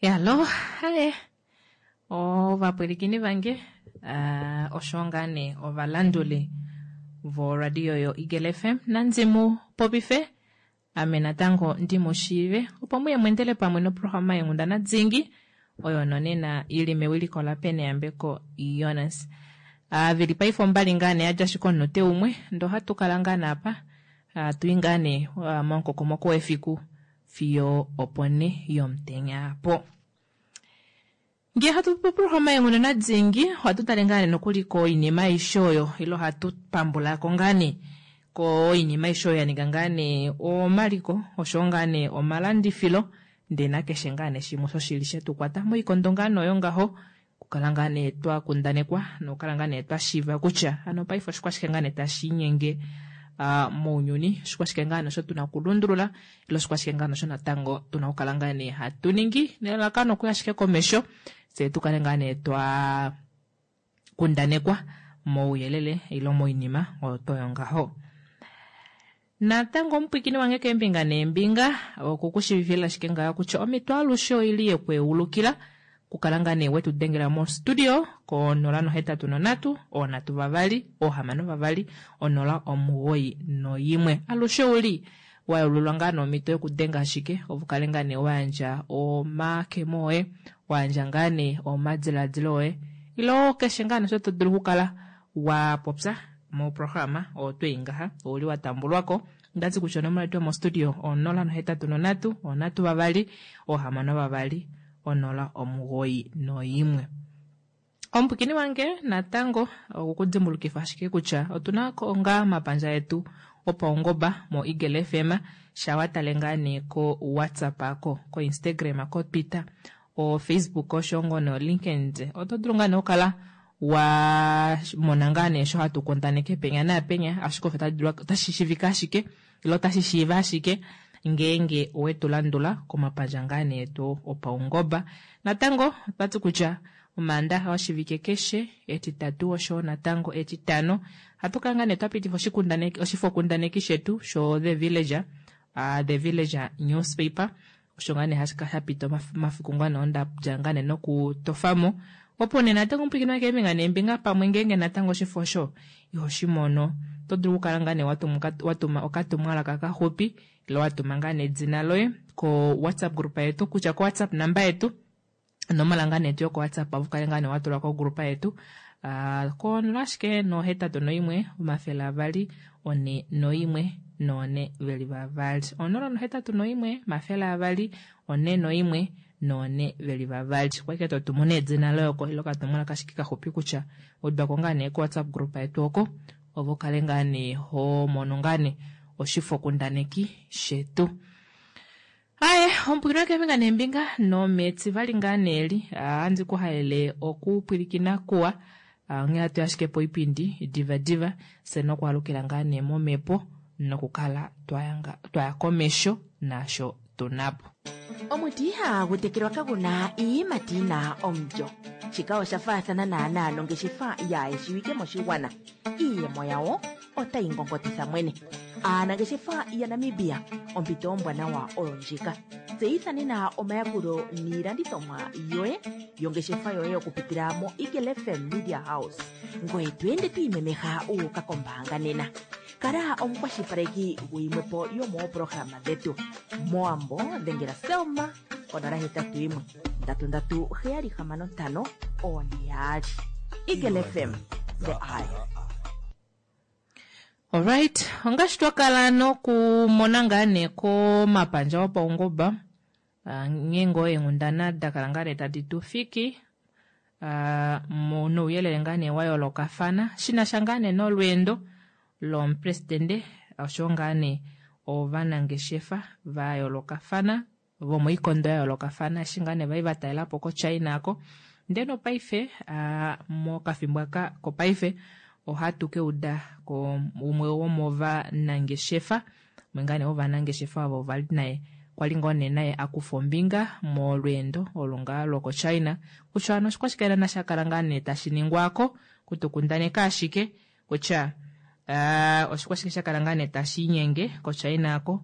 Hallo, haye ovapwilikini vange osho ngaa nee ovalanduli voradio yoEagle FM nandi mu popife ame natango ndi mu shiive opo muye mwendele pamwe noprograma yenghundana dingi oyo nonena ili mewiliko laPeneyambeko Jonas. Veli paife ombali ngaa nee yadja ashike omunute umwe ndoo ohatu kala ngaa naapa hatu i ngaa nee momukokomoko wefiku fiyo oponhe yomutenya apo. Ngee hatu popi oprograma yenghundana dingi ohatu tale ngaa nee nokuli koinima aishe oyo ile ohatu pambulako ngaa nee koinima aishe oyo ya ninga ngaa nee omaliko oshowo ngaa nee omalandifilo ndee nakeshe ngaa nee shimwe osho shili shetukwata moikondo ngaa nee oyo ngaho okukala ngaa nee twa kundanekwa nokukala ngaa nee twa shiiva kutya hano paife oshikwashike ngaa nee tashi inyenge mounyuni, oshikwashike ngaa nee osho tuna okulundulula ile oshikwashike ngaa nee osho natango tuna okukala ngaa nee hatu ningi nelalakano okuya ashike komesho fyee tukale ngaa nee twa kundanekwa mouyelele ile moinima oyo toyo ngaho. Natango omupwikini wange keembinga neembinga okukushivifila ashike ngaho kutya omhito alushe oili yekweulukila okukala ngaa nee wetu dengela mo studio ko 083 326 062 091. Alushe ouli wayeululwa ngaa nomhito yokudenga ashike opo ukale ngaa nee wayandja omakemo oye, wayandja ngaa nee omadiladilo oye ile keshe ngaa nee osho to dulu okukala wa popya moprograma oyo twei ngaha ouli wa tambulwako. Ndati kutya onomola yetu yomostudio 083 326 062 091. Omupwikini wange natango okukudimbulukifa ashike kutya otuna ngaa omapandja etu opaungoba mo Eagle FM shawa tale ngaa nee ko WhatsApp ko, ko Instagram, ko Twitter, o Facebook osho ngoo no LinkedIn. Oto dulu ngaa nee okukala wa mona ngaa nee sho hatu kundaneke penya naapenya, ashike osho otashi shivika ashike ile otashi shiiva ashike ngeenge owetu landula komapandja ngaa nee etu opaungoba. Natango otwati kutya Omaandaxa oshivike keshe, Etitatu oshowo natango Etitano, ohatu kala ngaa nee twa pitifa oshifokundaneki shetu sho The Villager, The Villager newspaper, osho ngaa nee hashi kala sha pita omafiku ngaa nee onda dja ngaa nee nokutofamo. Opo nee natango omupwiikini wange keembinga neembinga pamwe ngeenge natango oshifo osho iho shi mono, oto dulu okukala ngaa nee watuma okatumwalaka kaxupi ile watuma ngaa nee edina loye ko WhatsApp group yetu, kutya ko WhatsApp number yetu onomola ngaa nee yoko WhatsApp opo ukale ngaa nee watulwa kogrupa yetu ko 0 ashike no 81 200 41 4 veli vavali 0 81 200 41 4 veli vavali. Okwa ike totumu nee edina loye oko ile okatumwalaka ashike kaxupi kutya udwako ngaa nee ko WhatsApp group yetu oko opo ukale ngaa nee ho mono ngaa nee oshifokundaneki shetu. Aye, omupwilikini wakeembinga neembinga nometivali ngaa nee li ohandi ku halele okupwilikina kuwa. Onghee hatu ashike poipindi diva diva fye nokwaalukila ngaa nee momhepo nokukala twaya komesho naasho tunapo. Omuti ihaagu tekelwa kagu na iiyimati yi na omulyo. Shika osha faathana naanaa nongeshefa yaa shiwike moshigwana. Iiyemo yawo otayi ngongotitha mwene. Aanangeshefa yaNamibia, ompito ombwanawa oyo ndjika. Tseyitha nena omayakulo niilandithomwa yoye yongeshefa yoye okupitila moEagle FM Media House. Ngoye to ende to imemeha wu uka kombaanga nena. Kala omukwashilipaleki guyimwe po yomoopolohalama dhetu. Mowambo dhengela Selma konola hetatu yimwe ndatu ndatu heyali hamano ntano oone yaali. Eagle FM, the eye. Alright, ongaashi twa kala nokumona ngaa nee komapandja opaungomba nghee ngoo eenghundana da kala ngaa nee tadi tu fiki nouyelele ngaa nee wa yoolokafana shi na sha ngaa nee nolweendo lomupresidente oshowo ngaa nee ovanangeshefa va yoolokafana vomoikondo ya yoolokafana eshi ngaa nee vai va talela po koChina ako. Ndele nopaife mokafimbo aka kopaife ohatu ke uda ko umwe womovanangeshefa umwe ngaa nee wovanangeshefa ovo vali naye kwali ngoo nee naye akufa ombinga molweendo olo ngaa lokoChina kutya hano oshikwashike naana sha kala ngaa nee tashi ningwako kutukundaneka ashike kutya oshikwashike sha kala ngaa nee tashi inyenge koChina ako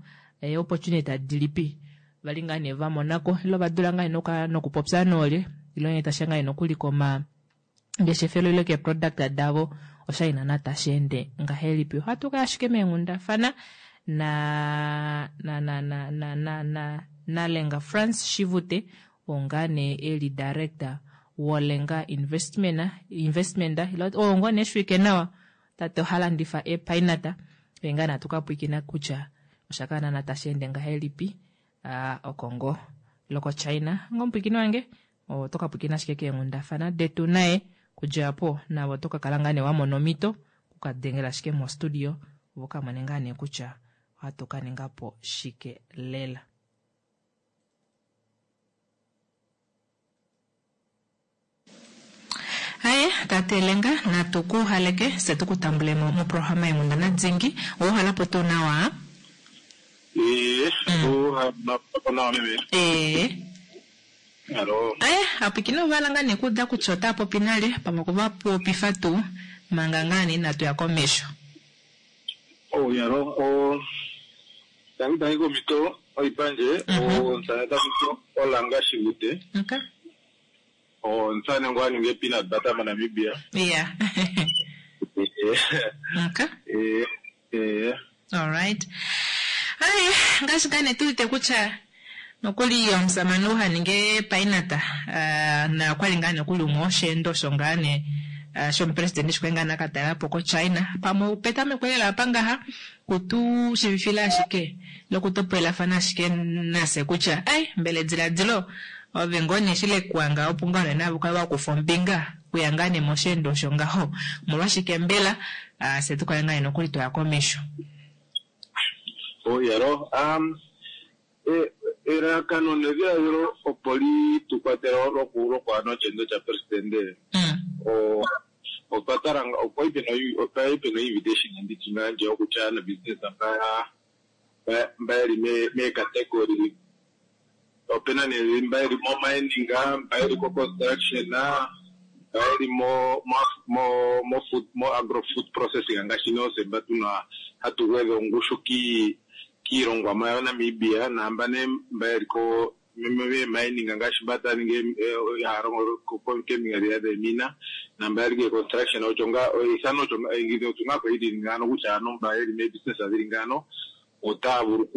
opportunity dilipi. Vali ngaa nee vamonako ile ovadula ngaa nee nokupopya noolye ile nghee tashiya ngaa nee nokuli komangeshefelo ile keeproduct davo oshali naana tasheende ngahelipi. Ohatu kaya ashike meenghundafana na na na na na na na naLenga Frans Shivute oo ngaa nee eli director woLenga Investment Investment ile oo ngoo nee eshiwike nawa tate oha landifa eepainata oye ngaa nee atukapwiikina kutya oshakala naana tasheende ngahelipi oko ngoo lokoChina. Ngomupwiikini wange oto kapwiikina ashike keenghundafana detu naye kudja po navo oto kakala ngaa nee wamona omhito okukadengela ashike mostudio opo kamone ngaa nee kutya ohatu kaningapo shike lela. Aye tate Lenga natu ku haleke se tu ku tambulemo moprograma yenghundana dingi ouhalapo tuu nawa? Ee, ouhalapo nawa meme. Ee. Alo. Aye, apwikina ovala ngaa nee kuuda kutya otaa popi nale pamwe okuva popifa tuu manga ngaa nee inatu ya komesho. Oh, yalo, oh, tangi tangi komito oipandje, omusane takuti Olanga Shivute. Okay. Omusane ngo aninga peanut butter moNamibia. Yeah. Okay. Alright. Aye, ngaashi ngaa nee tuwete kutya nokuli omusamane ou haninge painata na okwali ngaa nokuli umwe wosheendo osho ngaa nee shomupresidente eshi kwali ngaa nee akatalelapo koChina pamwe petameko lela apa ngaha kutu shivifila ashike lokutopolelafana ashike nase kutya ai mbela ediladilo ove ngoo nee eshi lekuwanga opo ngaho nee navo kale wakufa ombinga kuya ngaa nee mosheendo osho ngaho omolwashike mbela fye tukale ngaa nee nokuli twaya komesho. Oh, yalo, elalakano nedhiladhilo opo li tu kwatele lokuya nosheendo shapresidente otwa tala okwa li pena invitation nditye ngaa ndje okutya aanabusiness mba yeli meecategory opena nee mba yeli mo mining, mba yeli ko construction, mba yeli mo mo food mo agro food processing ngaashi noose mba tuna hatu gwedha ongushu kiilongwamo yaNamibia naamba nee mba yeli ko mining ngaashi mba taya ningi haya longo keembinga dhiya dheemina naamba yeli ke construction osho ngaa eithano osho ngaa kwali lili ngaano kutya aantu mba yeli meebusiness dhili ngaano otaya vulu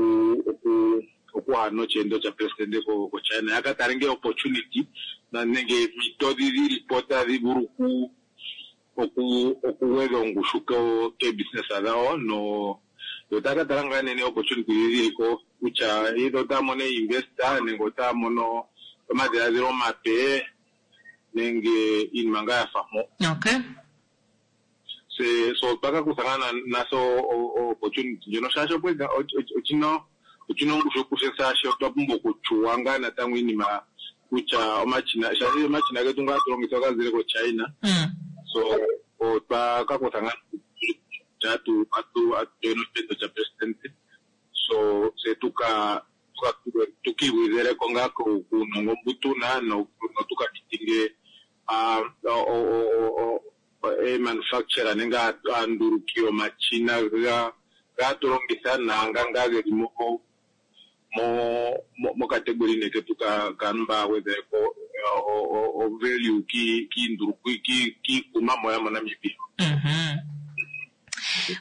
okuya nosheendo shapresidente koChina yaka tale ngee opportunity nenge eempito dhi dhilipo tadhi vulu okugwedha ongushu keebusiness dhawo no yo taya ka tala ngaa nee opportunity dhi dhiliko kutya either otaya mono investor nenge otaya mono omadhiladhilo omape nenge iinima ngaa yafa mpo. Okay. So otwa ka kutha ngaa naso opportunity ndjono shaashi ochina ongushu kufye shaashi otwa pumbwa okuchuwa ngaa natango iinima kutya omashina shaashi omashina getu ngaa hatu longitha ogazile koChina. So otwa ka kutha ngaa atu join osheendo shapresidente so tse tukiigwedheleko ngaa kuunongo mbu tuna notuka mitinge eemanufacturer nenge aanduluki yomashina gaatu longitha naanga ngaa geli mocategory nee ketu kaantu mba haya gwedheleko o value kiikunwamo yamoNamibia.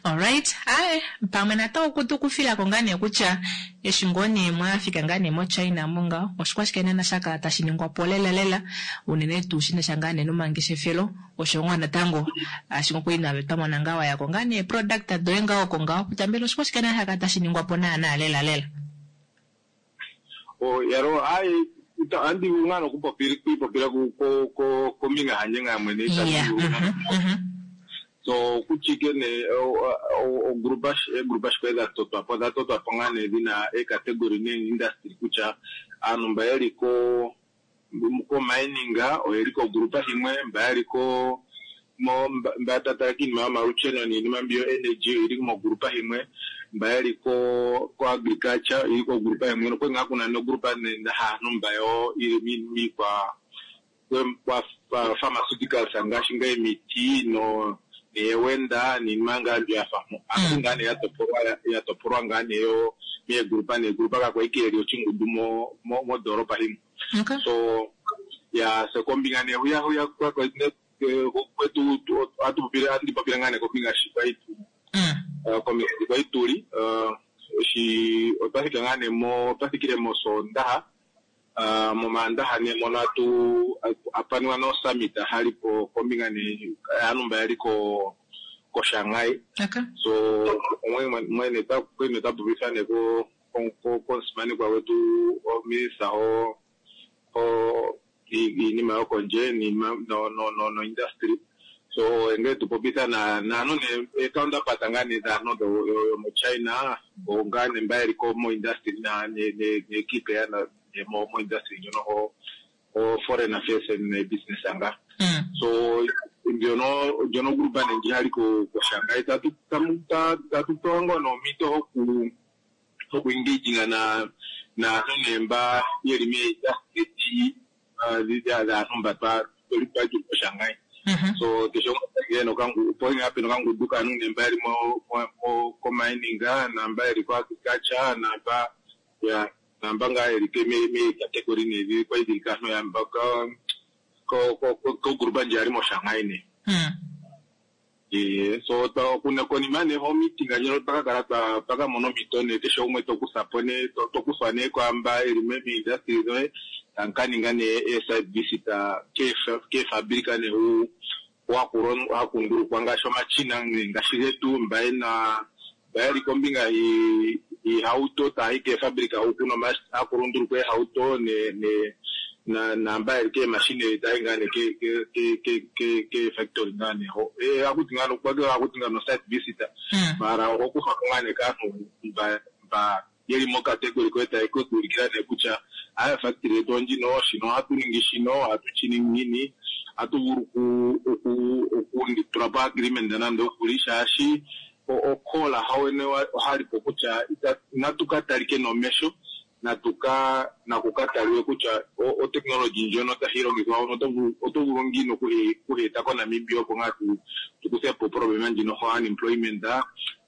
Alright, aye pamwe natango tukufilako ngaa nee kutya eshi ngoo nee mwafika ngaa nee moChina mo ngaho oshikwashike naana shakala tashi ningwapo lela lela unene tuu shinasha ngaa nee nomangeshefelo osho ngoo natango ashi ngoo kwali nave twamona ngaa wayako ngaa nee product doye ngaho oko ngaho kutya mbela oshikwashike naana shakala tashi ningwapo naana lela lela. Yalo aye andi vulu ngaa nokwiipopila kombinga yandje ngaa mwene. So kutya ike nee ogrupa eegrupa shi kwali dha totwapo odha totwapo ngaa nee dhina eecategory nee-industry kutya aantu mba yeli ko mining oyeli kogrupa himwe, mba yeli ko mba tatala kiinima yomalusheno niinima mbi yo energy oyili mogrupa himwe, mba yeli ko agriculture oyili kogrupa himwe nokwali ngaa kuna nogrupa haantu mba yo ili miikwa pharmaceuticals ngaashi ngaa emiti no. neewenda niinima ngaa mbi ya fa mo. Aantu ngaa nee ya topolwa ngaa nee yo meegrupa neegrupa kakwa ike yeli oshingundu mondoolopa yimwe. So ya se kombinga nee huya huya kwetu andi popile ngaa nee kombinga shi kwali kombinga shi kwali tuli shi otwa thika ngaa nee otwa thikile moSoondaha momaandaha nee mono apaniwa no summit hali po kombinga nee aantu mba yali koShanghai. So mwene tapopitha nee komusimanekwa gwetu ominista iinima yokondje no industry. So ngele tupopitha naantu nee counterpart ngaa nee dhaantu yomoChina ngaa nee mba yeli mo industry neekipe mo industry ndjono ho foreign affairs and business anga. So ndjono grupa nee ndji hali koShanghai tatu pewa ngoo noompito hoku engaginga naantu nee mba yeli meindustry dhaantu mba twali koShanghai. So keshe opo ngaa pena okangundu kaantu nee mba yeli komining naamba yeli koagriculture naamba naamba ngaa yeli meecategory nee kwali dhili kaantu yamba kogrupa ndji yali moShanghai nee. So konima nee ho meeting ndjono twakakala twakamona ompito nee keshe gumwe tokusapo nee tokuthwa nee kwaamba yeli meindustry dhoye tankaninga nee site visit keefabulika nee hakundulukwa ngaashi omachina ngaashi getu mba yena mba yeli kombinga iihauto taayi keefabulika huku hakulundulukwa eehauto naamba yeli keemashine tayi ngaa nee keefactory ngaa nee ho hakuti ngaa hakuti ngaa no site visit mara ohokuthwako ngaa nee kaantu mba yeli mocategory koye taye kuulikila nee kutya aya factory yetu ondjino shino ohatu ningi shino ohatu shi ningi ngiini ohatu vulu okutula po agreement nande okuli shaashi okola hawene ohalipo kutya inatu ka talike nomesho naku ka taliwe kutya oteknologi ndjono tahi longithwa oto vulu ngiini okuhi eta koNamibia opo ngaa tukuthe po problema ndjino ho unemployment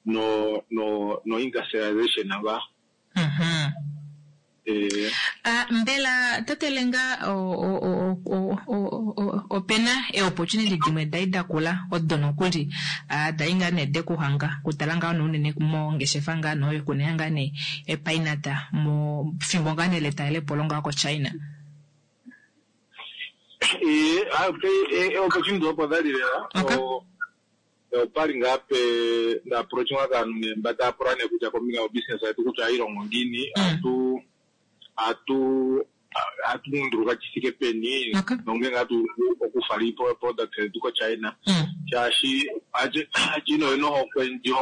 no industrialization nga. Mbela tate Lenga opena eopportunity dimwe dai dakula odo nokuli dai ngaa nee dekuhanga kutala ngaa unene mongeshefa ngaa noyo kuneya ngaa nee epainata mofimbo ngaa nee letalelepo lo ngaa koChina? Opportunity opo dhali lela. Opali ngaa pe nda approachwa kaantu nee mba taya pula nee kutya kombinga yobusiness yetu kutya ohayi ngiini, atu nduluka shi thike peni nongele hatu okufala product yetu koChina shaashi China oyena ohokwe ndji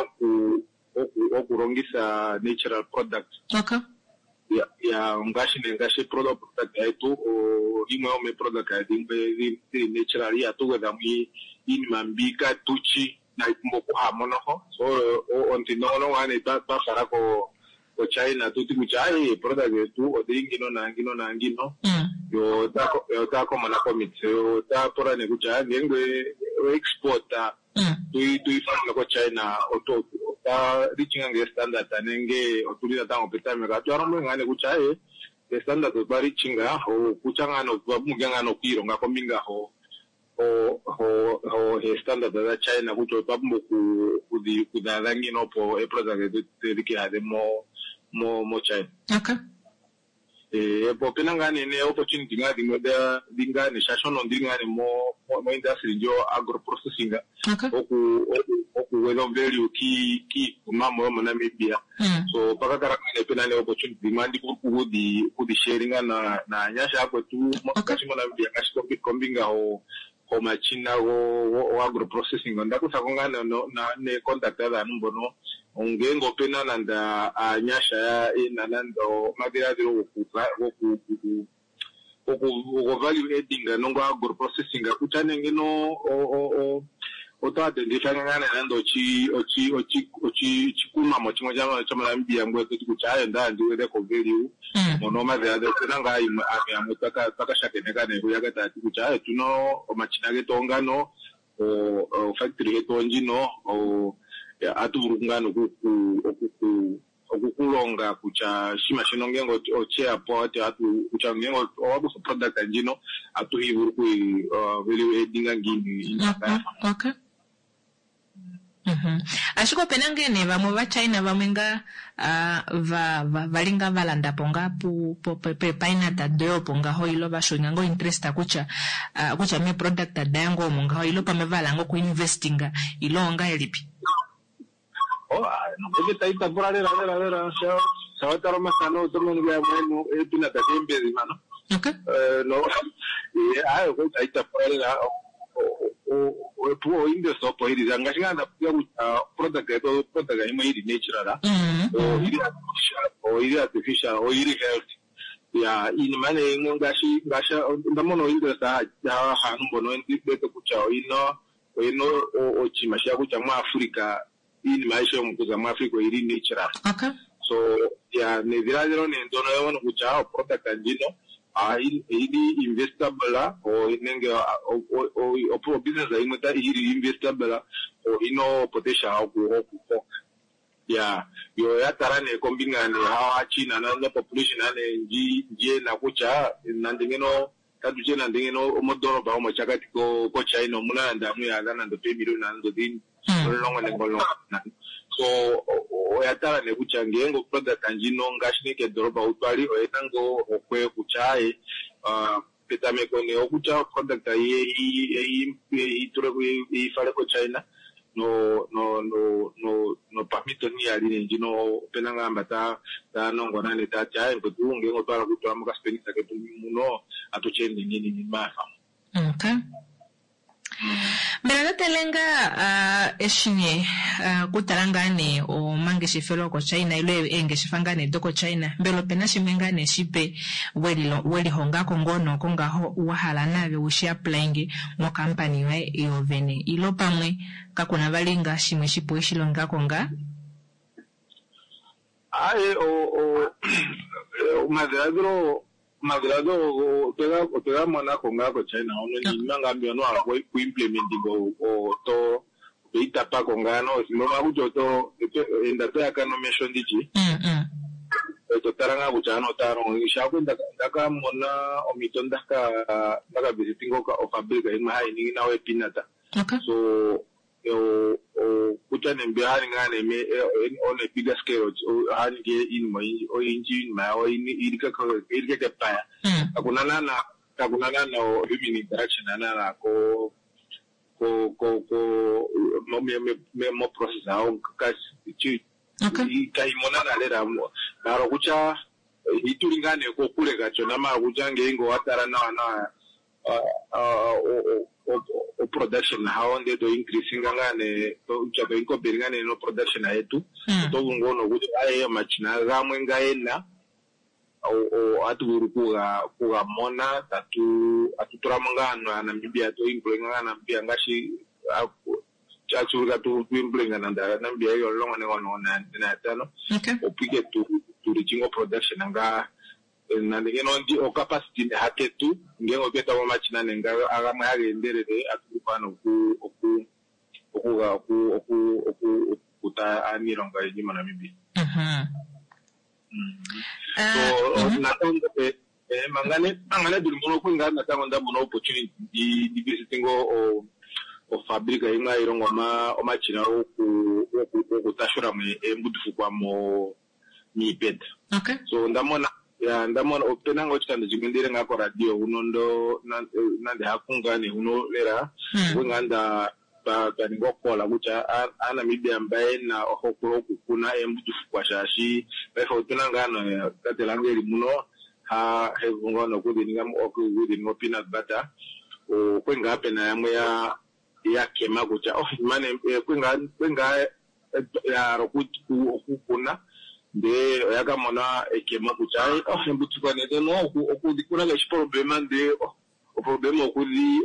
okulongitha natural product. Ya ngaashi nee ngaashi product yetu yimwe yomeeproduct dhimwe dhili natural ihatu gwedhamo iinima mbi katuchi inayi pumbwa okuhamo noho. So omuthindo ngono ngaa nee twafala koChina tuti kutya ayi product yetu odhili ngino naangino naangino yo otaya komona komitse yo otaya pula nee kutya ngenge export tuyi fale koChina otwa reachinga nge standard nenge otuli natango petameko. Atu yalombwele ngaa nee kutya aye standard otwa reachinga okutya ngaa nee otwa pumbwa ngaa nee okwiilonga kombinga ho standard dha China kutya otwa pumbwa okudhi adha ngiini opo eproduct dhetu dhike adhe moChina. Po opena ngaa nee opportunity ngaa dhimwe dhi ngaa nee shaashi ono ndili ngaa nee mo industry ndjo agro processing okugwedha value kiikunwamo yomoNamibia. So pakakala ngaa nee pena nee opportunity dhimwe andi vulu okudhi sharinga naanyasha yakwetu ngaashi moNamibia ngaashi kombinga homachina go agro processing. Onda kuthako ngaa nee contact dhaantu mbono ngenge opena nande aanyasha yena nande omadhiladhilo goku value adding nongo agro processing kutya nenge no oto identify ngaa nande oshikunwamo shimwe shomoNamibia ngoye toti kutya aye onda ndi gwedheko value mono omadhiladhilo. Opena ngaa yimwe aantu yamwe twaka shakeneka nee kuyaka taya ti kutya aye tuna omashina getu ongano. Ofactory yetu ondjino atu vulu ngaa okukulonga kutya shima shino ngenge ocheyapo kutya ngenge owakufa product ndjino atu hivulu okuyi value addinga ngiini. Okay. Ashike opena ngee nee vamwe vaChina vamwe ngaa vali ngaa valanda po ngaa peepainata doye opo ngaho ilo vashonga ngoo interest kutya kutya mee product daye ngoo omo ngaho ilo pamwe vahala ngoo okuinvestinga ilo ongahelipi? Nenge tayi tapula lela lela lela shawatala omathano oto mono yamwe eepinata keembezi mano. Okay. Ayi tayi tapula lela opuwo oinvest opo ili ngaashi ngaa ndapopya kutya product yetu product yimwe ili natural, oyili artificial, oyili healthy. Ya iinima nee imwe ngaashi onda mona oinvest haanhu mbono ndete kutya oyina oshinima shiya kutya muAfrica iinima aishe yomukuza muAfrica oyili natural. Okay. So ya nedhiladhilo nee ndono yamono kutya oproduct ndjino oyili investable nenge obusiness yimwe yili investable oyina potential okukoka. Ya yo yatala nee kombinga nee hawa China na population nee ndjena kutya nande ngeno tatutye nande ngeno omodoropa omochakati ko China omuna nande amwe yaadha nande opemiliona nande odhini 10 nenge 15. So oya tala nee kutya ngeenge oproduct ndjino ngaashi nee kedoropa utwali oyena ngoo ohokwe kutya aye petameko nee okutya oproduct ifale koChina nopamhito niyali nee ndjino opena ngaa mba taya nongona nee tati aye mkwetu ngeenge otwa hala okutula mokaspenisa ketu muno atu ende ngiini iinima yafa. Okay. Mbela tate ngaa eshi nee kutala ngaa nee omangeshefelo koChina ile eengeshefa ngaa nee dokoChina, mbela opena shimwe ngaa nee shipe welihongako ngoo nooko ngaho wahala naave ushi applyinge mokampani yoye yoovene ilo pamwe kakuna vali ngaa shimwe shipe weshilongako ngaa? Aye omadhiladhilo otwega monako ngaa koChina hono niinima ngaa mbyono wahala okuimplementinga oto itapako ngaa no kutya oto enda toyaka nomesho ndityi to tala ngaa kutya ano otaya longo shaako ndaka mona ompito ndaka visitinga ofabrika yimwe hayi ningi nawa eepinata. So kutya nee mbi haningi ngaa nee on a bigger scale haningi iinima oyindji iinima yawo ili kekepaya. Kakuna naana human interaction naana ko mo process yawo kayimo naana lela maala okutya ituli ngaa nee kokule kashona maala okutya ngeenge owatala nawa nawa oproduction hawo ndee to increasinga ngaa nee kutya to incorporate ngaa nee noproduction yetu oto vulu ngoo nokutya aye omashina gamwe nga yena ohatu vulu kuga mona tatu tulamo ngaa aantu aaNamibia to employinga ngaa Namibia ngaashi tashi vulika tu employinga nande aaNamibia yeli 10 nenge 15 opo ike tu reachinge oproduction ngaa nande ngeno ocapacity haketu ngenge otwa etamo omashina nee gamwe haga endelele atu vulu ngaa okukuta aaniilonga oyendji moNamibia. So natango manga nee tuli mpono okwali ngaa natango ndamona opportunity ndi visitinge ofabrika yimwe hayi longo omashina gokutashulamo eembundufukwa miipeta. So ndamona opena ngaa oshikando shimwe ndiyile ngaa koradio huno nande haku ngaa nee huno lela okwali ngaa twaninga okola kutya aaNamibia mba yena ohokwe yokukuna eembundufukwa shaashi paife otuna ngaa tate lange eli muno hevulu ngaa nokudhininga opeanut butter okwali ngaa pena yamwe yakema kutya okwali ngaa yahala okukuna ndee oya kamona ekemo kutya eembundufukwa nee dhono okudhikuna kayishi problema ndee oproblema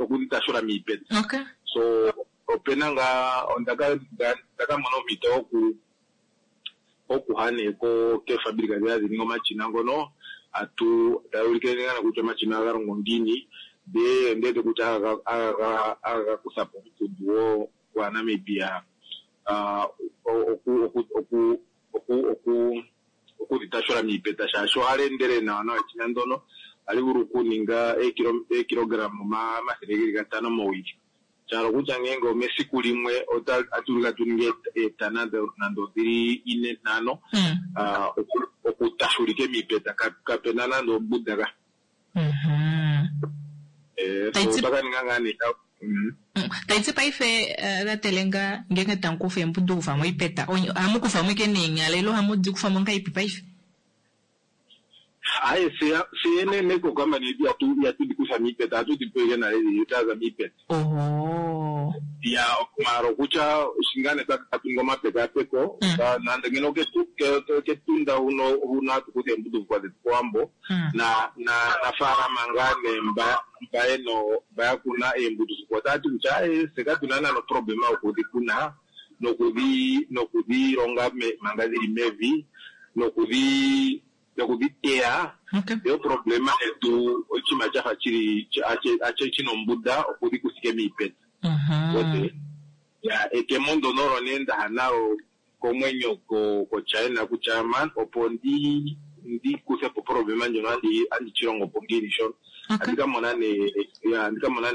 okudhitashula miipeta. So opena ngaa ondaka mona ompito okuha nee keefabulika dhi hadhi ningi omashina ngono taya ulike ngaa kutya omashina ohaga longo ngiini. Ndee ondiwete kutya aga kutha po omukundu gwaNamibia okudhitashula miipeta shaashi ohali endelele nawa nawa eshina ndono ohali vulu okuninga eekilograma 500 mowili. Sha hala okutya ngeenge omesiku limwe otatu ulike atu ningi eetana nande odhili 4 5 okutashulike miipeta kapena nande ombuda ka. Otaka ninga ngaa nee. Taiti paife latelenga ngeenge tamu kufa eembudu kufa moipeta ohamu kufa mo ike neenyala ile ohamu di kufa mo ngahelipi paife? Aye siyene nekokampani yetu ihatu di kutha miipeta, ohatu di pewa ike nale dhaza miipeta. Oho. Ya mara okutya shingane tatu ningi omapekapeko nande ngeno ketunda huno hatu kutha eembudufukwa dhetu kOwambo na nafaalama ngaa nee mba mba yakuna eembudufukwa otaya ti kutya aye fye katuna naana oproblema yokudhi kuna nokudhi longa manga dhili mevi nokudhi teya. Yo problema yetu oshinima shafa shili shina ombuda okudhi kuthike miipeta. Ya ekemo ndono olo nee ndaha nalo komwenyo koChina kutya man opo ndi kuthe po problema ndjono andi chilongo po ngiini shono. Andika mona nee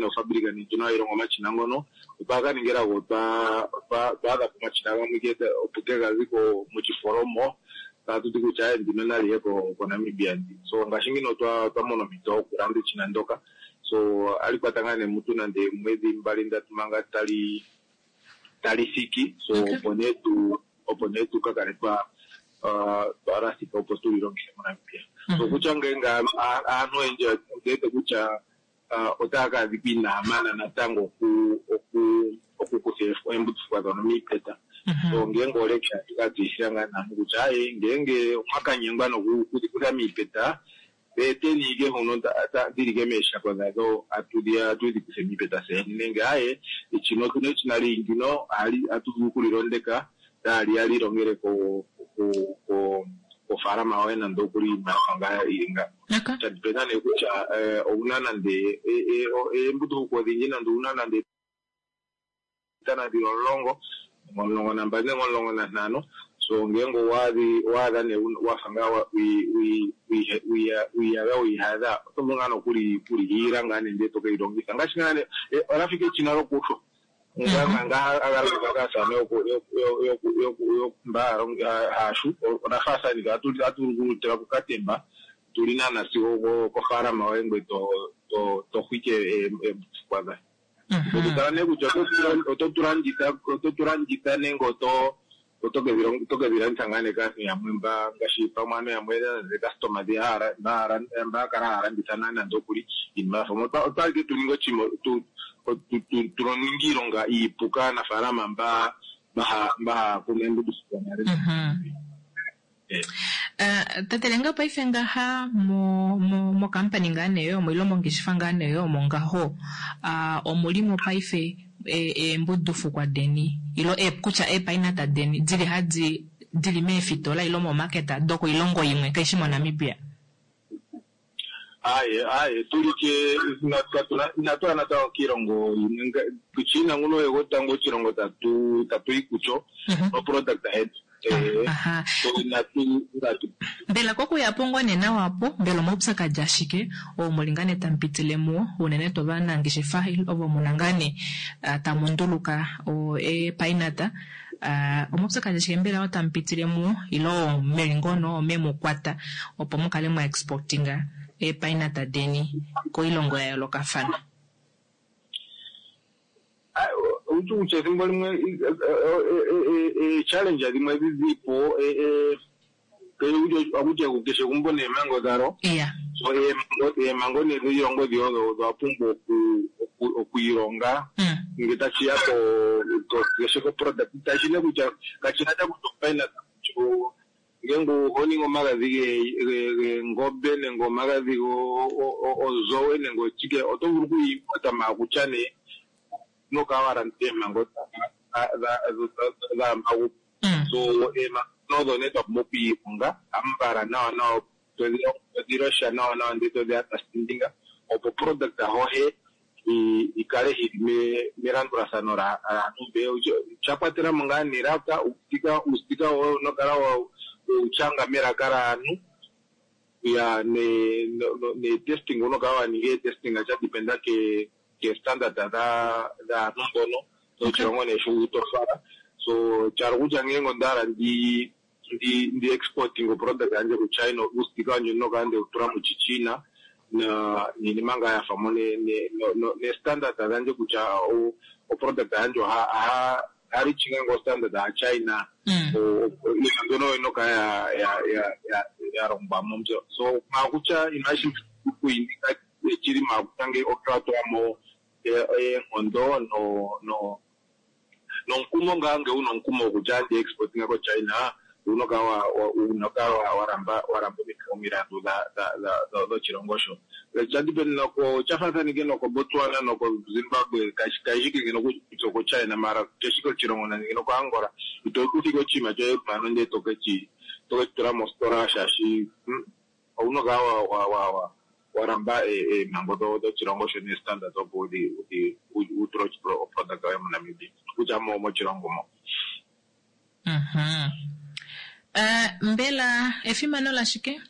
ofabrika nee ndjono hayi longo omashina ngono otwa ka ningila go twa adha po omashina gamwe opo kegazi ko mochifolomo tatu ti kutya ndino naliye koNamibia ndi. So ngaashi ngino otwa mona ompito yokulanda eshina ndoka. So ali kwata ngaa nee mutu nande mwedhi 2 3 manga tali thiki. So opo nee tu ka kale twa lathika opo tu lilongithe moNamibia. So kutya ngeenge aantu oyendji ondiwete kutya otaya ka adhika inaya mana natango okukutha eembudufukwa dhono miipeta. So ngeenge oleke atuka tseyithila ngaa naantu kutya aye ngeenge omwakanyengwa nokudhi kutha miipeta eteni ike huno dhilike meeshako dhadho atudhi kuthe miipeta seni nenge aye echino otuna echina lingino atu vulu okulilondeka tali ya lilongele kofaalama yoye nande okuli iimaliwa ngaa ili nga. Shadipenda nee kutya ouna nande eembudufukwa odhindji nande ouna nande etana dhili 10, 12 nenge 15. So ngeenge owaadha nee wafa ngaa wiiyadha oto vulu ngaa nokulihiila ngaa nee ndele tokeyi longitha ngaashi ngaa nee olafika echina lokushwa nga agalongithwa kaasamane mba haashu olafaafanika atu vulu okulitula kokatemba tuli naana sigo kofaalama yoye ngoye to xwike eembudufukwa dhayo. Totala nee kutya oto tulanditha nenge oto kedhi landitha ngaa nee kaantu yamwe mba ngaashi pamwe aantu yamwe customer mba kala haya landitha nande okuli iinima yafa. Otwali tuninge oshinima tuninge iilonga iipu kaanafaalama mba haya kunu eembudufukwa nale. Tatelenga paife ngaha mokampani ngaa nee yomo ile mongeshefa ngaa nee yomo ngaho omulimo paife eembudufukwa deni ilo kutya eepainata deni dili hadi dili meefitola ilo momaketa dokoilongo imwe kaishi moNamibia. Aye tulike inatu natango kiilongo imwe kuChina nguno yegotango oshilongo tatu yi kucho noproduct yetu. Mbela kokuya po ngoo nee nawa po mbela omaupyakadi ashike oo muli ngaa nee tamupitile muwo unene tuu ovanangeshefa ovo muna ngaa nee tamu nduluka eepainata omaupyakadi ashike mbela oo tamupitile muwo ilo meli ngono omemukwata opo mukale mwa exportinga eepainata deni koilongo ya yoolokafana. Kutya ethimbo limwe challenge dhimwe dhidhipo akutya keshe egumbo neemhango dhalo. So eemhango nee dhiilongo dhi odho odha pumbwa okwiilonga ngele tashiya keshe koproduct tashi ne kutya kashina sha kutya opainata ngeenge oho ningi omagadhi geengombe nenge omagadhi ozowe nenge ochike oto vulu okuyiimpota maakutya nee nokala wa landitha eemhango dhaamagu. So eemhango odho nee twa pumbwa okwiilonga ambala nawa nawa todhi losha nawa nawa ndele todhi understandinga Opo product hohe ikale hili melandulathano laantu mbe sha kwatela mo ngaa nelaka uustika woye unokala weuchanga melaka laantu ya ne ne testing unokala waninga etesting sha dependa ke standard dhaantu mbono dhoshilongo nee sho utofala. So tyalo kutya ngenge ondahala ndi exporting oproduct yandje ku China, uustika wandje unokala ndeutula muchichina na niinima ngaa yafa mo ne standard dhandje kutya oproduct yandje oha reachinga ngo standard ya China. Mbyono inokala ya longwa mo mbyo. So makutya inashi kuindika chili makutya nge otwatwamo eenkondo nomukumo ngaa nge una omukumo wokutya ndi exportinga ko China unokala waramba omilandu dhoshilongo sho. Chafaathanike noko Botswana noko Zimbabwe kashike ngeno kutya oko China mara keshike oshilongo nande noko Angola ito kuthika oshinima shoye mpano ndele tokeshi tula mositola shaashi ounokala waramba eemhango dhoshilongo sho ne standard opo utule oproduct yoye moNamibia kutya moshilongo mo. Mbela efimano lashike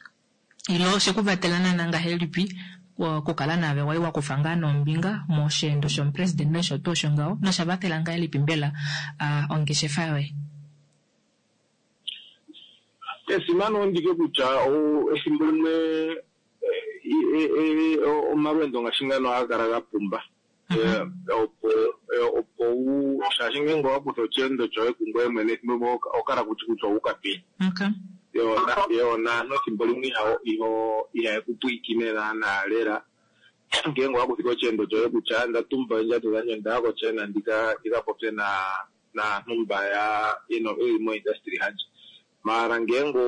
ilo shekuvatela naana ngahelipi okukala naave wai wakufa ngaa nombinga mosheendo shomupresident nosho tuu osho ngaho nosha vatela ngahelipi mbela ongeshefa yoye? Esimano ndike kutya ethimbo limwe omalweendo ngaashi ngano ohaga kala ga pumba. Opo shaashi ngenge owakutha osheendo shoye kungoye mwene ethimbo limwe oho kala kutya kutya owuka peni. Yo naantu ethimbo limwe ihaye ku pwiikine naana lela. Ngenge owakuthika osheendo shoye kutya ndatumba oondjato dhandje ondaya koChina ndika popye naantu mba yeli mo industry handje. Maala ngenge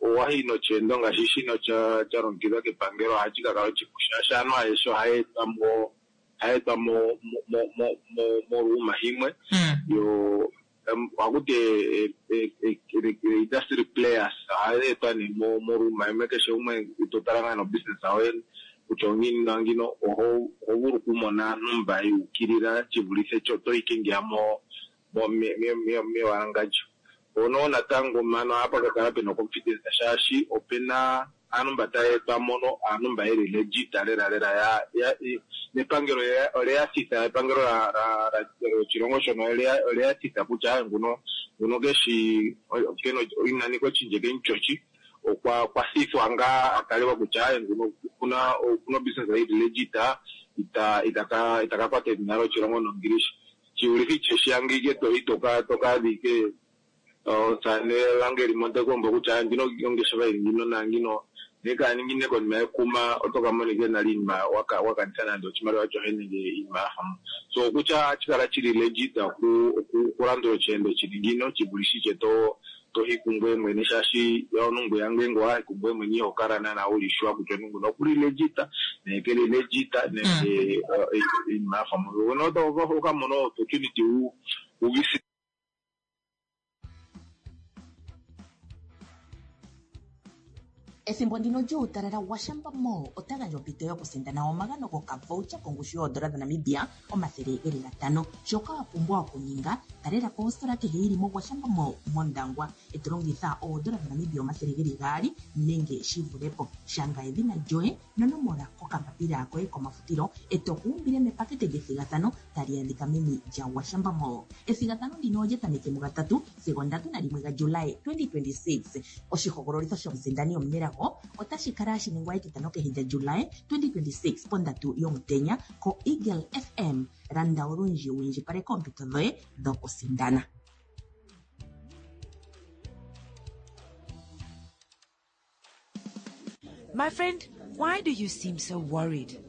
owayi nosheendo ngaashi shino sha longekidhwa kepangelo ohashi ka kala oshipu shaashi aantu ayehe ohaya etwa moluuma himwe. Yo ohakuti industry players ohaya etwa nee moluuma himwe keshe umwe totala ngaa nobusiness yoye kutya ongiini nangino oho vulu okumona aantu mba yuukilila shivulithe sho toyi ngeya mewangandjo. Ono natango mano ohapa kakala pena confidence shaashi opena aantu mba taya etwa mono aantu mba yeli legit lela lela nepangelo oleya thitha epangelo lyoshilongo shono oleya thitha kutya nguno keshi inanika oshindje kenchochi okwa thithwa ngaa atalelwa kutya nguno okuna obusiness yili legit itaka kwata edhina lyoshilongo nongilishi. Shiulithi shiyangike toyi tokaadhike omusamane langeli montekombo kutya ndino ongeshefa ili ngino nangino nekaningi konima yekuma otoka monika nale iinima wakanitha nande oshimaliwa shoye nenge iinima yafa mo. So kutya ohashi kala shili legit okulandula osheendo shili ngino shivulithe tohi kungoye mwene shaashi omuntu ngweya ngenge owayi kungoye mwene iho kala naana wuli sure kutya omuntu nguno okuli legit nenge keli legit nenge iinima yafa mo. Okamona opportunity wu visit. Ethimbo ndino lyuutalala Gwashamba Mall ota gandja ompito yokusindana omagano gokavoucher kongushu yoodola dhaNamibia 500. Shoka wa pumbwa okuninga, talela po ositola kehe yili moGwashamba Mall mOndangwa e to longitha oodola dhaNamibia 200 nenge shi vule po. Shanga edhina lyoye nonomola kokambapila koye komafutilo e to ku umbile mepakete lyethigathano tali adhika meni lyaGwashamba Mall. Ethigathano ndino olya tameke mugatatu sigo 31 gaJulai 2026. Oshihogololitho shomusindani omunelago otashi kala hashi ningwa etitano kehe lyaJulai 2026 pondatu yomutenya koEagle FM. Landa olundji wu indjipaleke oompito dhoye dhokusindana. My friend, why do you seem so worried?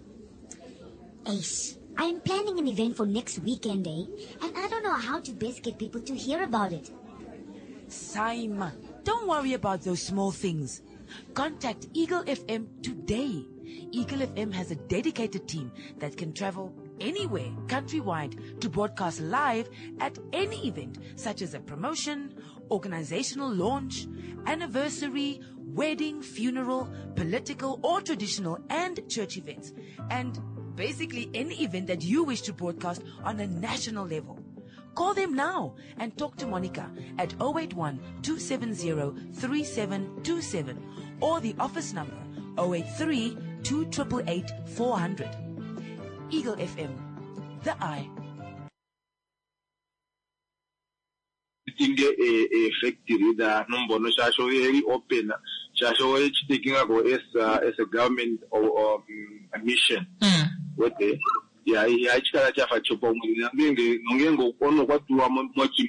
Ace, I'm planning an event for next weekend, eh? And I don't know how to best get people to hear about it. Saima, don't worry about those small things. Contact Eagle FM today. Eagle FM has a dedicated team that can travel anywhere countrywide to broadcast live at any event, such as a promotion organizational launch, anniversary, wedding, funeral, political or traditional and church events, and basically any event that you wish to broadcast on a national level. Call them now and talk to Monica at 081 270 3727 or the office number 083 288 400. Eagle FM, the eye. Tinge eefactory dhaanhu mbono shaashi oyeli open shaashi oyechi taking-ako as a government mission wete ya ihashi kala shafa shopaumwene nongenge nongenge omunhu okwa tulwa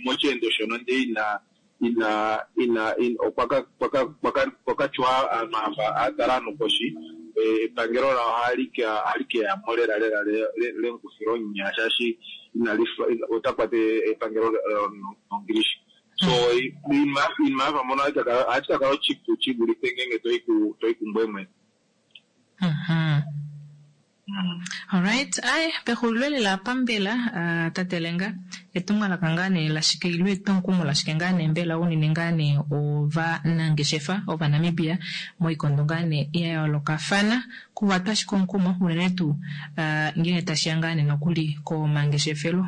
mosheendo shono ndee ina ina ina okwa ka tyuwa aanhu ava a tala aanhu koshi epangelo lao ohali ke yamo lela lela lemukufila onya shaashi ota kwata epangelo nongilishi. So iinima yafa mpono ohashi ka kala oshipu shi vulithe ngenge toyi kungoye mwene. Alright, ai pexulilo lela pambela uh, tate Lenga etumwalaka ngaa nee lashike ile etwomukumo lashike ngaa nee mbela unene ngaa nee ovanangeshefa Ovanamibia moikondo ngaa nee ya yoolokafana kuvatwa ashike omukumo unene tuu uh, ngenge tashiya ngaa nee nokuli komangeshefelo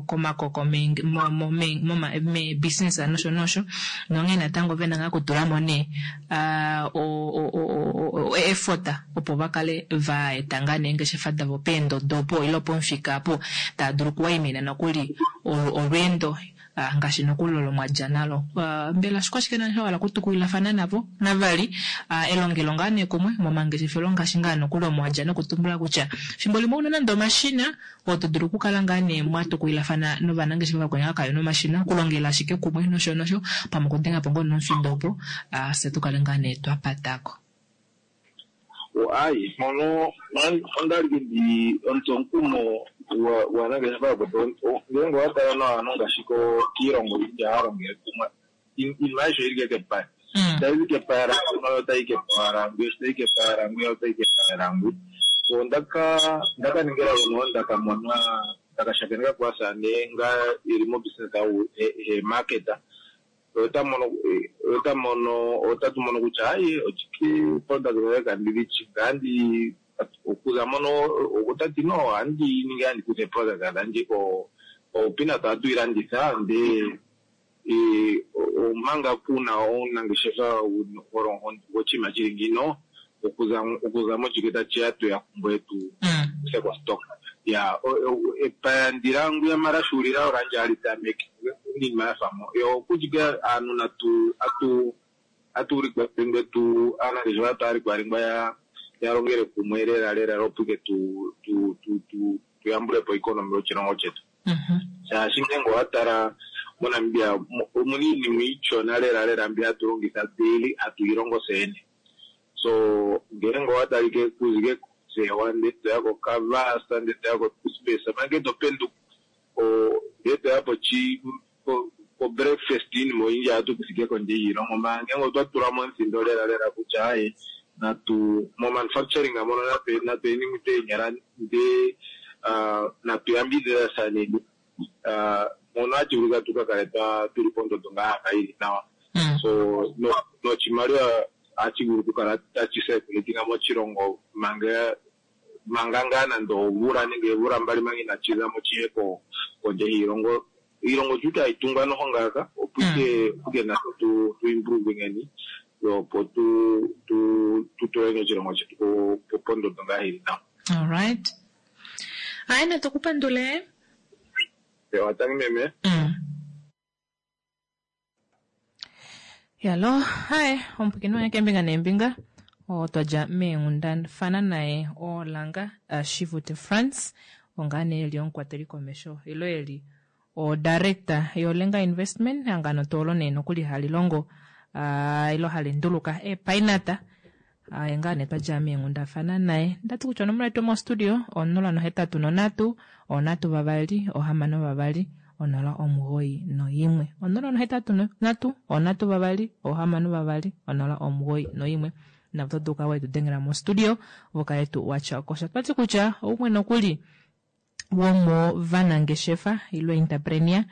komakoko meebusiness nosho nosho nonghee natango vena ngaa kutulamo nee uh, effort opo va kale va eta ngaa neengeshefa davo peendodo opo ile pomufika apo tava dulu okuwaimina nokuli olweendo ngaashi nokuli olo mwadja nalo. Mbela shikwashike nani wa hala okutukulilafana navo navali elongelo ngaa nee kumwe momangeshefelo ngaashi ngaa nokuli omo wadja nokutumbula kutya fimbo limwe ouna nande omashina oo to dulu okukala ngaa nee mwatukulilafana novanangeshefa vakweni ava kavena omashina okulongela ashike kumwe nosho nosho pamwe okudenga po ngoo nomufindo opo fye tukale ngaa nee twapatako. Ayi mpono ondali ndi omutsomukumo gwaanangeshefa yakwetu ngele owa tala nawa aantu ngaashi kiilongo oyindji ohaya longele kumwe iinima ayihe oyili kepaya tayizi kepaya languno otayi kepaya langwi tayi kepaya langwi otayi kepaya langwi. So ondaka ninga elago ndaka mona ndaka shakeneka kwaasane nga eli mo business he market ota mono otatu mono kutya aye ochike product yoye kandi ngandi okuza mono otati no ohandi ningi handi kutha product dhandje ko peanut ohatu yi landitha ndee omanga kuna omunangeshefa goshinima shili ngino okuza mochike tachiya tweya kungoye tu kuthe ko stock ya epaya ndilangu mara shuulila oranje hali tameke iinima yafa mo yo okuchike aantu natu atu atuulikwa tu aanangeshefa twaalikwa ya longele kumwe lela lela opo ike tu tu tu tu tuyambulepo economy yoshilongo chetu shaashi ngenge owa tala moNamibia omuna iinima iishona lela lela mbi hatu longitha daily hatu yi longo tseyene. So ngele owa talike kuzike kothewa ndele toya koKavasa ndele toya ko-toothpaste manga to penduka ndele toya po breakfast iinima oyindji ohatu kuthike kondje yiilongo manga ngele otwa tula mo omuthindo lela lela kutya aye natu mo manufacturing mono natu yeni tweenyala ndee natu yambidhidhathaneni mono hashi vulika tuka kale tuli pondondo ngaa yafa yili nawa. So noshimaliwa ohashi vulu okukala tashi circulating moshilongo manga manga ngaa nande omvula nenge oomvula mbali manga inashi zamo shiye kondje yiilongo. Iilongo sho itayi tungwa noho ngaaka opo ike natse tu improve-ngeni opo tu tu tuleni oshilongo shetu pondondo ngaa yili nawa. Alright. Ayi natukupandule. Ewa tangi meme. Yalo, hai, omupwiikini wange keembinga neembinga otwa dja meenghundafana naye Olanga Shivute Frans ongaa nee eli omukwateli komesho ilo eli o director yoLenga Investment ehangano tuu olo nee nokuli hali longo ilo hali nduluka eepainata aye ngaa nee twa dja meenghundafana naye ndati kutya onomola yetu yomostudio 083 3 6 2 091 083 3 6 2 091 navo oto dulu wetu dengela mostudio vokale tu watya okosha twati kutya oumwe nokuli womovanangeshefa ilo entrepreneur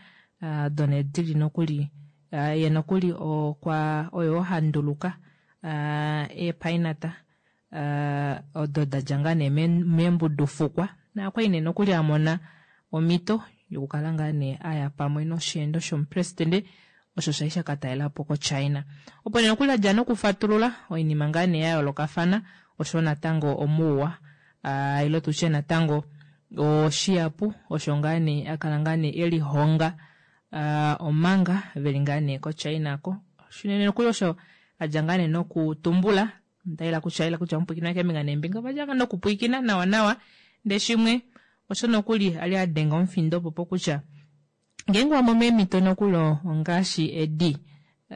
done dili nokuli. Ye nokuli okwa oyo ha nduluka eepainata odo da dja ngaa nee meembudufukwa nakwali nee nokuli a mona omhito yokukala ngaa nee a ya pamwe nosheendo shomupresidente osho shali sha ka talela po koChina. Opo nee nokuli a dja nokufatulula oinima ngaa nee ya yoolokafana osho natango omuuwa ile tutye natango oshiyapu osho ngaa nee a kala ngaa nee e lihonga omanga veli ngaa nee koChina ko. Shinene nokuli osho a dja ngaa nee nokutumbula ndaila kutya ila kutya omupwiikina keembinga neembinga ova dja ngaa nokupwiikina nawa nawa ndee shimwe osho nokuli a li a denga omufindo opo kutya ngeenge wa mono eemhito nokuli ongaashi edi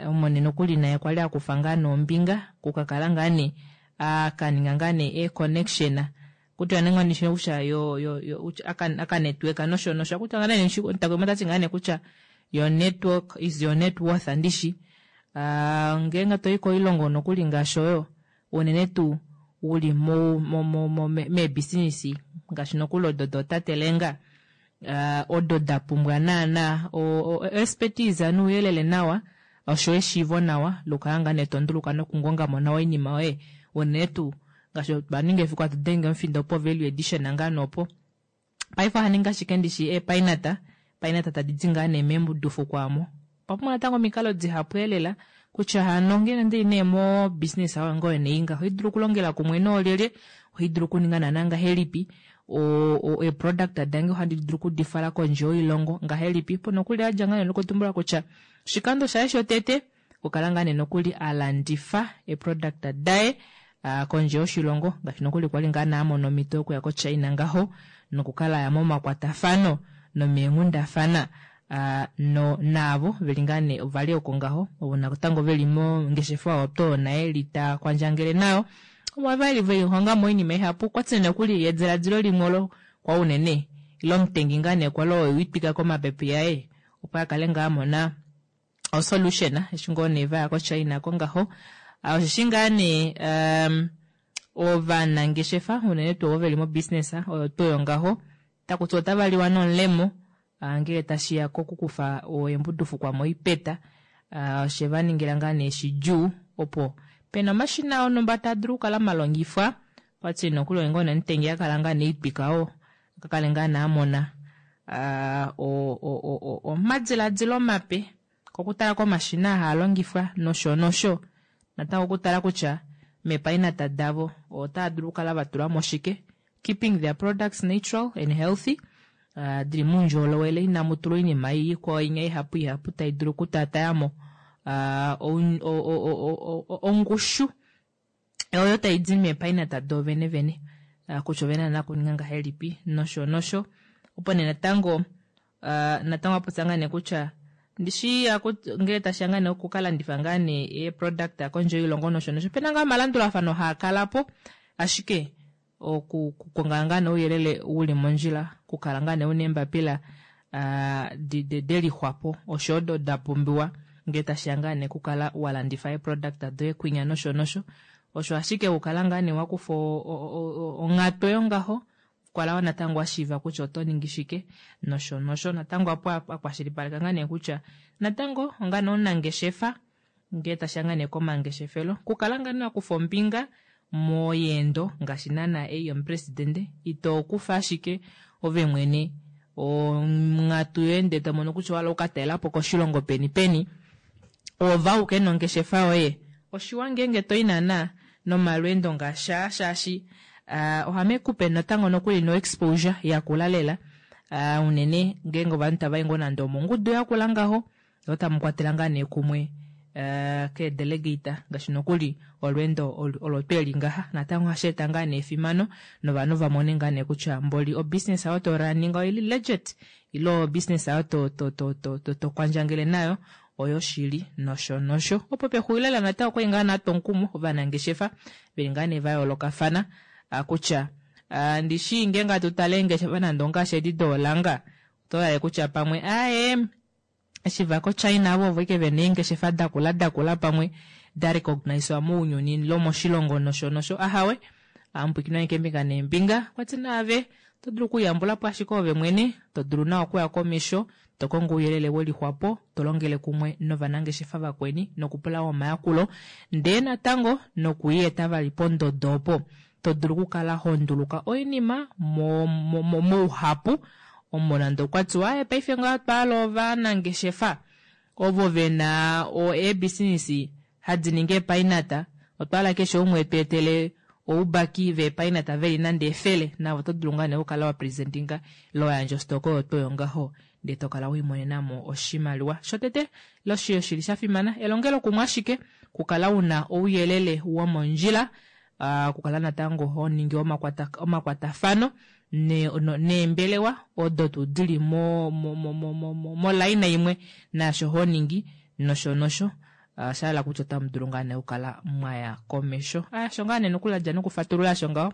omone nokuli naye kwali a kufa ngaa nee ombinga okukakala ngaa nee a ka ninga ngaa nee eeconnection kutya nee ngoo ndishi kutya yo yo yo aka network nosho nosho kutya ngaa nee ntakwemo tati ngaa nee kutya your network is your net worth andishi ngeenge toyi koilongo nokuli ngaashi oyo unene tuu uli mo mo mo mo meebusiness ngaashi nokuli odo dootatelenga odo da pumbwa naana expertise nouyelele nawa osho eshiivo nawa lokukala ngaa nee tonduluka nokungongamo nawa oinima yoye unene tuu ngaashi twa ninga efiku hatu denge omufindo po value addition ngaa nee opo paife oha ningi ashike ndishi eepainata painata tadi di ngaa nee meembudufukwa omo. Otwa pumbwa natango omikalo dihapu elela kutya hano ngeno ndili nee mo business oyo ngoye nee ngaho ohai dulu okulongela kumwe noolyelye, ohai dulu okuninga naana ngahelipi, eeproduct dange ohandi dulu okudifala kondje yoilongo ngahelipi. Opo nokuli adja ngaa nee nokutumbula kutya oshikando shaye shotete okukala ngaa nee nokuli a landifa eeproduct daye kondje yoshilongo ngaashi nokuli kwali ngaa nee amona omhito yokuya koChina ngaho nokukala aya momakwatafano nomeenghundafana no naavo veli ngaa nee ovali oko ngaho ovo natango veli mongeshefa oyo to naye li ta kwandjangele nayo omo vali velihongamo oinima ihapu okwati nokuli ediladilo limwe olo kwa unene ile omutengi ngaa nee kwali oyo witwika komapepe aye opo akale ngaa amona osolution eshi ngoo nee vaya koChina ko ngaho. Osheshi ngaa nee ovanangeshefa unene tuu ovo veli mobusiness oyo tuu oyo ngaho takuti otava liwa nomulemo ngele tashiya kokukufa eembudufukwa moipeta oshe va ningila ngaa nee shidjuu opo pena omashina onhumba taa dulu okukala malongifwa kwati nokuli oye ngoo nomutengi akala ngaa nee itwika oo akakale ngaa nee amona omadiladilo mape kokutala komashina haa longifwa nosho nosho natango okutala kutya meepainata davo otaa dulu okukala va tula mo shike keeping their products natural and healthy dili moundjolowele inamu tulwa oinima ikwao inya ihapu ihapu tai dulu okutaatayamo ongushu oyo tai di meepainata do vene vene kutya ovena nakuninga ngahelipi nosho nosho. Opo nee natango natango apopya ngaa nee kutya ndishi ngele tashiya ngaa nee okukalandifa ngaa nee eeproduct kondje yoilongo nosho nosho opena ngaa omalandulafano haa kalapo ashike okukonga ngaa nee ouyelele uli mondjila okukala ngaa nee una eembapila delixwapo osho odo da pumbiwa ngele tashiya ngaa nee okukala walandifa eeproduct doye kwinya nosho nosho osho ashike okukala ngaa nee wakufa onghatu yongaho kukala natango washiiva kutya oto ningi shike nosho nosho natango apo akwashilipaleka ngaa nee kutya natango onga nee omunangeshefa ngele tashiya ngaa nee komangeshefelo kukala ngaa nee wakufa ombinga moyeendo ngaashi naana ei yomupresidente ito kufa ashike ove mwene onghatu yoye ndee tomono kutya owahala okukatalelapo koshilongo peni peni ova uke nongeshefa yoye oshiwa ngeenge toyi naana nomalweendo ngaashi aa shaashi ohamekupe natango nokuli no exposure yakula lela unene ngeenge ovanhu tavayi ngoo nande omongudu yakula ngaho otamu kwatela ngaa nee kumwe keedelegate ngaashi nokuli olweendo olo tweli ngaha natango ohashi eta ngaa nee efimano novanhu vamone ngaa nee kutya mboli obusiness oyo to running oili legit ile obusiness oyo to to to to to to kwandjangele nayo oyo shili nosho nosho. Opo pexulilo lela natango okwali ngaa natwa omukumo ovanangeshefa veli ngaa nee va yoolokafana kutya ndishi ngeenge hatu tale eengeshefa nande ongaashi edi doolanga oto lale kutya pamwe aaye eshi va koChina avo ovo ike vena eengeshefa dakula dakula pamwe da recognisewa mounyuni lomoshilongo nosho nosho ahawe amupwikinwa keembinga neembinga kwati naave. Oto dulu okuyambula po ashike ove mwene, to dulu nawa okuya komesho, to kongo ouyelele we lixwapo, to longele kumwe novanangeshefa vakweni nokupula omayakulo, ndee natango nokuieta vali pondodo opo to dulu okukala ho nduluka oinima mouhapu omo nande okwa tiwa aye paife ngaa otwa hala ovanangeshefa ovo ve na eebisinisi hadi ningi eepainata, otwa hala keshe umwe etu etele oubaki veepainata veli nande 100, navo oto dulu ngaa nee okukala wa presentinga ile wa yandja ostoko oyo tuu oyo ngaho ndee to kala wiimonenamo oshimaliwa. Shotete osho shili sha fimana elongelokumwe ashike, okukala una ouyelele womondjila, okukala natango ho ningi omakwatafano neembelewa odo tuu dili molaina imwe naasho ho ningi nosho nosho. Osha hala kutya otamu dulu ngaa nee okukala mwaya komesho. Osho ngaa nee nokuladja nokufatulula osho ngaho,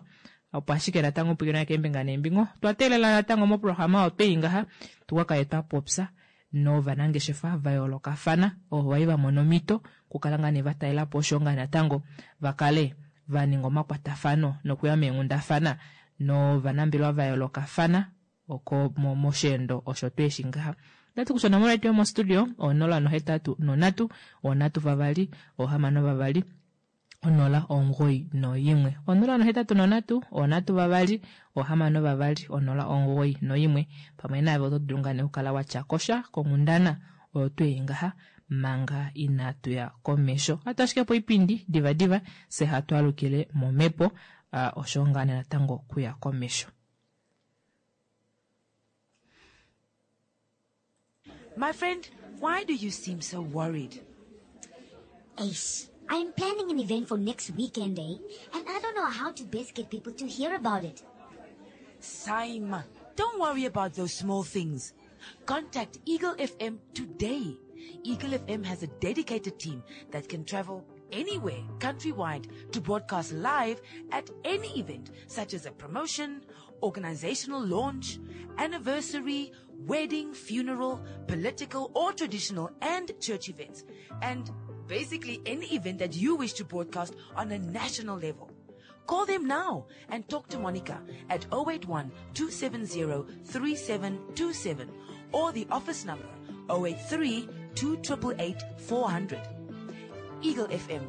opo ashike natango pwiikina keembinga neembinga. Otwa teelela natango moprograma oyo twei ngaha tukakale twa popya novanangeshefa va yoolokafana ovo vai va mona omhito okukala ngaa nee va talela po osho ngaa natango va kale va ninga omakwatafano nokuya meenghundafana novanambelewa va yoolokafana oko mosheendo osho tweeshi ngaha. Ndati kutya onomola yetu yomostudio 083 3 6 2 091 083 3 6 2 091. Pamwe naave oto dulu ngaa nee okukala wa tya kosha konghundana oyo twei ngaha manga inatu ya komesho. Ohatu ashike po oipindi divadiva fye hatu alukile momhepo osho ngaa nee natango okuya komesho. My friend, why do you seem so worried? Ace, I'm planning an event for next weekend, eh? And I don't know how to best get people to hear about it. Saima, don't worry about those small things. Contact Eagle FM today. Eagle FM has a dedicated team that can travel anywhere countrywide to broadcast live at any event, such as a promotion, organizational launch, anniversary, wedding, funeral, political or traditional and church events, and basically any event that you wish to broadcast on a national level. Call them now and talk to Monica at 081 270 3727 or the office number 083 288 400. Eagle FM,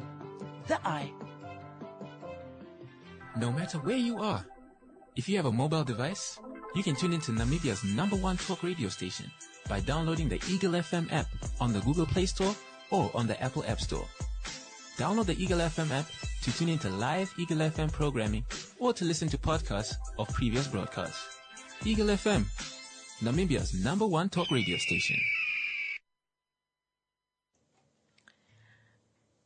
the eye. No matter where you are, if you have a mobile device, you can tune into Namibia's #1 talk radio station by downloading the Eagle FM app on the Google Play Store or on the Apple App Store. Download the Eagle FM app to tune into live Eagle FM programming or to listen to podcasts of previous broadcasts. Eagle FM, Namibia's #1 talk radio station.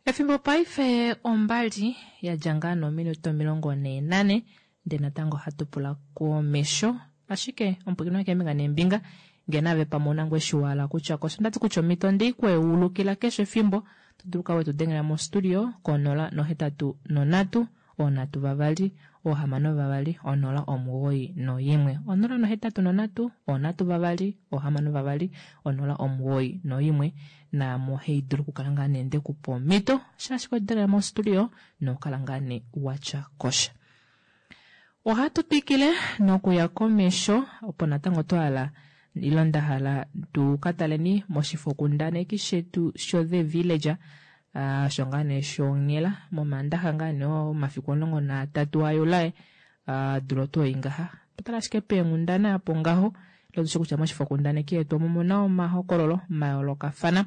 Efimbo paife ombali ya dja ngaa nominute 44, ndee natango ohatu pula komesho. Ashike omupwilikini keembinga neembinga ngee nave pamwe una ngoo eshi wa hala kutya kosho, ndati kutya omhito ndei kweulukila keshe efimbo, to dulu kala wetu dengela mostudio ko 083 3 6 2 091 083 3 6 2 091. Naamo hei dulu okukala ngaa nee ndekupa omhito shaashi kwedengela mostudio nokukala ngaa nee watya kosha. Ohatu twikile nokuya komesho opo natango twa hala ilo nda hala tu ka taleni moshifokundaneki shetu sho The Villager, osho ngaa nee shonghela momandaxa ngaa nee omafiku 13 aJulae, dula oto i ngaha. Totala ashike peenghundana apo ngaho, ilo tushe kutya moshifokundaneki yetu omo muna omahokololo mayoolokafana,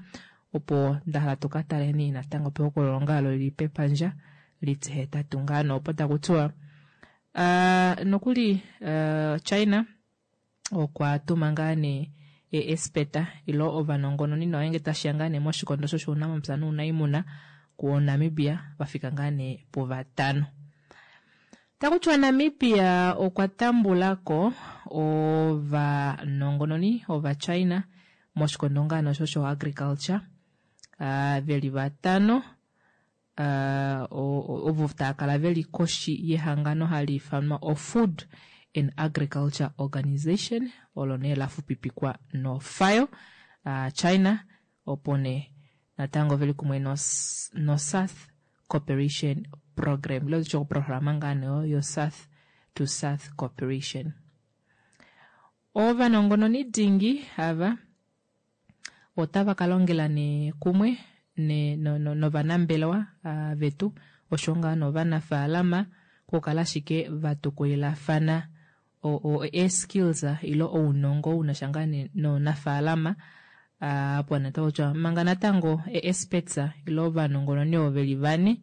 opo nda hala tu ka taleni natango pehokololo ngaa lo lili pepandja litihetatu ngaa nee opo taku tiwa, nokuli China okwa tuma ngaa nee eespeta ilo ovanongononi nawa nge tashiya ngaa nee moshikondo shoshounamapya nounaimuna kuNamibia vafika ngaa nee puvatano. Taku tiwa Namibia okwa tambulako ovanongononi ovaChina moshikondo ngaa nee osho agriculture, veli vatano, ovo tava kala veli koshi yehangano hali ifanwa o Food and Agriculture Organization, olo nee lafupipikwa noFAO. China opo nee natango veli kumwe no South Cooperation Program, ilo tutye oprograma ngaa nee oyo yo South to South Cooperation. Ovanongononi dingi ava otava ka longela nee kumwe novanambelewa vetu osho ngaa novanafaalama okukala ashike va tukulilafana e-skills ilo ounongo unasha ngaa nounafaalama opo natango kutya manga natango e-experts ilo ovanongononi ovo veli vane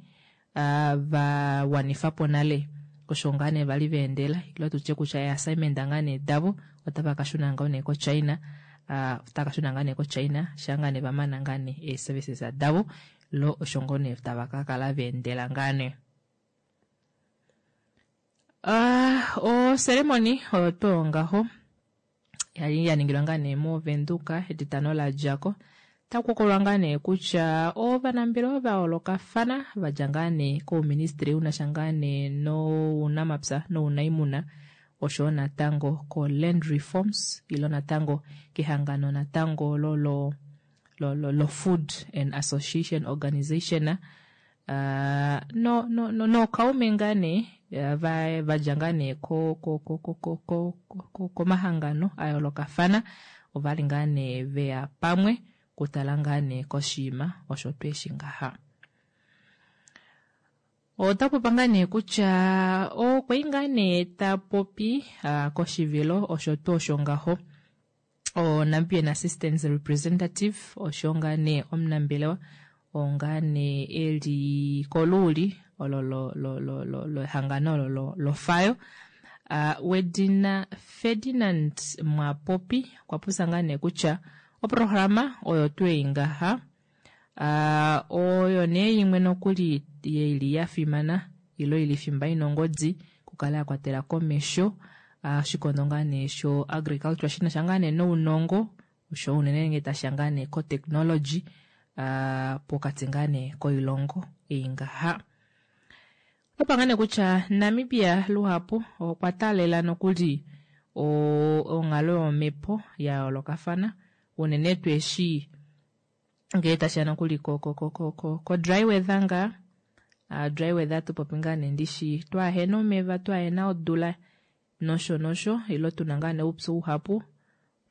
va wanifa po nale osho ngaa nee vali va endela ilo tutye kutya e-assignment ngaa nee davo otava ka shuna ngoo nee koChina, otava ka shuna ngaa nee koChina shaa ngaa nee va mana ngaa nee ee-services davo lo osho ngoo nee tava ka kala va endela ngaa nee. Oceremony oyo tuu ngaho yali ya ningilwa ngaa nee moVenduka etitano la djako. Taku hokololwa ngaa nee kutya ovanambelewa va yoolokafana va dja ngaa nee kouministry unasha ngaa nee nounamapya nounaimuna oshowo natango ko land reforms ilo natango kehangano natango lo lo lo lo Food and Association Organization no no no nookaume ngaa nee va dja ngaa nee ko ko ko ko ko ko komahangano a yoolokafana ovali ngaa nee veya pamwe kutala ngaa nee koshiima osho tweeshi ngaha. Ota popa ngaa nee kutya okwai ngaa nee ta popi koshivilo osho tuu osho ngaho o Namibian Assistance Representative osho ngaa nee omunambelewa oo ngaa nee eli koluuli olo lo lo lo lo lehangano olo lo lofayo wedina Ferdinand Mwapopi okwa popya ngaa nee kutya oprograma oyo tuu ei ngaha oyo nee imwe nokuli ili ya fimana ilo ili fimba ina ongodi kukala ya kwatela komesho oshikondo ngaa nee sho agriculture shinasha ngaa nee nounongo osho unene ngee tashiya ngaa nee ko technology pokati ngaa nee koilongo ei ngaha. Opa ngaa nee kutya Namibia luhapu okwa taalela nokuli onghalo yomhepo ya yoolokafana unene tuu eshi ngee tashiya nokuli ko ko ko ko ko dry weather ngaa dry weather tupopi ngaa nee ndishi twaahena omeva twaahena odula nosho nosho ilo tuna ngaa nee oupyu uhapu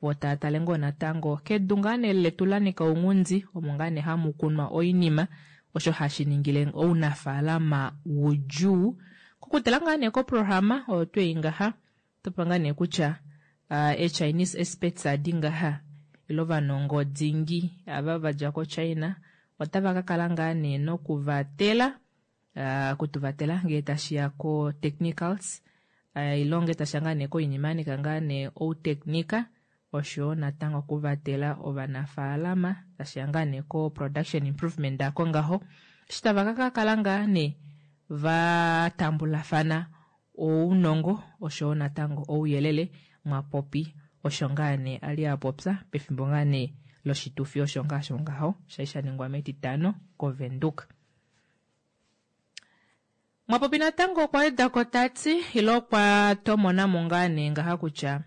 vo tava tale ngoo natango kedu ngaa nee letu la nika ounghundi omo ngaa nee hamu kunwa oinima osho hashi ningile ounafaalama udjuu. Kokutala ngaa nee koprograma oyo tuu ei ngaha otopewa ngaa nee kutya e-Chinese experts adi ngaha ilo ovanongo dingi ava vadja koChina otava ka kala ngaa nee nokuvatela okutuvatela ngee tashiya ko technicals ilo ngee tashiya ngaa nee koinima yanika ngaa nee outechnica oshoyo natango okuvatela ovanafaalama tashiya ngaa nee ko production improvement ako ngaho eshi tava ka kala ngaa nee va tambulafana ounongo oshoyo natango ouyelele Mwapopi osho ngaa nee ali a popya pefimbo ngaa nee loshitufi osho ngaa sho ngaho shali sha ningwa metitano koVenduka. Mwapopi natango okwa weda ko tati ilo okwa tomonamo ngaa nee ngaha kutya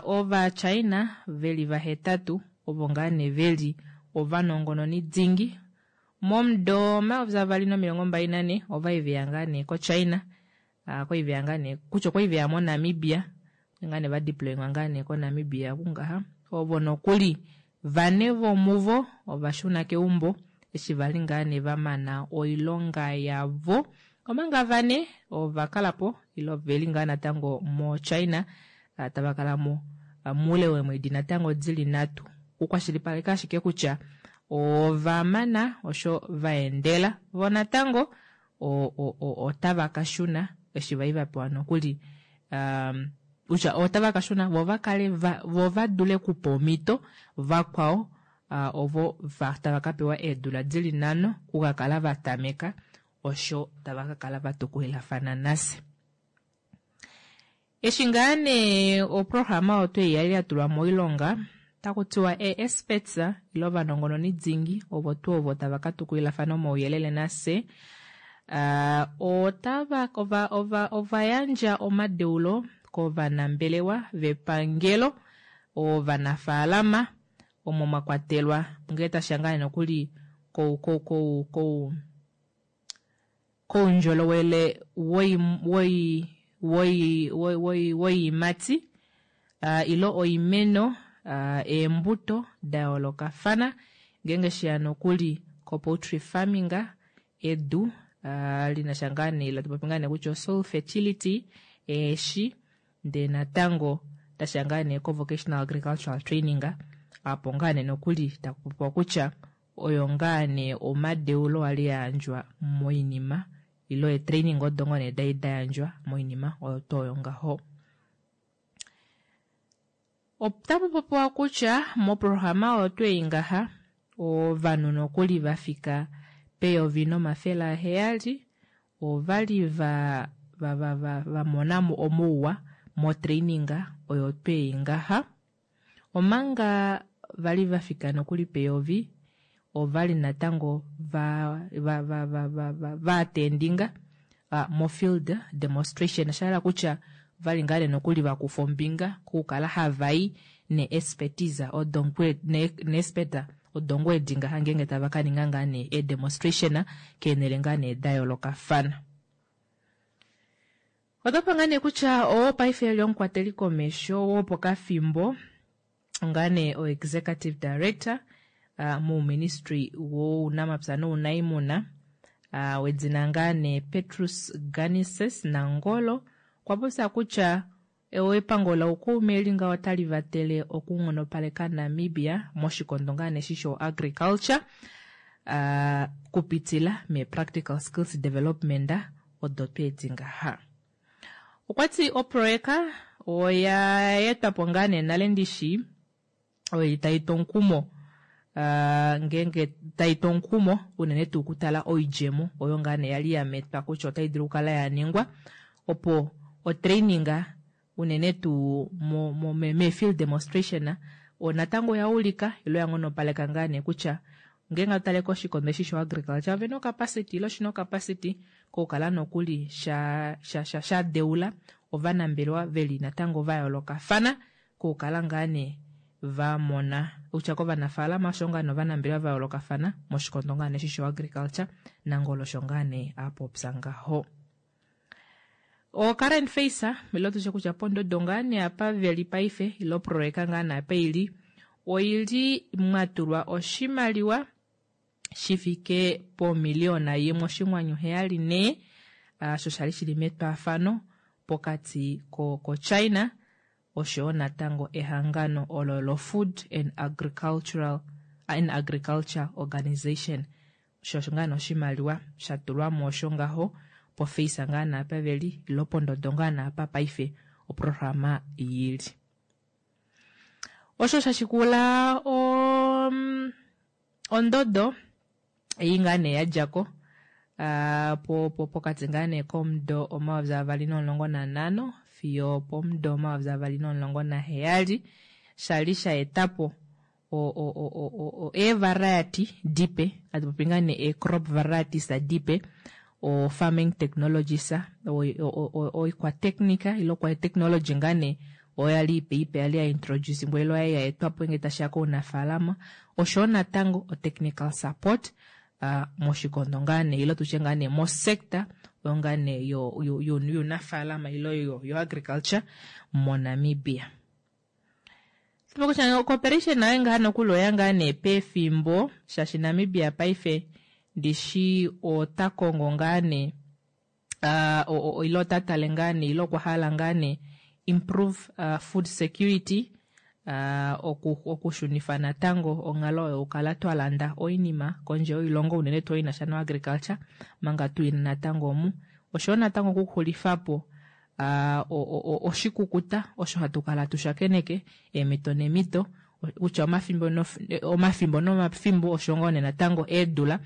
Ovachina veli vahetatu ovo ngaa nee veli ovanongononi dingi momudo 2024 ovai veya ngaa nee koChina okwali veya ngaa nee kutya okwali veya moNamibia ngaa nee va deploywa ngaa nee koNamibia kungaha ovo nokuli vane vomuvo ova shuna keumbo eshi vali ngaa nee va mana oilonga yavo omanga vane ova kalapo ilo veli ngaa natango moChina tava kala mo muule weemwedi natango dili nhatu okukwashilipaleka ashike kutya ova mana osho va endela vo natango otava ka shuna eshi vai va pewa nokuli kutya otava ka shuna vo va kale vo va dule okupa omhito vakwao ovo tava ka pewa eedula dili nhano okukakala va tameka osho tava ka kala va tukulilafana nafye. Eshi ngaa nee oprograma oyo twei yali ya tulwa moilonga, otaku tiwa ee-experts ile ovanongononi dingi ovo tuu ovo tava ka tukulilafana omauyelele nafye otava ova ova ova yandja omadeulo kovanambelewa vepangelo, ovanafaalama omo mwa kwatelwa ngee tashiya ngaa nee nokuli kou kou kou kou koundjolowele woiimati. Ile oimeno, eembuto da yoolokafana, ngeenge sheya nokuli kopoultry farming, edu linasha ngaa nee latu popi ngaa nee kutya soil fertility, eeshi, ndee natango tashiya ngaa nee ko-vocational agricultural training, apo ngaa nee nokuli taku popiwa kutya oyo ngaa nee omadeulo ali ayandjwa moinima ilo eetraining odo ngoo nee dali dayandjwa moinima oyo tuu oyo ngaho. Otapu popiwa kutya moprograma oyo tuu ei ngaha ovanhu nokuli vafika pe-1700 ovali va va va va vamonamo omouwa motraining oyo tuu ei ngaha, omanga vali vafika nokuli pe-1000 ovali natango va va va va va va vaatendinga mofield demonstration, shahala kutya vali ngaa nokuli vakufa ombinga kokukala havai ne-expertise odo ne-expert odongo edi ngaha ngeenge tava kaninga ngaa nee e-demonstration keenhele ngaa nee da yoolokafana. Otapa ngaa nee kutya oo paife eli omukwateli komesho wopokafimbo ngaa nee o-executive director mouministry wounamapya nounaimuna wedina ngaa nee Petrus Ganises Nangolo okwa popya kutya epango laukaume eli ngaho otali vatele okunghonopaleka Namibia moshikondo ngaa nee eshi sho-agriculture kupitila me-practical skills development odo tweedi ngaha. Okwati oproyeka oya etwapo ngaa nee nale ndishi oyo tayi tu omukumo ngeenge tayi tu omukumo unene tuu okutala oidjemo oyo ngaa nee yali yametwa kutya otai dulu okukala yaningwa opo otraining unene tuu me-field demonstration natango oya ulika ilo ya nghonopaleka ngaa nee kutya ngeenge atale koshikondo eshi sho-agriculture ovena ocapacity ilo shina ocapacity kokukala nokuli sha sha sha sha deula ovanambelewa veli natango va yoolokafana kokukala ngaa nee vamona kutya kovanafaalama osho ngaa nee ovanambelewa va yoolokafana moshikondo ngaa nee eshi sho-agriculture Nangolo osho ngaa nee apopya ngaho. O current phase ilo tushe kutya pondodo ngaa nee apa veli paife ilo projeka ngaa nee apa ili oili mwatulwa oshimaliwa shifike pomiliyona 1.74 osho shali shili metwaafano pokati ko China oshoyo natango ehangano olo lo Food and Agricultural and Agriculture Organization osho osho ngaa nee oshimaliwa shatulwamo osho ngaho pofeisa ngaa nee apa veli ilo pondodo ngaa nee apa paife oprograma yili. Osho shashikula ondodo ei ngaa nee yadjako pokati ngaa nee komudo 2015 fiyo pomudo 2017 shali sha etapo ee-variety dipe hatu popi ngaa nee ee-crop varieties dipe o farming technologies oikwatechnica ilo kwa technology ngaa nee oyo yali ipe ipe yali ya introduce ilo ya etwapo ngee tashiya kounafaalama oshoyo natango o technical support moshikondo ngaa nee ilo tutye ngaa nee mosector oyo ngaa nee younafaalama ilo yo agriculture moNamibia. Kutya cooperation nayo ngaa nokuli oya ngaa nee pefimbo shaashi Namibia paife ndishi ota kongo ngaa nee ilo ota tale ngaa nee ilo okwa hala ngaa nee improve food security okushunifa natango onghalo oyo okukala twalanda oinima kondje yoilongo unene tuu inasha no agriculture manga tuina natango omu oshoyo natango okuxulifapo oshikukuta osho hatu kala tushakeneke eemito nemito kutya omafimbo nomafimbo osho ngoo nee natango eedula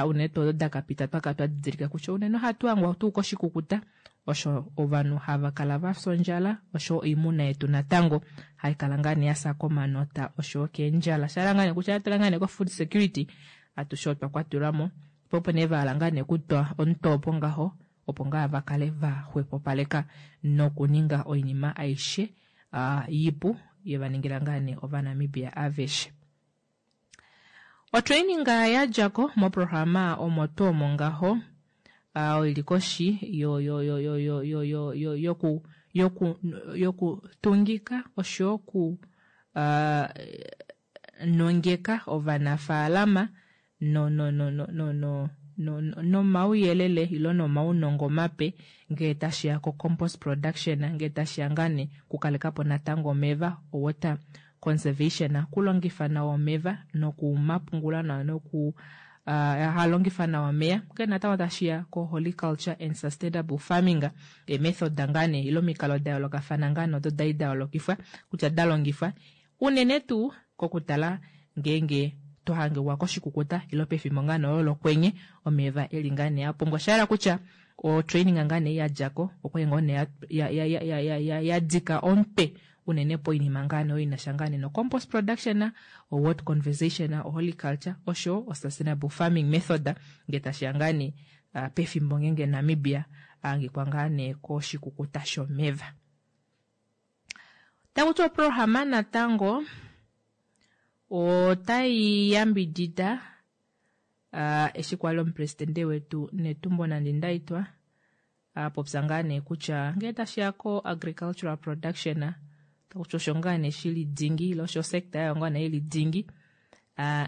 unene tuu odo dakapita twakala twadidilika kutya unene ohatu hangwa tuu koshikukuta osho ovanhu hava kala vafya ondjala osho oimuna yetu natango haikala ngaa nee yafya komanota oshoyo keendjala shahala ngaa nee kutya atala ngaa nee ko food security atushe otwa kwatelwamo po opo nee vahala ngaa nee kutwa omutopo ngaho opo ngaa vakale vaxwepopaleka nokuninga oinima aishe ipu yevaningila ngaa nee ovanamibia aveshe. Otraining yadjako moprograma omo tuu omo ngaho oili koshi yoku yokutungika oshoyo oku uh, nongeka ovanafaalama no no no no no no nomauyelele ilo nomaunongo mape ngee tashiya ko compost production, ngee tashiya ngaa nee kukalekapo natango omeva, water conservation, kulongifa nawa omeva nokumapungula nawa noku uh, halongifa nawa omeya, ngee natango tashiya ko horticulture and sustainable farming, eemethod ngaa nee ile omikalo da yoolokafana ngaa nee odo dali da yoolokifwa kutya da longifwa unene tuu kokutala ngeenge twa hangwa koshikukuta ilo pefimbo ngaa nee olo lokwenye omeva eli ngaa nee a pumbwa. Osha yela kutya otraining ngaa nee ya djako okwali ngoo nee ya dika omutwe unene poinima ngaa nee oyo inasha ngaa nee no compost production, o water conversation, o horticulture osho o sustainable farming method ngee tashiya ngaa nee pefimbo ngeenge Namibia a hangikwa ngaa nee koshikukuta shomeva. Takuti oprograma natango otai yambidida uh, eshi kwali omupresidente wetu Netumbo Nandi-Ndaitwah a popya ngaa nee kutya ngee tashiya ko agricultural production takuti osho ngaa nee shili dingi ile osho sector yayo ngaa nee ili dingi uh,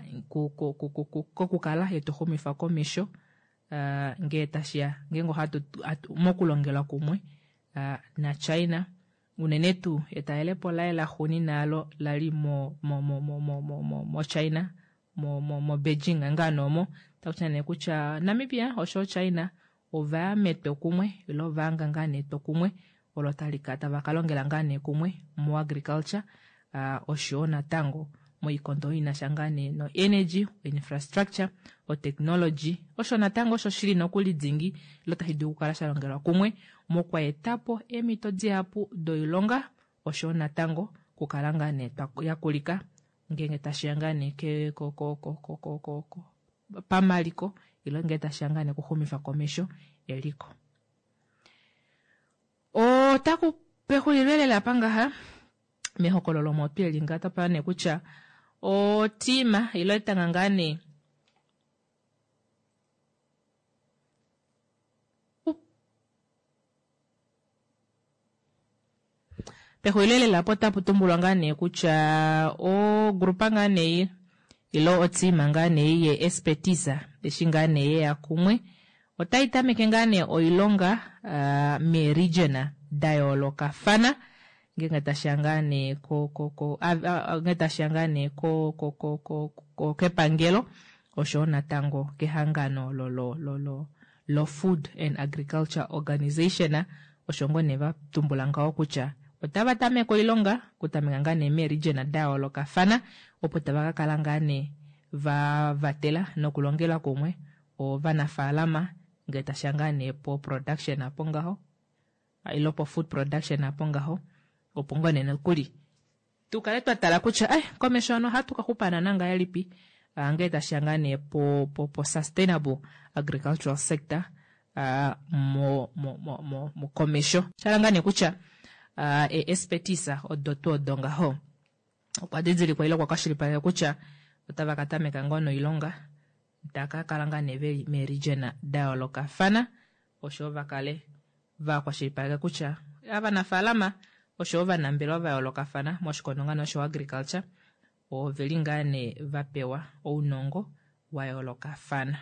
kokukala yetu xumifa komesho uh, ngee tashiya ngeenge ohatu mokulongela kumwe uh, naChina unene tuu etalelepo laye laxuuninwa alo lali mo mo mo mo mo mo mo moChina mo mo mo Beijing ngaa nee omo takutya nee kutya Namibia oshoyo China ovaya metwokumwe ile ovahanga ngaa nee etwokumwe olo tali ka tava ka longela ngaa nee kumwe mo agriculture uh, oshoyo natango moikondo oyo inasha ngaa nee no energy, infrastructure, o technology osho natango osho shili nokuli dingi ilo tashi dulu okukala sha longelwa kumwe mokweetapo eemhito dihapu doilonga oshoyo natango okukala ngaa nee yakulika ngeenge tashiya ngaa nee ke ko ko ko ko ko ko ko pamaliko ile ngee tashiya ngaa nee okuxumifa komesho eliko. Otaku pexulilo elela apa ngaha mehokololo omo tweli ngaa twa nee kutya otiima ile etanga ngaa nee pexulilo lela apo otapu tumbulwa ngaa nee kutya ogrupa ngaa nee ile otiima ngaa nee ye expertise eshi ngaa nee yeya kumwe otai tameke ngaa nee oilonga uh, meeregion da yoolokafana ngeenge tashiya ngaa nee ko ko ko ngeenge tashiya ngaa nee ko ko ko ko kepangelo oshowo natango kehangano lo lo lo lo lo Food and Agriculture Organization osho ngoo nee va tumbula ngaho kutya otava tameke oilonga okutameka ngaa nee meeregion da yoolokafana opo tava ka kala ngaa nee va vatela nokulongela kumwe ovanafaalama ngee tashiya ngaa nee po production apo ngaho ilo po food production apo ngaho opo ngoo nee nokuli tu kale twa tala kutya eh komesho hano ohatu ka xupa naana ngahelipi ngee tashiya ngaa nee po, po, po sustainable agricultural sector uh, mo, mo, mo, mo, mo komesho shala ngaa nee kutya uh, e expertise odo tuu odo ngaho okwa didilikwa ile okwa kwashilipaleka kutya otava ka tameka ngoo noilonga taka kala ngaa nee veli meeregion da yoolokafana oshowo va kale va kwashilipaleka kutya ovanafaalama oshowo ovanambelewa va yoolokafana moshikondo ngaa nee osho agriculture oveli ngaa nee va pewa ounongo wa yoolokafana.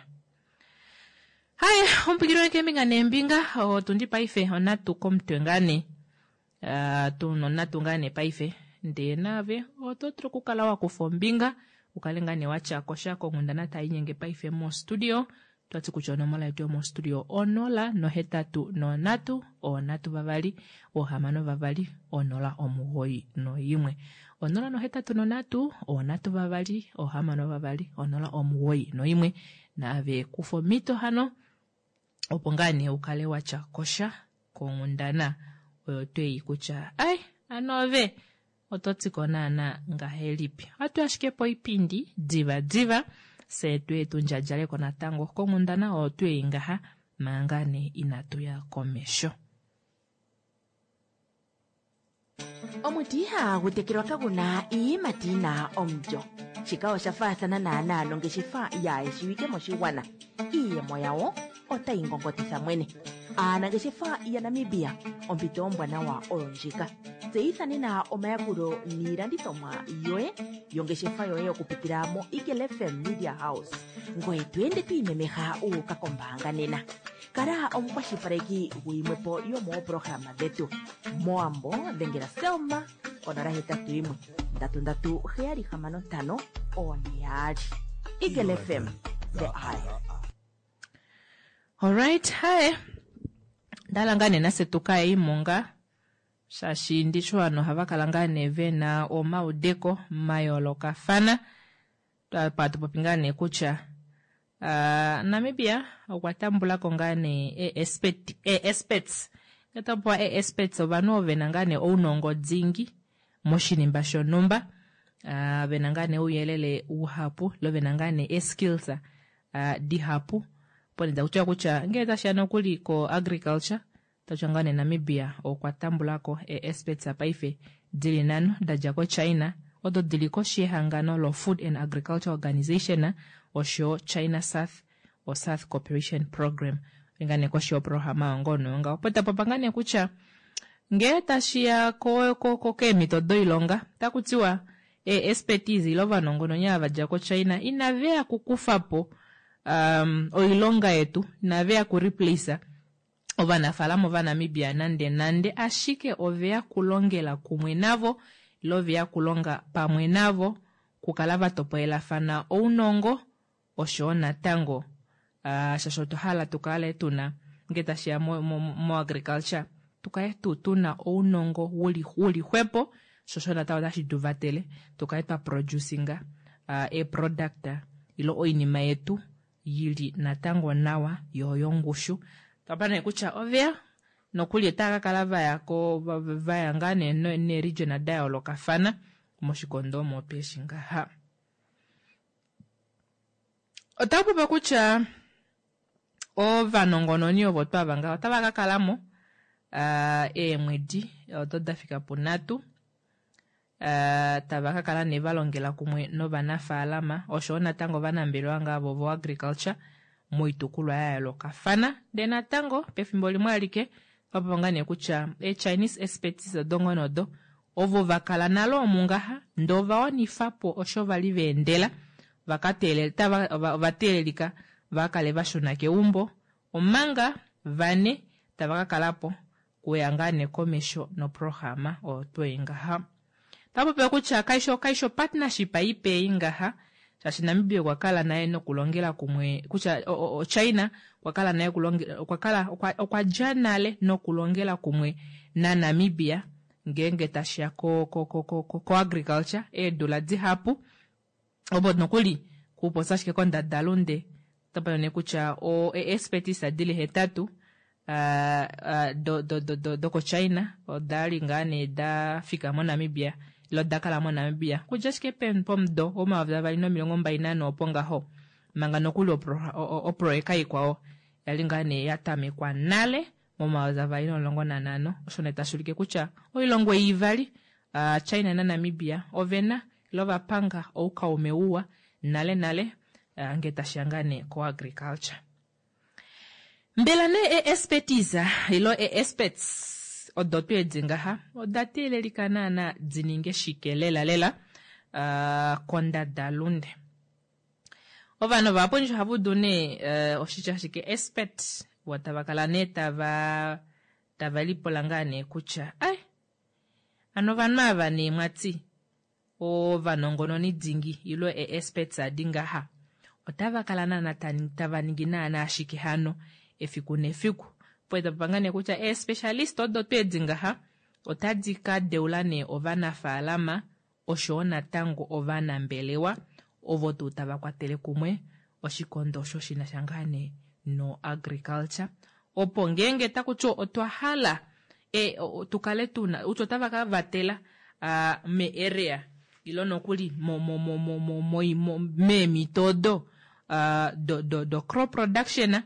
Haye omupikili wange keembinga neembinga otundi paife onatu komutwe ngaa nee uh, tuna onatu ngaa nee paife ndee naave oto dulu okukala wa kufa ombinga ukale ngaa nee watya kosha konghundana tai nyenge paife mostudio twati kutya onomola yetu yomostudio 0 nohetatu nonhatu onhatu vavali ohamano vavali onola omugoyi noimwe 0 nohetatu nonhatu onhatu vavali ohamano vavali onola omugoyi noimwe naave kufa omhito hano opo ngaa nee ukale watya kosha konghundana oyo twei kutya ai ano ove oto tiko naana ngahelipi. Ohatu ashike poipindi diva diva fye tuye tu ndjadjaleko natango konghundana oyo twei ngaha manga nee inatu ya komesho. Omuti ihagu tekelwa kagu na iiyimati yi na omulyo. Shika osha faathana naanaa nongeshefa yaa shiwike moshigwana. Iiyemo yawo otayi ngongotitha mwene. Aanangeshefa yaNamibia, ompito ombwanawa oyo ndjika. Tseyitha nena omayakulo niilandithomwa yoye yongeshefa yoye okupitila moEagle FM Media House. Ngoye to ende to imemeha wu uka kombaanga nena. Kala omukwashilipaleki guyimwe po yomoopolohalama dhetu. Mowambo dhengela Selma konola 81 3 3 7 6 5 4 2. Eagle FM, the eye. Alright, hi. Ndala ngaa nee nafye tu ka imonga shaashi ndishi ovanhu ohava kala ngaa nee ve na omaudeko mayoolokafana. Pa tu popi ngaa nee kutya uh, Namibia okwa tambula ko ngaa nee ee-experts. Ngee taku popiwa ee-experts ovanhu ovo ve na ngaa nee ounongo dingi moshinima shonhumba, uh, ve na ngaa nee ouyelele uhapu lo ve na ngaa nee ee-skills uh, dihapu. Opo nee taku tiwa kutya ngee tashiya nokuli ko agriculture Otashi ngaa nee Namibia okwa tambulako ee-experts paife dili nanho dadja ko China odo dili koshi yehangano lo Food and Agriculture Organization oshoyo China South o South Cooperation Program. Oli ngaa nee koshi yoprograma oyo ngoo noyo ngaho. Opo tapopa ngaa nee kutya ngee tashiya ko, ko, ko keemhito doilonga otaku tiwa ee-expertise ile ovanongononi ava vadja ko China inaveya kukufapo um, oilonga yetu, inaveya ku replace ovanafaalama Ovanamibia nande nande, ashike oveya kulongela kumwe navo ile oveya kulonga pamwe navo, kukala va topolelafana ounongo oshoyo natango uh, shaashi otwa hala tu kale tuna nge tashiya mo, mo, mo agriculture tukale tuu tuna ounongo wuli, wuli xwepo sho osho natango otashi tu vatele tu kale twa producinga uh, eeproduct ile oinima yetu yi li natango nawa yo oyongushu. Twapa nee kutya oveya nokuli otava ka kala vaya ko vaya ngaa nee neeregion da yoolokafana moshikondo omo tweshi ngaha. Otaku popiwa kutya ovanongononi ovo twava ngaha otava ka kalamo uh, eemwedi odo da fika punhatu Eh, tava ka kala nee va longela kumwe novanafaalama oshowo natango ovanambelewa ngaa vo voagriculture moitukulwa ya yoolokafana. Ndee natango pefimbo limwe alike otwa popya ngaa nee kutya eeChinese expertise odo ngoo nee odo ovo va kala nale omu ngaha ndee ova wanifa po osho vali va endela va ka teelela, tava, ova teelelika va kale va shuna keumbo omanga vane tava ka kala po kuya ngaa nee komesho noprograma oyo twei ngaha. Ota popiwa kutya kaisho kaisho partnership ipe ei ngaha shaashi Namibia okwa kala naye nokulongela kumwe kutya o, o, China okwa kala naye okulongela okwa kala okwa, okwa dja nale nokulongela kumwe naNamibia ngeenge tashiya ko ko ko ko, ko, ko agriculture eedula dihapu opo nokuli kupopya ashike kondadalunde otapa nee kutya o expertise dili hetatu uh, uh, do, do, do, do, dokoChina oda li ngaa nee da fika moNamibia ile oda kala moNamibia kudja ashike pomudo womayovi 2024 opo ngaho manga nokuli oproyeka ikwao yali ngaa nee ya tamekwa nale momayovi 2015 osho nee tashi ulike kutya oilongo ei ivali uh, China naNamibia ovena ile ovapanga oukaume uwa nale nale uh, nge tashiya ngaa nee koagriculture. Mbela nee ee-expertise ile ee-experts odo tuu edi ngaha oda teelelika naana di ninge shike lela lela uh, kondadalunde? Ovanhu vahapu nje ohava udu nee uh, oshitya shike expert vo tava kala nee tava tava lipula ngaa nee kutya ai ano ovanhu ava nee mwati ovanongononi dingi ile ee-experts adi ngaha otava kala naana tava ningi naana ashike hano efiku nefiku. Opo tapa ngaa nee kutya ee-specialist odo tuu edi ngaha otadi ka deula nee ovanafaalama oshowo natango ovanambelewa ovo tuu tava kwatele kumwe oshikondo osho shi na sha ngaa nee no agriculture opo ngeenge taku tiwa otwa hala e, tu kale tuna utya otava ka vatela uh, me area ilo nokuli mo, mo, mo, mo, mo, mo, mo, meemhito odo uh, do, do, do crop production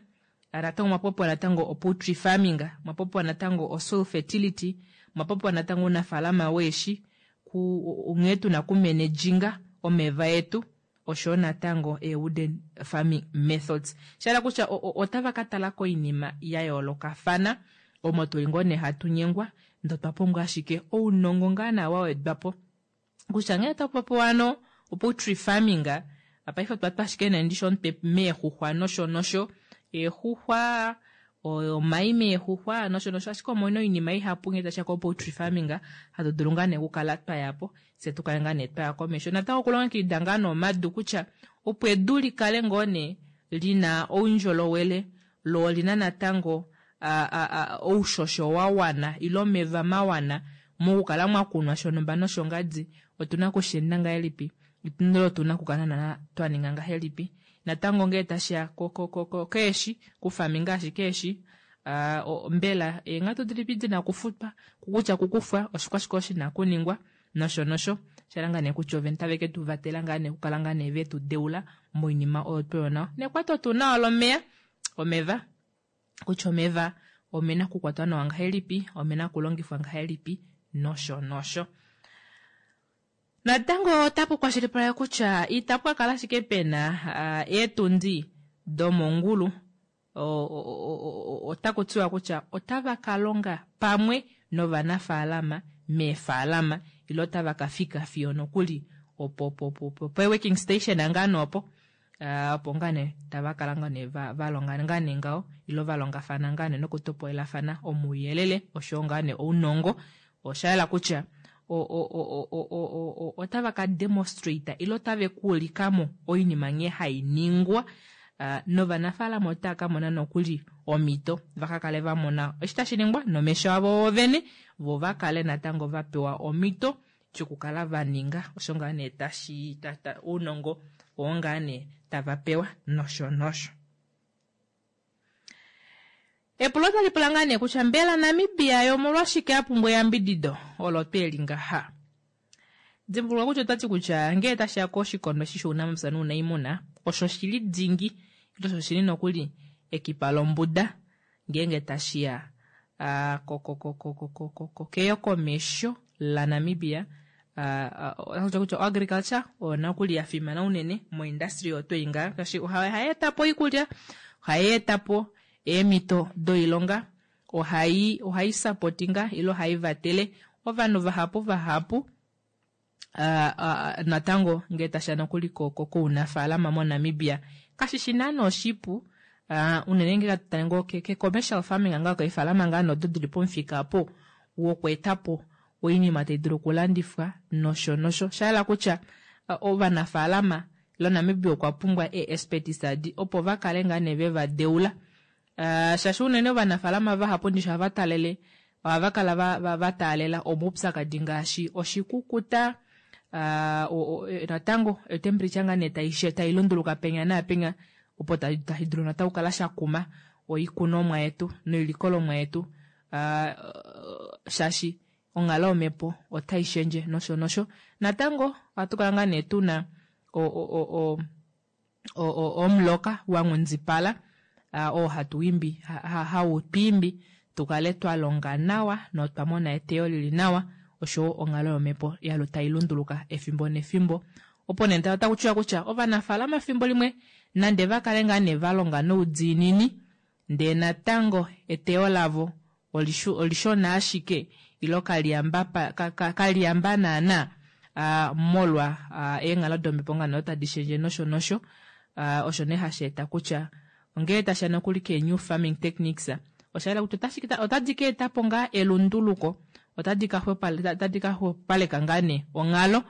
natango mwa popiwa natango o poultry farming mwa popiwa natango o soil fertility mwa popiwa natango ounafaalama weeshi ku nghee tuna okumenejinga omeva etu. oshoyo natango ee-wooden farming methods. Shahala kutya otava ka tala koinima ya yoolokafana omo tuli ngoo nee hatu nyengwa ndee otwa pumbwa ashike ounongo ngaa naa wa wedwapo kutya nghee takupopiwa ano poultry farming, paife otwa twa ashike nee ndishi omutwe meexuxwa nosho nosho, eexuxwa, omai meexuxwa nosho nosho, ashike omuna oinima ihapu ngee tashiya ko poultry farming hatu dulu ngaa nee okukala twayapo fye tukale ngaa nee twaya komesho. Natango okulongekida ngaa nee omadu kutya opo edu likale ngoo nee lina oundjolowele loo olina natango oushosho wa wana ile omeva mawana mokukala mwakunwa shonhumba noshongadi, otuna okusheenda ngahelipi ile otuna okukala naana twaninga ngahelipi. Natango ngee tashiya keeshi, kufaminga ashike eeshi, mbela eenghatu dilipi dina okufutwa, kutya kukufwa oshikwashike osho shina okuningwa nosho nosho. Shahala ngaa nee kutya ovene otave ke tu vatela ngaa nee okukala ngaa nee vetu deula moinima oyo tweyo nayo. Nekwato tuu nawa lomeva, omeva kutya omeva omena okukwatwa nawa ngahelipi, omena okulongifwa ngahelipi nosho nosho. Natango otapu kwashilipaleke kutya itapu ka kala ashike pena eetundi domongulu, otaku tiwa kutya otava ka longa pamwe novanafaalama meefaalama ile otava ka fika fiyo nokuli opo pe working station ngaa nee opo, opo ngaa nee tava kala ngaa nee va longa ngaa nee ngaho ile valongafana ngaa nee nokutopolelafana omauyelele oshoyo ngaa nee ounongo. Osha yela kutya otava ka demonstrate ile otave kuulikamo oinima nghee hai ningwa, novanafaalama otava ka mona nokuli omhito vaka kale va mona eshi tashi ningwa nomesho avo vene, vo va kale natango va pewa omhito yokukala va ninga osho ngaa nee tashi ounongo oo ngaa nee tava pewa nosho nosho. Epulo otali pula ngaa nee kutya mbela Namibia yo omolwashike a pumbwa eyambidido olo tweli ngaha? Dimbuluka kutya otwati kutya ngee tashiya koshikondo eshi shounamapya nounaimuna osho shili dingi ile osho shili nokuli ekipa lombuda ngeenge tashiya keyokomesho laNamibia. Otaku kutya agriculture oyo nokuli ya fimana unene moindustry oyo twei ngaha, shaashi ohai etapo oikulya, ohai etapo eemhito doilonga, ohai supportinga ile ohai vatele ovanhu vahapu vahapu. Natango ngee tashiya nokuli kounafaalama moNamibia kashishi naana oshipu, unene ngee tatale ngoo ke commercial farming ngaa keefalama ngaa nee odo dili pomufika opo wokweetapo oinima tai dulu okulandifwa nosho nosho. Shahala kutya ovanafaalama ile Namibia okwa pumbwa ee-expertise adi opo va kale ngaa nee veva deula, shaashi unene ovanafaalama vahapu ndishi ohava talele ohava kala va taalela omaupyakadi ngaashi oshikukuta, natango etemperature ngaa nee tai lunduluka penya naapenya opo tashi dulu natango okukala shakuma oikunomwa yetu noilikolomwa yetu, shaashi onghalo yomhepo otai shendje nosho nosho. Natango ohatu kala ngaa nee tuna omuloka wa nghundipala oo hatu imbi hau twiimbi tukale twa longa nawa notwa mona eteyo lili nawa, oshowo onghalo yomhepo yalo tai lunduluka efimbo nefimbo. Opo nee otaku tiwa kutya ovanafaalama efimbo limwe nande va kale ngaa nee va longa noudiinini ndee natango eteyo lavo olishona ashike ilo kaliyamba naana molwa eenghalo domhepo ngaa nee tadi shendje nosho nosho. Osho nee hashi eta kutya ongele tashiya nokuli ke new farming techniques, osha yela kutya otadi ka etapo ngaa elunduluko, otadi ka xwepopaleka ngaa nee onghalo,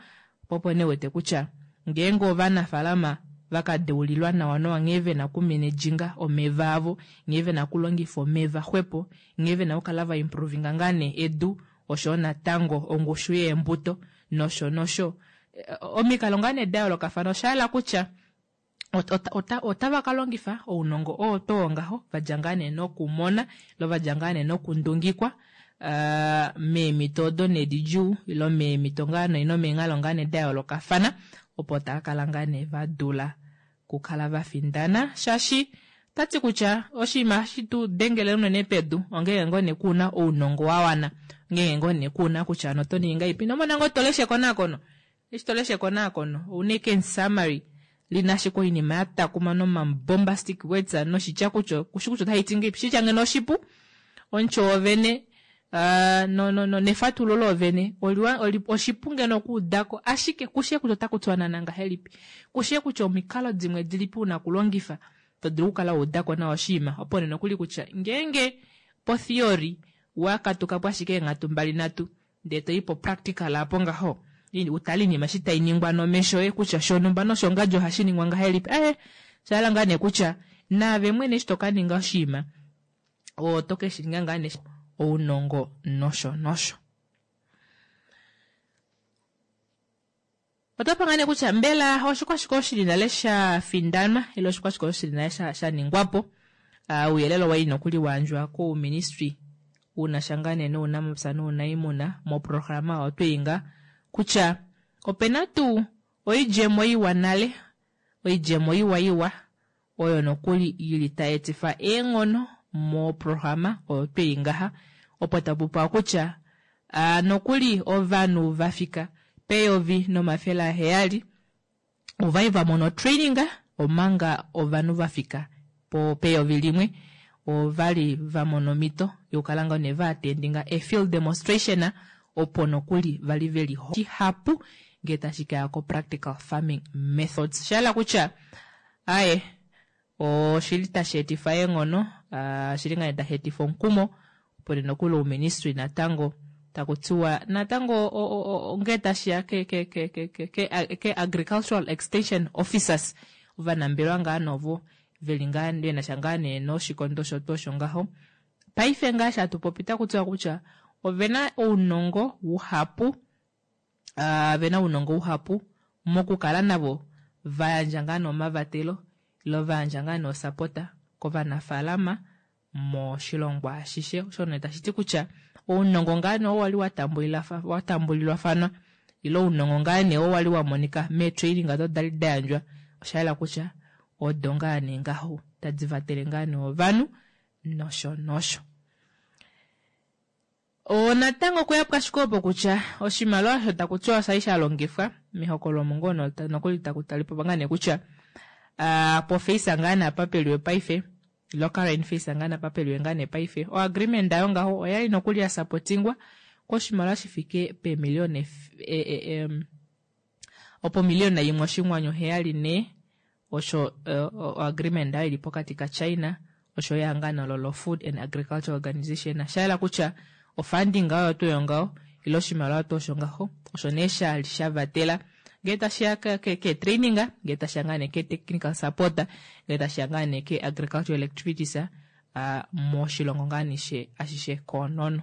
po opo nee wete kutya ngeenge ovanafaalama vaka deulilwa nawa nawa nghee vena okumenedjinga omeva avo, nghee vena okulongifa omeva xwepo, nghee vena okukala va improvinga ngaa nee edu oshoyo natango ongushu yeembuto nosho nosho, omikalo ngaa nee da yoolokafana, osha yela kutya otava ka longifa ounongo oo twoo ngaho vadja ngaa nee nokumona ile vadja ngaa nee nokundungikwa meemhito odo nee didjuu ile meemhito ngaa nee nomeenghalo ngaa nee da yoolokafana, opo tava kala ngaa nee va dula kukala va findana. Shaashi tati kutya oshinima hashi tu dengele unene pedu ongenge ngoo nee kuna ounongo wa wana, ongenge ngoo nee kuna kutya ano oto ningi ngahelipi. Nomona ngoo to lesha ekonakono, eshi to lesha ekonakono ouna ashike summary. Li na ashike oinima ya takuma noma-bombastic words noshitya kutya kushi kutya otashi ti ngahelipi. Shitya ngeno oshipu, omutyo wovene no, no, no, nefatululo loovene oliwa, oli, oshipu ngeno okuudako, ashike kushie kutya otaku tiwa naana ngahelipi. Kushie kutya omikalo dimwe dilipi una kulongifa to dulu okukala wa udako nawa oshinima. Opo nee nokuli kutya ngeenge po-theory wa katuka po ashike eenghatu mbali nhatu, ndee to i po-practical apo ngaho, utale oinima eshi tai ningwa nomesho oye kutya shonhumba noshongadji ohashi ningwa ngahelipi. Osha hala ngaa nee kutya naave mwene eshi to ka ninga oshinima, oto ke shi ninga ngaa nee ounongo nosho nosho. Oto panga nee kutya mbela oshikwashike osho shili nale sha findanwa ile oshikwashike osho shili nale sha, sha ningwa po. Ouyelele owa li nokuli wa yandjwa kouministry una sha ngaa nee nounamapya nounaimuna moprograma oyo twei nga kutya opena tuu oidjemo iwa nale, oidjemo iwa iwa oyo nokuli ili tai etifa eenghono moprograma oyo twei ngaha, opo tapu popiwa kutya nokuli ovanhu va fika pe-1700 ovai va mona otraining, omanga ovanhu va fika po pe-1000 ovali va mona omhito yokukala ngoo nee va attendinga e field demonstration, opo nokuli vali ve li shihapu ngee tashi kaya ko practical farming methods. Sha hala kutya aye oshili tashi etifa eenghono, oshili ngaa tashi etifa omukumo, opo nee nokuli ouministry natango taku tiwa natango ngee tashiya ke agricultural extension officers, ovanambelewa ngaa novo veli ngaa venasha ngaa nee noshikondo osho tuu osho ngaho. Paife ngaa eshi hatu popi otaku tiwa kutya ovena ounongo wuhapu, vena ounongo wuhapu mokukala navo va yandja ngaa nee omavatelo ile va yandja ngaa nee osapota kovanafaalama moshilongo ashishe. Osho nee tashi ti kutya ounongo ngaa nee oo wali wa tambulilwafanwa ile ounongo ngaa nee oo wali wa monika meetraining odo dali da yandjwa, osha yela kutya odo ngaa nee ngaho tadi vatele ngaa nee ovanhu nosho nosho. Natango okuya pwashike opo kutya oshimaliwa osho taku tiwa osha li sha longifwa mehokololo omo ngoo nokuli taku talipo ngaa nee kutya, po face ngaa nee apa peliwe paife, ilo current face ngaa nee apa peliwe ngaa nee paife, o agreement ayo ngaho oyali nokuli ya supportingwa koshimaliwa shi fike peemiliona opo miliona imwe oshinghwanyu heyali nhee, osho o agreement ayo ili pokati ka China osho ehangano olo lo Food and Agriculture Organization. Sha yela kutya o funding oyo tuu yongaho ile oshimaliwa tuu osho ngaho osho nee sha li sha vatela ngee tashiya ke training, ngee tashiya ngaa nee ke technical support, ngee tashiya ngaa nee ke agricultural activities moshilongo ngaa nee ashishe koonono.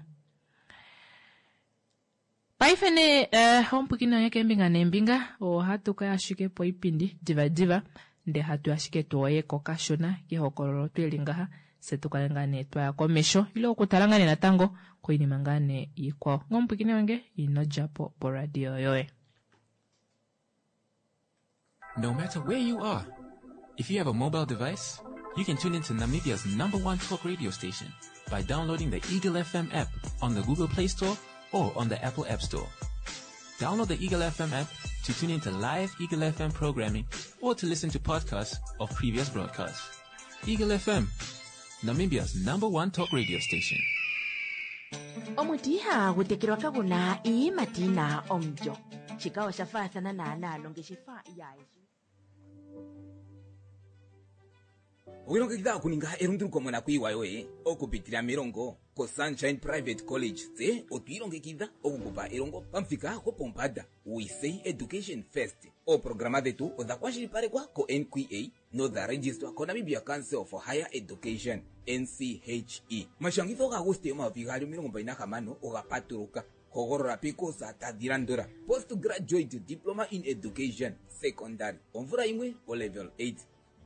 Paife nee omupwikini wange keembinga neembinga ohatu kaya ashike poipindi diva diva ndee hatu ashike tuoye ko kashona kehokololo tweli ngaha se tukale ngaa nee twaya komesho ile okutala ngaa nee natango koinima ngaa nee ikwao. Ngomupwikini wange ino djapo poradio yoye. No matter where you are, if you have a mobile device, you can tune into Namibia's #1 talk radio station by downloading the Eagle FM app on the Google Play Store or on the Apple App Store. Download the Eagle FM app to tune into live Eagle FM programming or to listen to podcasts of previous broadcasts. Eagle FM, Namibia's #1 talk radio station. Omuti ihagu tekelwa kagu na iiyimati yi na omulyo. Shika osha faathana naanaa nongeshefa yaayeshi. Owilongekidha okuninga elunduluko monakuyiwa yoye okupitila melongo koSunshine Private College. Tse otwiilongekidha okukupa elongo pamuthika gopombanda. We say education first. Ooprograma dhetu odha kwashilipalekwa ko-NQA nodha registwa koNamibia Council for Higher Education, NCHE. Omashangitho gaAguste 2026 oga patuluka. Hogolola peekosa tadhi landula: Postgraduate Diploma in Education, Secondary, omvula yimwe, olevel 8.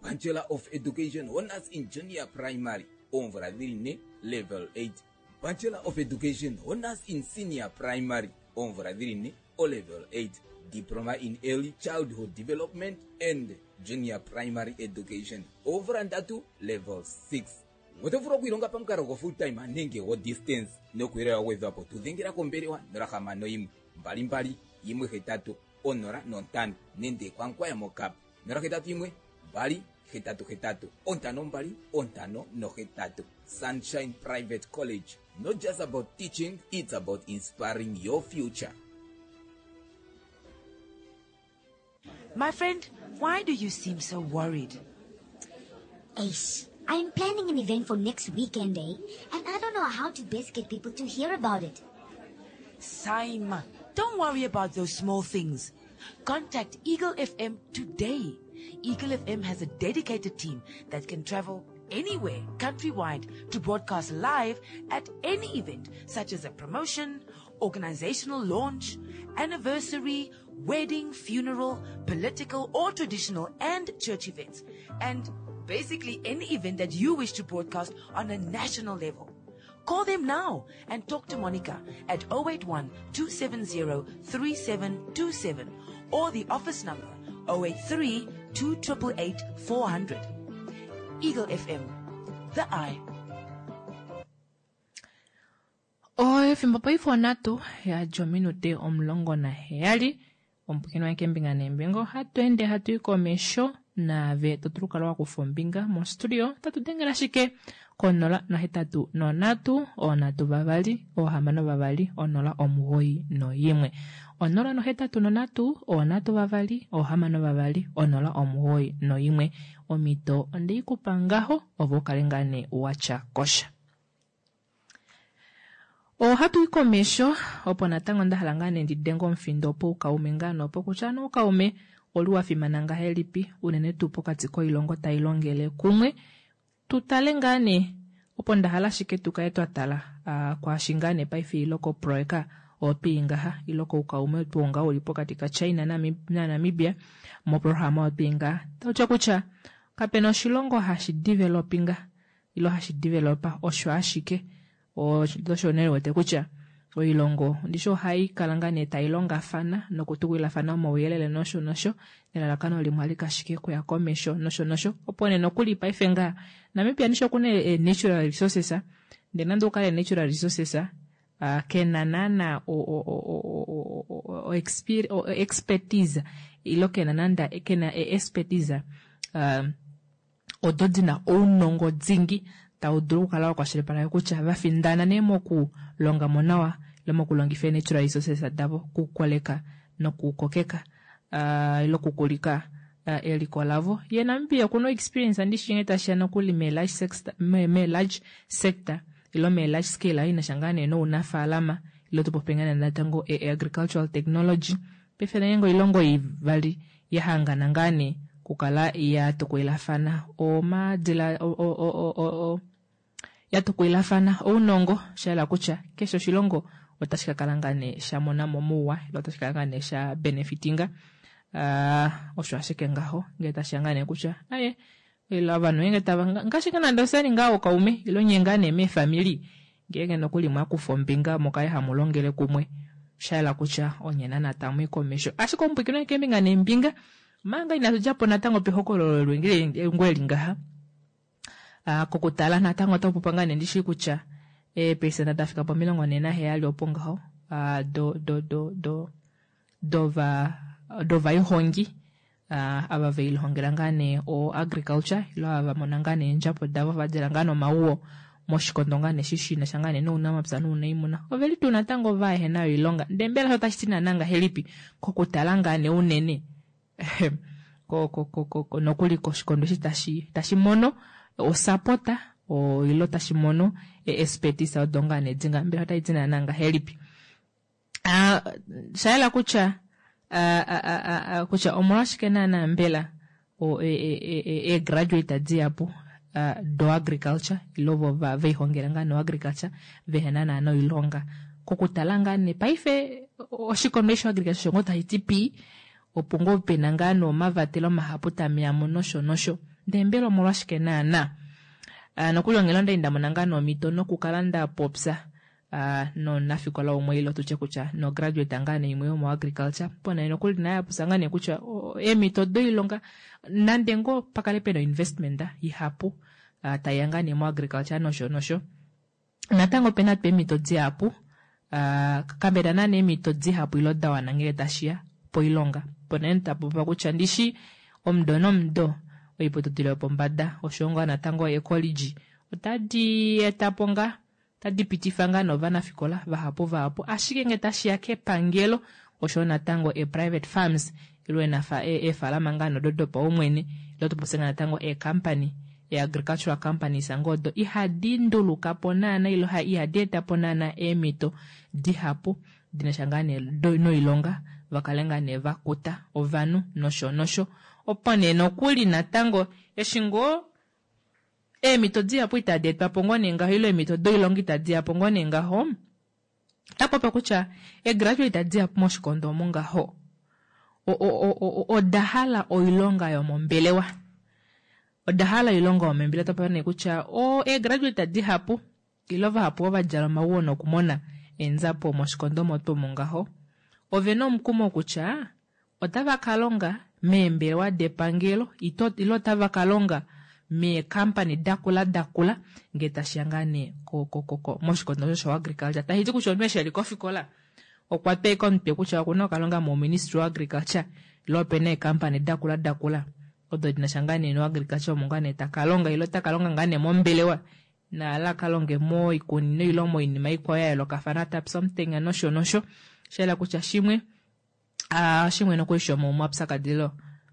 Bachelor of Education Honours in Junior Primary, oomvula dhili ne, level 8. Bachelor of Education Honours in Senior Primary, oomvula dhili ne, olevel 8. Diploma in Early Childhood Development and Junior Primary Education, oomvula ndatu, level 6. Oto vulu okwiilonga pamukalo go full time nenge go distance. Nokuyelela wa gwedhwa po tu dhengela kombelewa 061 22 18 05 nenge kwankwaya mokap. 081 2 8 8 5 2 5 8. Sunshine Private College. Not just about teaching, it's about inspiring your future. My friend, why do you seem so worried? Ace, I'm planning an event for next weekend, eh? And I don't know how to best get people to hear about it. Saima, don't worry about those small things. Contact Eagle FM today. Eagle FM has a dedicated team that can travel anywhere countrywide to broadcast live at any event such as a promotion, organizational launch, anniversary, wedding, funeral, political or traditional and church events, and basically any event that you wish to broadcast on a national level. Call them now and talk to Monica at 081 270 3727 or the office number 083 288 400. Eagle FM, the eye. Efimbo paife onhatu yadja ominute 17 omupwikinwa wange keembinga neembinga ohatu ende hatu i komesho naave to dulu okukala wa kufa ombinga mostudio tatu dengele ashike konola nohetatu nonhatu oonhatu vavali oohamano vavali onola omugoyi noyimwe onola nohetatu nonhatu oonhatu vavali oohamano vavali onola omugoyi noyimwe omhito ondeikupa ngaho ove ukale ngaa nee watya kosha. Ohatu i komesho opo natango nda hala ngaa nee ndi denge omufindo poukaume ngaa nee opo kutya nee oukaume oli wa fimana ngahelipi unene tuu pokati koilongo tai longele kumwe. Tu tale ngaa nee opo nda hala ashike tu kale twa tala kwaashi ngaa nee paife ilo koproyeka oyo twii ngaha ilo koukaume tuu ngaho uli pokati kaChina naNamibia moprograma oyo twii ngaha. Tautya kutya kapena oshilongo hashi developinga ilo hashi developa osho ashike osho nee wete kutya oilongo ndishi ohai kala ngaa nee tai longafana nokutukulilafana omauyelele nosho nosho nelalakano limwe alike ashike kuya komesho nosho nosho opo nee nokuli paife ngaa Namibia ndishi okuna natural resources ndee nande okukale natural resources kena naana expertise ilo kena nande kena expertise odo dina ounongo dingi tau dulu okukala wa kwashilipaleka kutya va findana nee mokulonga mo nawa ile mokulongifa ee-natural resources davo okukoleka nokukokeka ile okukulika eliko lavo. Ye Namibia okuna experience ndishi nghee tashiya nokuli mee-large sector ilo mee-large scale inasha ngaa nee nounafaalama ilo tupope ngaa nee natango agricultural technology. Paife ngeenge oilongo ivali ya hangana ngaa nee okukala ya tukulilafana omadila ya tukulilafana ounongo sha yela kutya keshe oshilongo otashi ka kala ngaa nee sha mona mo mouwa ile otashi kala ngaa nee sha benefitinga. Osho ashike ngaho ngee tashiya ngaa nee kutya aye ile ovanhu ngeenge tava ngaashi ngaa nande osali ngaa ookaume ile nye ngaa nee meefamili ngeenge nokuli mwakufa ombinga mukale hamu longele kumwe sha yela kutya onye naana tamu i komesho. Ashike omupwiikini keembinga neembinga manga inatu djapo natango pehokololo eli ngaha kokutala natango ota pupa ngaa nee ndishi kutya eepesenda dafika po 47 opo ngaho dovaihongi ava velihongela ngaa nee o agriculture ilo ava vamona ngaa nee eendjapo davo vadjela ngaa nomauwo moshikondo ngaa nee eshi shinasha ngaa nee nounamapya nounaimuna oveli tuu natango vaehena oilonga ndee mbela osho otashi ti naana ngahelipi kokutala ngaa nee unene nokuli koshikondo eshi tashi mono osapota ilo tashi mono expertise odo ngaa nee dinga mbela otai ti naana ngahelipi. Shayela kutya kutya omolwashike naana mbela eegraduate dihapu do agriculture ilo vo veihongela ngaa no agriculture vehena naana oilonga kokutala ngaa nee paife oshikondo eshi agriculture osho ngoo tashi ti pii opo ngoo pena ngaa nee omavatelo mahapu tameyamo nosho nosho ndee mbela omolwashike naana nokuli onghela ondali ndamona ngaa nee omhito nokukala ndapopya nomunafikola umwe ilo tutye kutya no graduate ngaa nee imwe yomo agriculture pona nokuli naye apopya ngaa nee kutya eemhito doilonga nande ngoo pakale pena investment ihapu taiya ngaa nee mo agriculture nosho nosho natango opena tuu eemhito dihapu kapena naana eemhito dihapu ilo dawana ngele tashiya poilonga pona nee tapopiwa kutya ndishi. Omudo nomudo oiputudilo yopombada oshoyo ngaa natango eecollege otadi eta po ngaa otadi pitifa ngaa novanafikola vahapu vahapu, ashike ngee tashiya kepangelo oshoyo natango e-private farms ile eefalama ngaa nodo dopaumwene ile tupopye ngaa natango eecompany, e-agricultural companies ngoo odo ihadi nduluka po naana ile ihadi eta po naana eemhito dihapu dinasha ngaa nee noilonga, vakale ngaa nee vakuta ovanhu nosho nosho. Opo nee nokuli natango eshi ngoo eemhito dihapu itadi etwa po ngoo nee ngaho ile eemhito doilonga itadi ya po ngoo nee ngaho, otapopi kutya eegraduate dihapu moshikondo omu ngaho oda hala oilonga yomombelewa, oda hala oilonga yomombelewa. Otapopi nee kutya eegraduate dihapu ile vahapu ova djala omaguwo nokumona eenzapo moshikondo omo tuu omu ngaho ovena omukumo kutya otava ka longa meembelewa depangelo ile otava ka longa meekampani dakula dakula ngee tashiya ngaa nee moshikondo osho shoagriculture. Tashi ti kutya omunhu eshi eli kofikola okwa twa ashike omutwe kutya okuna okalonga mouministry woagriculture ile opena eekampani dakula dakula odo dinasha ngaa nee noagriculture omo ngaa nee taka longa ile otaka longa ngaa nee mombelewa naala kalonge moikunino ile moinima ikwao ya yoolokafana tapya omutenya nosho nosho. Shayela kutya shimwe shimwe nokuli shomomaupyakadilo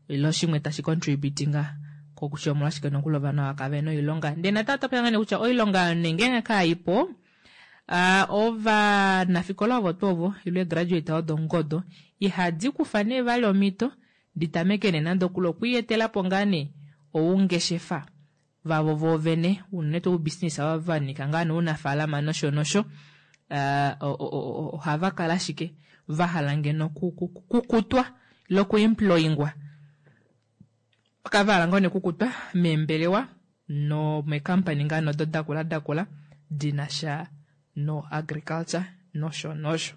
ile shimwe tashi contributinga kokutya omolwashike nokuli ovanhu ava kave na oilonga. Ndele natango otwa pula kutya oilonga nenge kaipo, ovanafikola ovo tuu ovo ile graduate odo ngodo ihadi kufa nee vali omhito ditameke nee nande okuli okwiiyetela po ngaa nee oungeshefa vavo voovene, unene tuu oubusiness ava vanika ngaa nee ounafaalama nosho nosho, ohava kala ashike vahala ngeno kukutwa ile okuemployingwa, kava hala ngoo nee kukutwa meembelewa nomeekampani ngaa nodo dakula dakula dinasha no agriculture nosho nosho.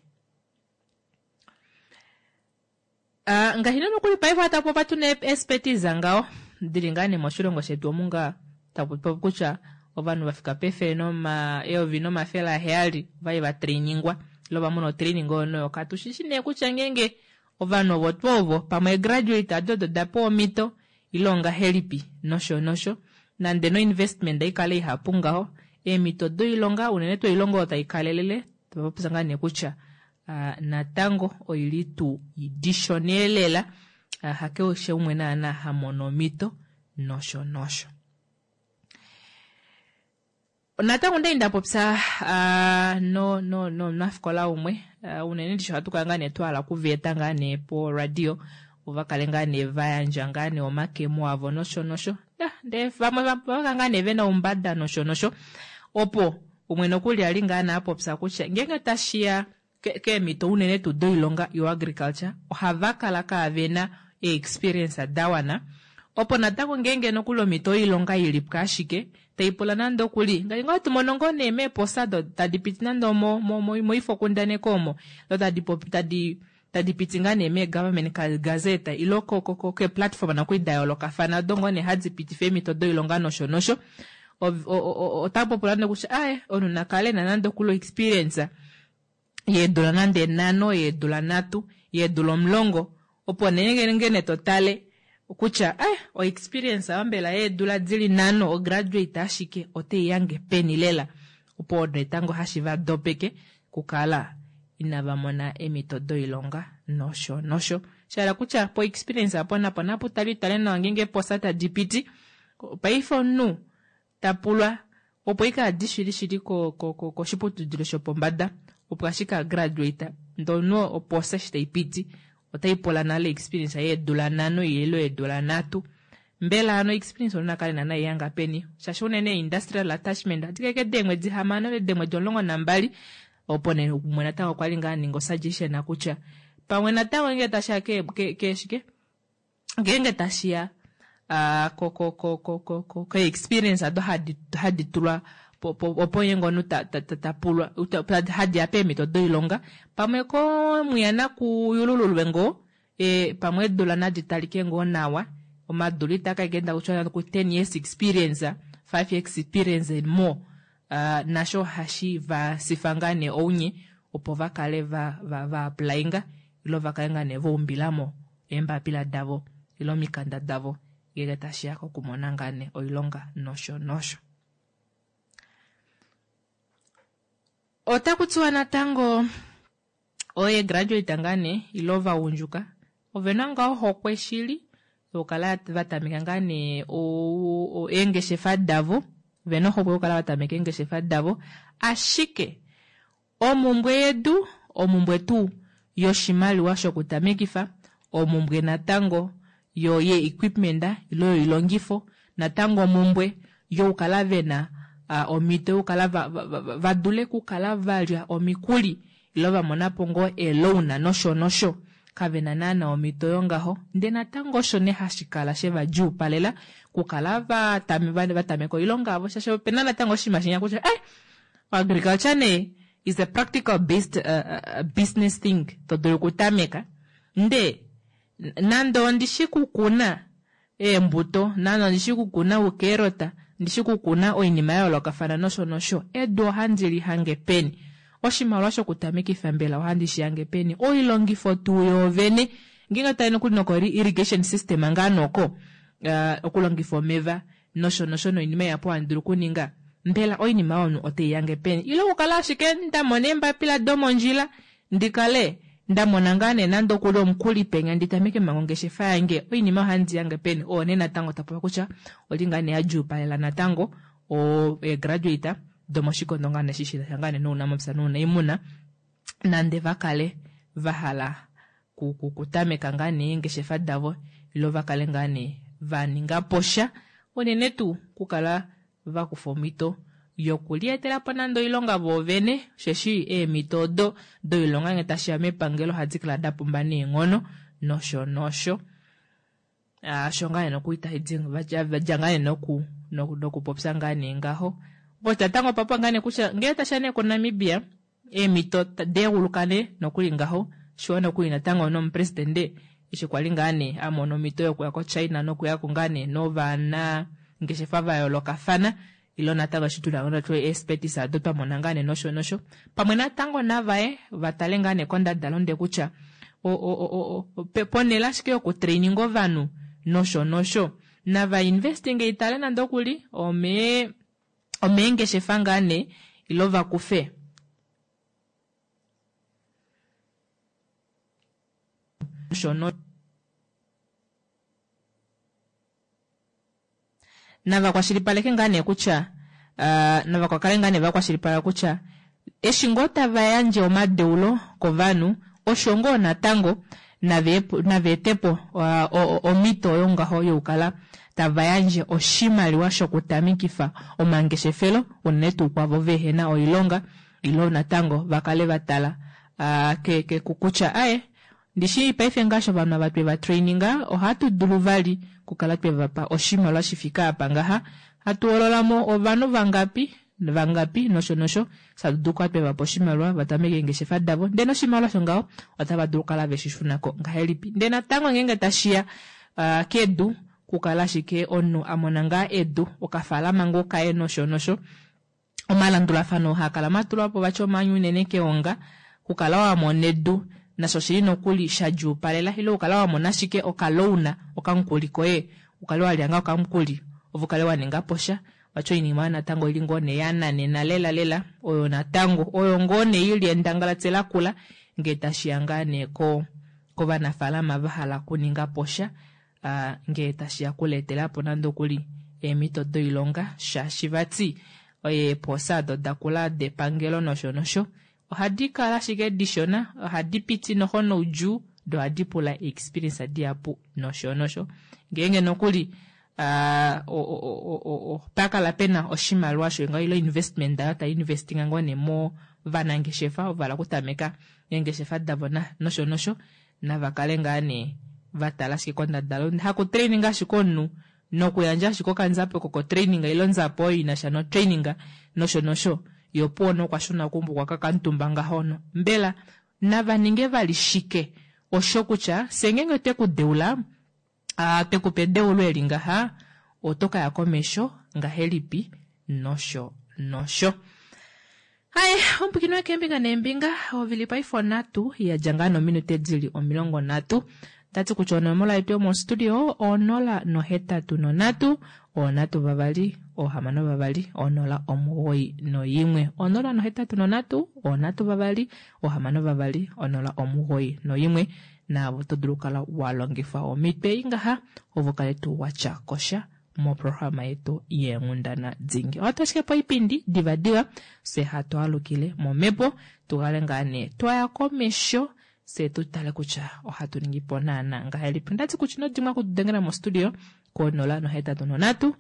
Ngaashi nokuli paife ohatu tuna expertise ngaho dili ngaa nee moshilongo shetu omu ngaa taku popi kutya ovanhu vafika pefele eyovi nomafele aheyali vai va trainingwa ile vamona otraining oyo noyo katushishi nee kutya ngeenge ovanhu ovo tuu ovo pamwe graduate ado odo dapewa omhito ile ongahelipi nosho nosho. Nande no investment ikale ihapu ngaho eemhito doilonga unene tuu oilonga oyo taikalelele topopya ngaa nee kutya natango oili tuu idishoneelela, hakeshe umwe naana hamono omhito nosho nosho. Natango ndai ndapopya nomunafikola umwe, unene ndishi ohatu kala ngaa nee twahala okuveeta ngaa nee po radio ovakale ngaa nee vayandja ngaa nee omakemo avo nosho nosho. Ndee vamwe vaka ngaa nee vena oumbada nosho nosho, opo umwe nokuli ali ngaa nee apopya kutya ngeenge tashiya keemhito unene tuu doilonga yoagriculture ohava kala kaavena e-experience dawana, opo natango ngeenge nokuli omhito yoilonga ilipo ashike taipula nande okuli ngaashi ngoo tumono ngoo nee meeposa do tadi piti nande moifokundaneko omo do tadi piti ngaa nee mee-government gazette ile ke-platform nokuli da yoolokafana odo ngoo nee hadi pitifa eemhito doilonga nosho nosho. Otapopula nee kutya aye omunhu nakale ena nande okuli experience yeedula nande 5, yeedula 3, yeedula 10, opo nee ngene totale kutya o experience ayo mbela yeedula dili 5 o graduate ashike otei yange peni lela, opo netango hashi va dopeke kukala inava mona eemhito doilonga nosho nosho. Shahala kutya po experience apo napo napu tali tale nawa ngeenge posa tadi piti paife omunhu tapulwa opo ika adi shili shili koshiputudilo shopombada opo ashike a graduate ndono opo sesh tai piti otai pula nale experience yeedula 5 ile yeedula 3. Mbela ano experience ona kale nana yanga peni shaashi unene industrial attachment adike deemwedi 6 ile deemwedi 12, opo nee umwe natango okwa li ngaa ninga suggestion kutya pamwe natango ngenge tashiya keshike ngeenge tashiya ko experience ado hadi tulwa opo ye ngono tapulwa hadi ya peemhito doilonga pamwe ko muyana kuyulululwe ngoo pamwe edula nadi talike ngoo nawa omadula itaka kenda kutya ku 10 years experience, 5 years experience and more, nasho hashi va sifa ngaa nee ounye opo vakale va applyinga ile vakale ngaa nee vaumbilamo eembapila davo ile omikanda davo ngenge tashiya kokumona ngaa nee oilonga nosho nosho. Otaku tiwa natango oye graduate ngaa nee ile ovagundjuka ovena ngaa ohokwe shili yokukala va tameka ngaa nee eengeshefa davo, vena ohokwe yokukala va tameka eengeshefa davo, ashike omumbwe yedu, omumbwe tuu yoshimaliwa shokutamekifa, omumbwe natango yo ye equipment ile yoilongifo, natango omumbwe yokukala vena omhito yokukala va dule okukala valya omikuli ile va monapo ngoo eloan nosho nosho, kavena naana omhito yongaho. Ndee natango osho nee hashi kala shevadjuupalela okukala va tameka oilonga yavo, shaashi opena natango oshinima shinya kutya agriculture nee is a practical based business thing to dulu okutameka, ndee nande ondishi kukuna eembuto, nande ondishi kukuna oukeerota, ndishi kukuna oinima ya yoolokafana nosho nosho, edu ohandi li hange peni? Oshimaliwa shokutamekifa mbela ohandi shi hange peni? Oilongifo tuu yoovene ngeenge tai nokuli noko irrigation system ngaa noko okulongifa omeva nosho nosho noinima ihapu handi dulu okuninga, mbela oinima oyo otei yange peni? Ile okukala ashike nda mona eembapila domondjila ndikale nda mona ngaa nee nande okuli omukuli penya ndi tameke manga ongeshefa yange, oinima ohandi yange peni? Oo nee natango tapopi kutya oli ngaa nee ya djuupalela natango eegraduate domoshikondo ngaa nee shi sha ngaa nee nounamapya nounaimuna, nande va kale va hala kutameka ngaa nee eengeshefa davo ile va kale ngaa nee va ninga po sha, unene tuu kukala va kufa omhito yokulietela po nande oilonga voovene, osheshi eemhito odo doilonga ngee tashiya mepangelo ohadi kala da pumba neenghono nosho nosho. Osho ngaa nee nokuli taidi vadja ngaa nee nokupopya ngaa nee ngaho. Opo natango opapa ngaa nee kutya ngee tashiya nee koNamibia eemhito deeguluka nee nokuli ngaho, shiwa nokuli natango nomupresidende eshi kwali ngaa nee a mona omhito yokuya koChina nokuyako ngaa nee novana ngeshefa va yoolokafana, ile natango eshi tuna ngoo nee eespetis ado twa mona ngaa nee nosho nosho, pamwe natango navaye va tale ngaa nee kondadalunde kutya ponhele ashike yokutraininga ovanhu nosho nosho, nava investinge itale nande okuli omeengeshefa ngaa nee ile va kufe nosho nava kwashilipaleke ngaa nee kutya nava kale ngaa nee va kwashilipaleka kutya eshi ngoo tava yandje omadeulo kovanhu osho ngoo natango nava etepo omhito oyo ngaho yokukala tava yandje oshimaliwa shokutamikifa omangeshefelo unene tuu kwavo vehena oilonga, ile natango va kale va tala kutya aye ndishi paife ngaashi ovanhu ava tweva traininga ohatu dulu vali kukala twevapa oshimaliwa shifika apa ngaha, hatu hololamo ovanhu vangapi vangapi nosho nosho, satu dulu kukala twevapa oshimaliwa va tameke eengeshefa davo, ndele noshimaliwa osho ngaho otava dulu kukala veshi shunako ngahelipi. Ndele natango ngeenge tashiya kedu, kukala ashike omunhu a mona ngaa edu okafaalama ngoo kaye nosho nosho, omalandulafano haa kala matulwapo vati omanyu unene keonga, kukala wa mona edu nasho oshili nokuli sha djuupalela, ile ukala wa mona ashike okalouna okamukuli koye, ukale walya ngaa okamukuli ove ukale wa ninga po sha, vati oinima oyo natango oili ngoo nee ya nanena lela lela, oyo natango oyo ngoo nee ili endangalati lakula ngee tashiya ngaa nee kovanafaalama va hala okuninga po sha, ngee tashiya kuleetela po nande okuli eemhito doilonga, shaashi vati eepoosa odo dakula depangelo nosho nosho ohadi kala ashike dishona, ohadi piti noho noudjuu, do ohadi pula experience dihapu nosho nosho. Ngeenge nokuli opakala pena oshimaliwa sho ile investment ayo tai investinga ngoo nee movanangeshefa ovo vala okutameka eengeshefa davo nosho nosho, nava kale ngaa nee va tala ashike kondadalunde, haku training ashike omunhu nokuyandja ashike okanzapo koko training ile onzapo oyo inasha no training nosho nosho, yo opuwo nokwashuna kumbukwa kakamutumba ngaho no. Mbela nava ninge vali shike osho kutya fye ngeenge twe ku deula, twe ku pa edeulo eli ngaha, oto kaya komesho ngahelipi nosho nosho. Hai, omupwikini wekeembinga neembinga, ovili paife 3 yadja ngaa nominute dili 30. Tati kutya onomola yetu yomostudio 083 3 62 091. 083 3 62 091 naavo to dulu kala wa longifa omitwe ingaha ovo kale tuu watya kosha moprograma yetu yeenghundana dingi. Ohatu ashike po oipindi divadiva fye hatu alukile momhepo tukale ngaa nee twaya komesho fye tu tale kutya ohatu ningi po naana ngahelipi. Ondati kutya ino dimwa okutudengela mostudio ko 083 3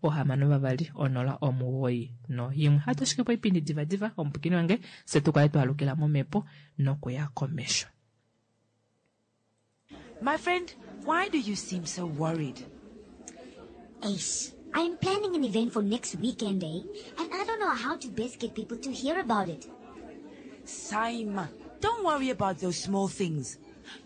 62 091. Ohatu ashike po oipindi divadiva omupwikini wange fye tu kale twa alukila momhepo nokuya komesho. My friend, why do you seem so worried? Ace, I'm planning an event for next weekend, eh? And I don't know how to best get people to hear about it. Saima, don't worry about those small things.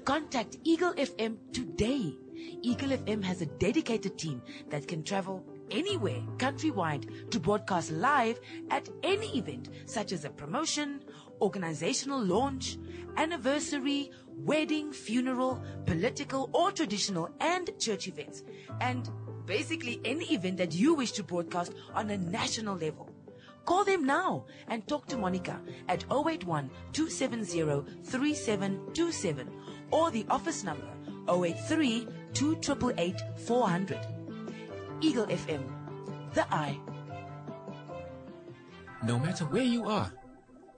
Contact Eagle FM today. Eagle FM has a dedicated team that can travel anywhere countrywide to broadcast live at any event such as a promotion, organizational launch, anniversary, wedding, funeral, political or traditional and church events. And basically any event that you wish to broadcast on a national level. Call them now and talk to Monica at 081 270 3727 or the office number 083 288 400. Eagle FM, the eye. No matter where you are,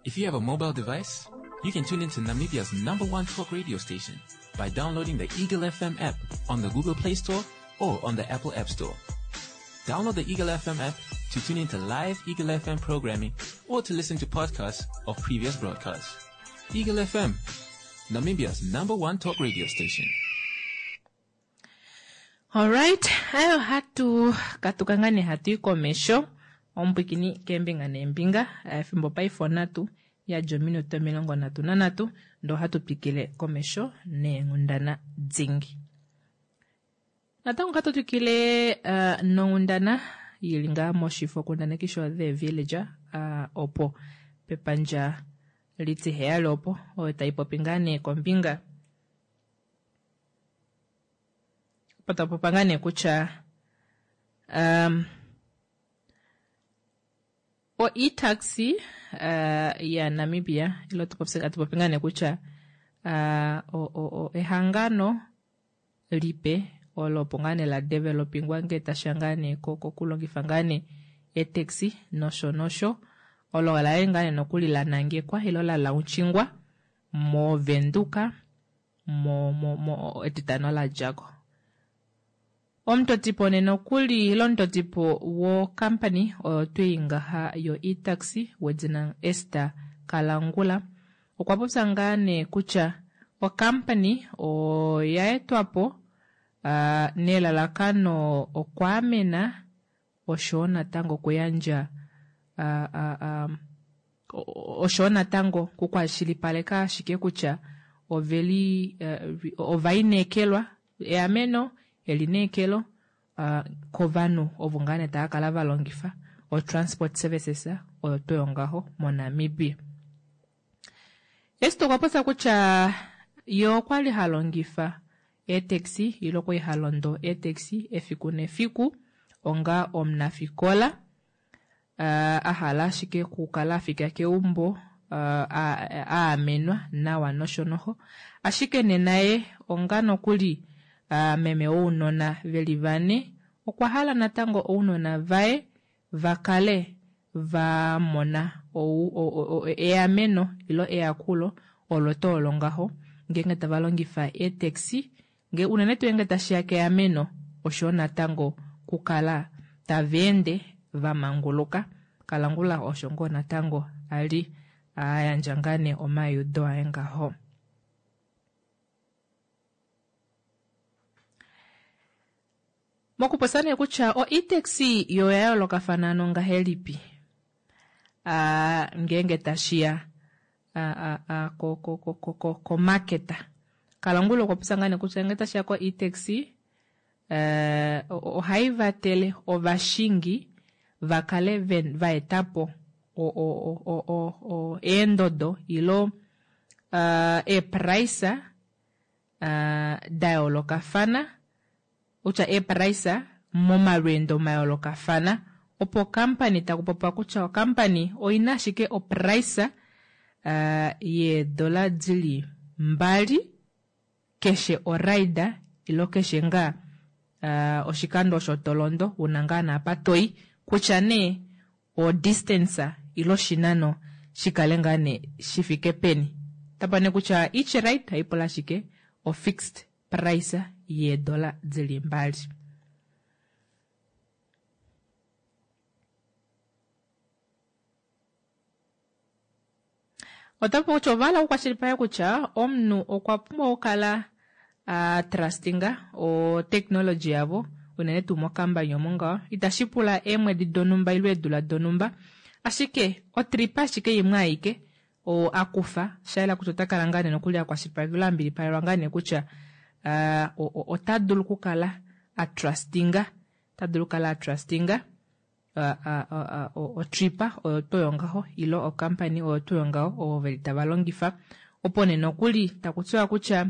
if you have a mobile device, you can tune into Namibia's number one talk radio station by downloading the Eagle FM app on the Google Play Store or on the Apple App Store. Download the Eagle FM app to tune into live Eagle FM programming or to listen to podcasts of previous broadcasts. Eagle FM, Namibia's number one talk radio station. Alright, ayo hatu katuka ngaa nee hatu i komesho omupwikini keembinga neembinga efimbo paife onhatu yadja ominute 33 ndoo ohatu twikile komesho neenghundana dingi. Natango ohatu twikile uh, nonghundana yili ngaa moshifo kundaneki sho The Villager uh, opo pepandja litiheyali opo oyo tai popi ngaa nee kombinga opo tapopa ngaa nee kutya um, o e-taxi uh, ya Namibia ilo atupopi ngaa nee kutya uh, o, o, o, ehangano lipe olo opo ngaa nee la developingwa ngee tasha ngaa nee kokulongifa ngaa nee eetaxi nosho nosho olo ola li ngaa nee nokuli la nangekwa ilo la launchingwa moVenduka mo, mo, mo etitano la djako. Omutotipo nena okuli ile omutotipo wokampani oyo twii ngaha yo e-taxi wedina Esther Kalangula okwa popya ngaa nee kutya okampani oya etwapo uh, nelalakano okwaamena oshowo natango okuyandja uh, uh, um, oshowo natango kukwashilipaleka ashike kutya oveli uh, ovaineekelwa eameno elineekelo uh, kovanhu ovo ngaa nee tava kala va longifa o-transport services oyo tuu yongaho moNamibia. Esther okwa popya kutya ye okwa li ha longifa eetaxi ile okwali ha londo eetaxi efiku nefiku onga omunafikola uh, a hala ashike okukala a fika keumbo uh, a amenwa nawa nosho noho. Ashike nena ye onga nokuli uh, meme wounona veli vane okwa hala natango ounona vaye va kale va mona eameno ilo eyakulo olo tuu olo ngaho ngeenge tava longifa eetaxi nge unene tuu ngeenge tashiya keameno oshoyo natango kukala tava ende va manguluka. Kalangula osho ngoo natango ali a yandja ngaa nee omaiudo aye ngaho. Mokupopya nee kutya o e-taxi yo oya yoolokafana ano ngahelipi uh, ngeenge tashiya uh, uh, ko, ko, ko, ko, ko, ko market. Kalangula okwa popya ngaa nee kutya ngeenge tashiya ko e-taxi uh, ohai vatele ovashingi va kale va eta po eendodo ilo uh, eeprice Da yoolokafana, kutya eeprice momalweendo mayoolokafana, opo okampani taku popiwa kutya okampani oina ashike oprice yeedola dili 2 keshe oride ilo keshe ngaa oshikando osho tolondo una ngaa naapa toyi kutya nee o distance ilo oshinano shikale ngaa nee shifike peni. Tapa nee kutya each ride haipula ashike o fixed price yeedola dili 2. Otapu kutya ovahala okukwashilipaleka kutya omunhu okwa pumbwa okukala a trustinga o technology yavo unene tuu mokambani omo ngaho itashi pula eemwedi donhumba ile eedula donhumba ashike otrip ashike imwe aike oo akufa shayela kutya ota kala ngaa nee nokuli akwashilipaleka ile ambilipalelwa ngaa nee kutya ota dulu okukala a trustinga ota dulu okukala a trustinga otripa oyo tuu yongaho ilo okampani oyo tuu yongaho ovo veli tava longifa opo nee nokuli taku tiwa kutya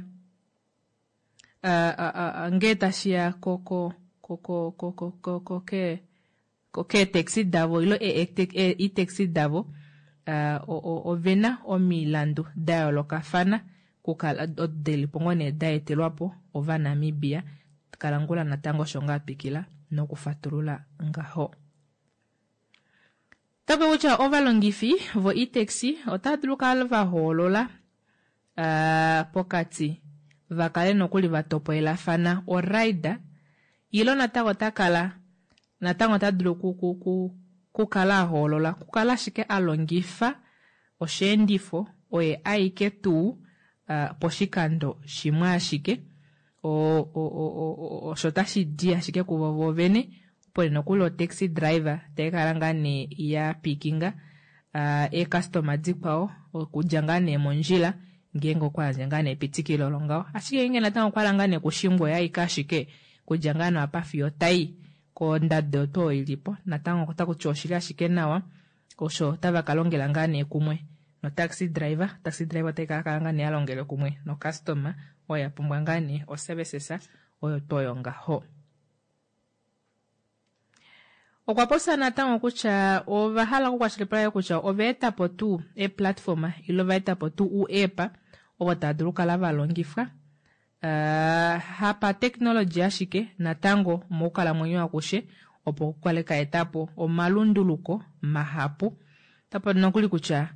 ngee tashiya keetaxi davo ilo e-taxi davo ovena omilandu da yoolokafana kukala delipo ngoo nee da etelwapo ovanamibia. Kalangula natango osho ngaa twikila nokufatulula ngaho. Otape kutya ovalongifi vo e-taxi otava dulu okukala va hoolola pokati va kale nokuli va topolelafana oride ilo natango ota kala natango ota dulu kukala a hoolola kukala ashike a longifa osheendifo oye aike tuu poshikando shimwe ashike osho tashi di ashike kuvo vovene opo nokuli o taxi driver taikala ngaa nee ya pikinga eecustoma dikwao okudja ngaa nee mondjila ngeenge okwa yandja ngaa nee epitikilo longaho ashike ngeenge natango okwa hala ngaa nee kushingwa oye aike ashike kudja ngaa nee apa fiyo tai kondado oyo ilipo natango otaku tiwa oshili ashike nawa osho otava ka longela ngaa nee kumwe no taxi driver. Taxi driver otai kala ngaa nee alongele kumwe no customer oyo ya pumbwa ngaa nee o services oyo toyo ngaho. Okwa popya natango kutya ova hala okukwashilipaleka kutya ova eta po tuu e-platform ile ova eta po tuu u-app ovo tava dulu okukala va longifwa hapa technology ashike natango mokukalamwenyo akushe opo kukale ka eta po omalunduluko mahapu. Otapo nokuli kutya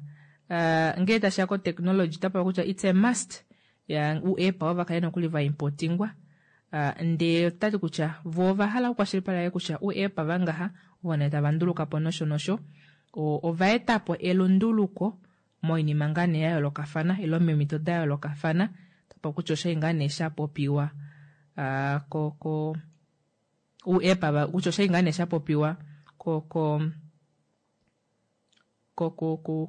ngee tashiya ko technology otapo kutya it's a must ya u-app ova kale nokuli va importingwa ndee otati kutya vo ova hala okukwashilipaleka kutya u-app vangaha ovo nee tava nduluka po nosho nosho ova eta po elunduluko moinima ngaa nee ya yoolokafana ile meemhito da yoolokafana otapo kutya oshai ngaa nee sha popiwa ko u-app kutya oshai ngaa nee sha popiwa ko ko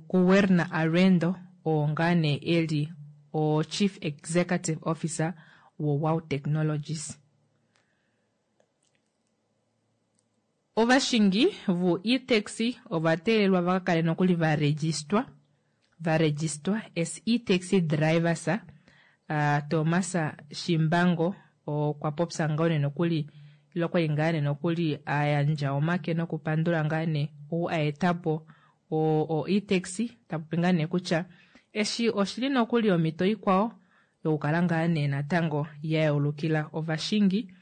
ku Werner Arendo oo ngaa nee eli o Chief Executive Officer wo Wow Technologies. Ovashingi vo e-taxi ova teelelwa va kale nokuli va registwa as e-taxi drivers. Thomas Shimbango okwa popya ngao nee nokuli ilo kwali ngaa nee nokuli a yandja omake nokupandula ngaa nee ou a eta po o e-taxi tapopi ngaa nee kutya eshi oshili nokuli omhito ikwao yokukala ngaa nee natango ya yeulukila ovashingi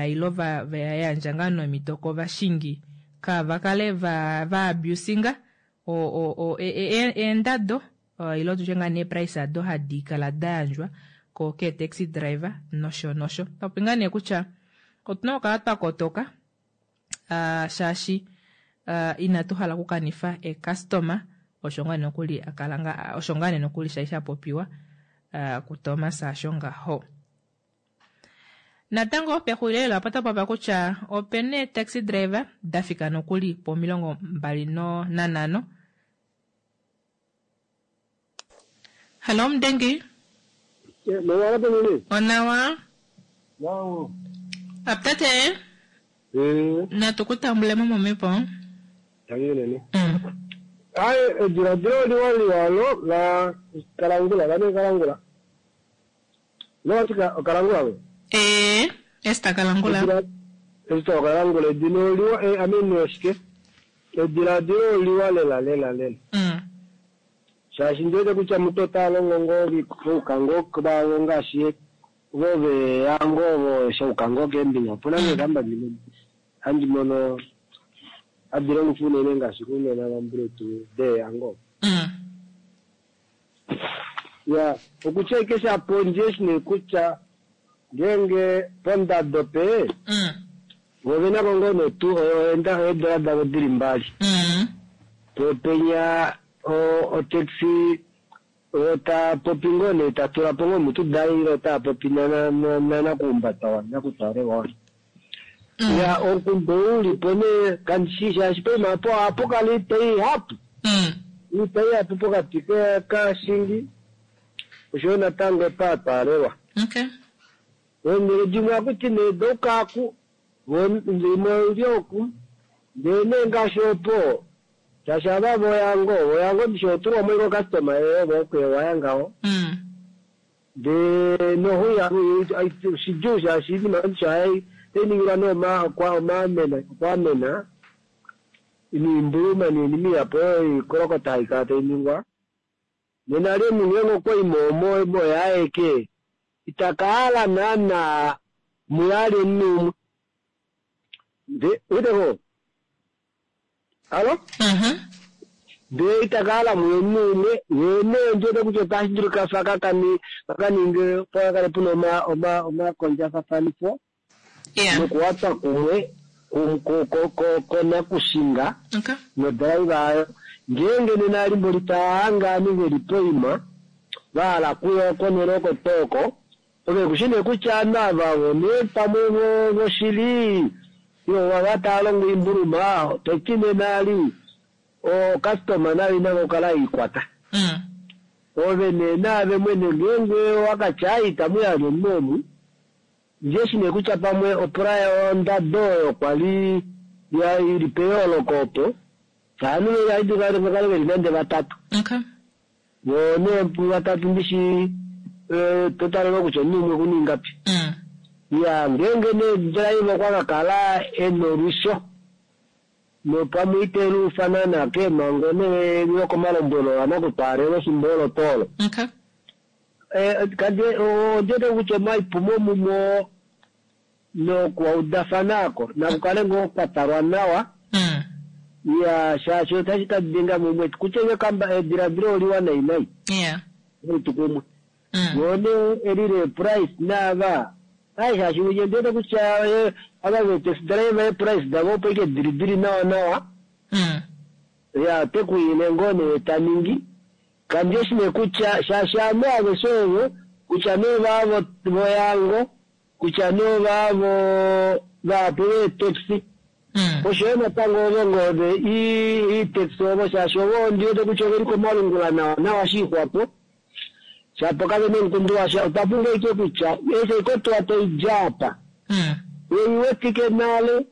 ilo va yandja ngaa nomhito kovashingi kava kale va abusinga eendado ilo tutye ngaa nee price ado hadi kala da yandjwa ko ke taxi driver nosho nosho. Tapopi ngaa nee kutya otuna okukala twa kotoka shaashi inatu hala okukanifa e-customer osho ngaa nokuli akala nga osho ngaa nee nokuli shai sha popiwa kuThomas asho ngaho. Natango pexulilo apa otapa kutya opena ee-taxi driver da fika nokuli po 25. Hello Mdengi. Onawa. Aptate. Natukutambule mo momepo. Ai ediladilo liwa liwalo la kalangula vane kalangula. Nowatika okalangula we. Ee, Ester Kalangula. Ester Okalangula edina oliwa eh, I mean oshike? Ediladilo oliwa lela lela lela. Shaashi ndi wete kutya mutu ota longo ngoo oukango vavo ngaashi vo veya ngoo vo shoukango keembinga. Opuna ngoo eekambani dimwe handi mono hadi longifwa unene ngaashi kunena vambuletu deeyango. Ya, okutya ashike shapondje eshi nee kutya ngeenge pondado pe vo vena ko ngoo nee tuu eedola davo dili mbali. Po penya otaxi ota popi ngoo nee ta tula po ngoo omutu daye ile ota popi nakuhumbata nakutwaalelwa. Ya, omukundu ou ulipo nee kandishi shaashi poima opo ohapu kala oitoi ihapu. Oitoi ihapu pokati kashingi oshoyo natango paatwaalelwa. Okay. Eenhele dimwe ohakuti nee doukaaku, imwe oili oku, ndee nee ngaashi opo shaashi ava voyango, voyango ndishi otulwa mo ike ocustoma yoye ove okuewaya ngaho. Ndee nohuya shidjuu shaashi iinima ndishi otai ningilwa nee okwaamena niimbuluma niinima ihapu oyo iikolokota haikala tai ningwa. Nena li omunhu ngeenge okwa i mo oye aeke itaka hala naana muyali omunhu umwe. Nde weteko? Alo? Ndee itaka hala muye omunhu umwe, yee nee ndiwete kutya otashi dulika fa kakaninge opo kakale puna omakondjafafanifo nokuwatwa kumwe konakushinga nodriver ayo. Ngeenge nena elimbo litahanga ovanhu veli poima vahala kuya konhele oko tooko, ove kushi nee kutya ovanhu ava ovo nee pamwe voshili ile ova tava longo oimbuluma, toti nena ali ocustoma nayo ina okukala ikwata. Ove nee naave mwene ngeenge wakatya ai itamu yali omunhu omu, ndiye nee kutya pamwe opula ondado oyo kwali ili peyooloko opo ovanhu vakale veli nande vatatu. Vo nee vatatu ndishi totalelwa kutya omunhu umwe okuna ingapi. Ya, ngeenge nee driver okwa kakala ena olwisho nopamwe ite luufana keemhango nee lokomalombwelo anakutwaalelwa efimbo olo tuu olo. Ondiwete kutya omaipumo mumo nokuudafana ako nakukale ngoo kwatalwa nawa. Ya, shaashi otashi ka denga mumwe kutya ediladilo oliwa nai nai. Tukumwe. Vo nee elile price naava ai shaashi unye ndiwete kutya ava ve-taxi driver eeprice davo opo ike dili dili nawa nawa. Ya, tekuile ngoo nee taningi. Kandi eshi nee kutya shaashi ovanhu aveshe ovo kutya nee vaavo voyango kutya nee vaavo vahapu veetaxi oshoyo natango ovo ngoo ve ii-taxi ovo shaashi ovo ndiwete kutya oveli komalungula nawa nawa shiixwapo shapo kavena omukundu washa. Otwa pumbwa ike kutya eshi oikotuwa taidja apa oiwetike nale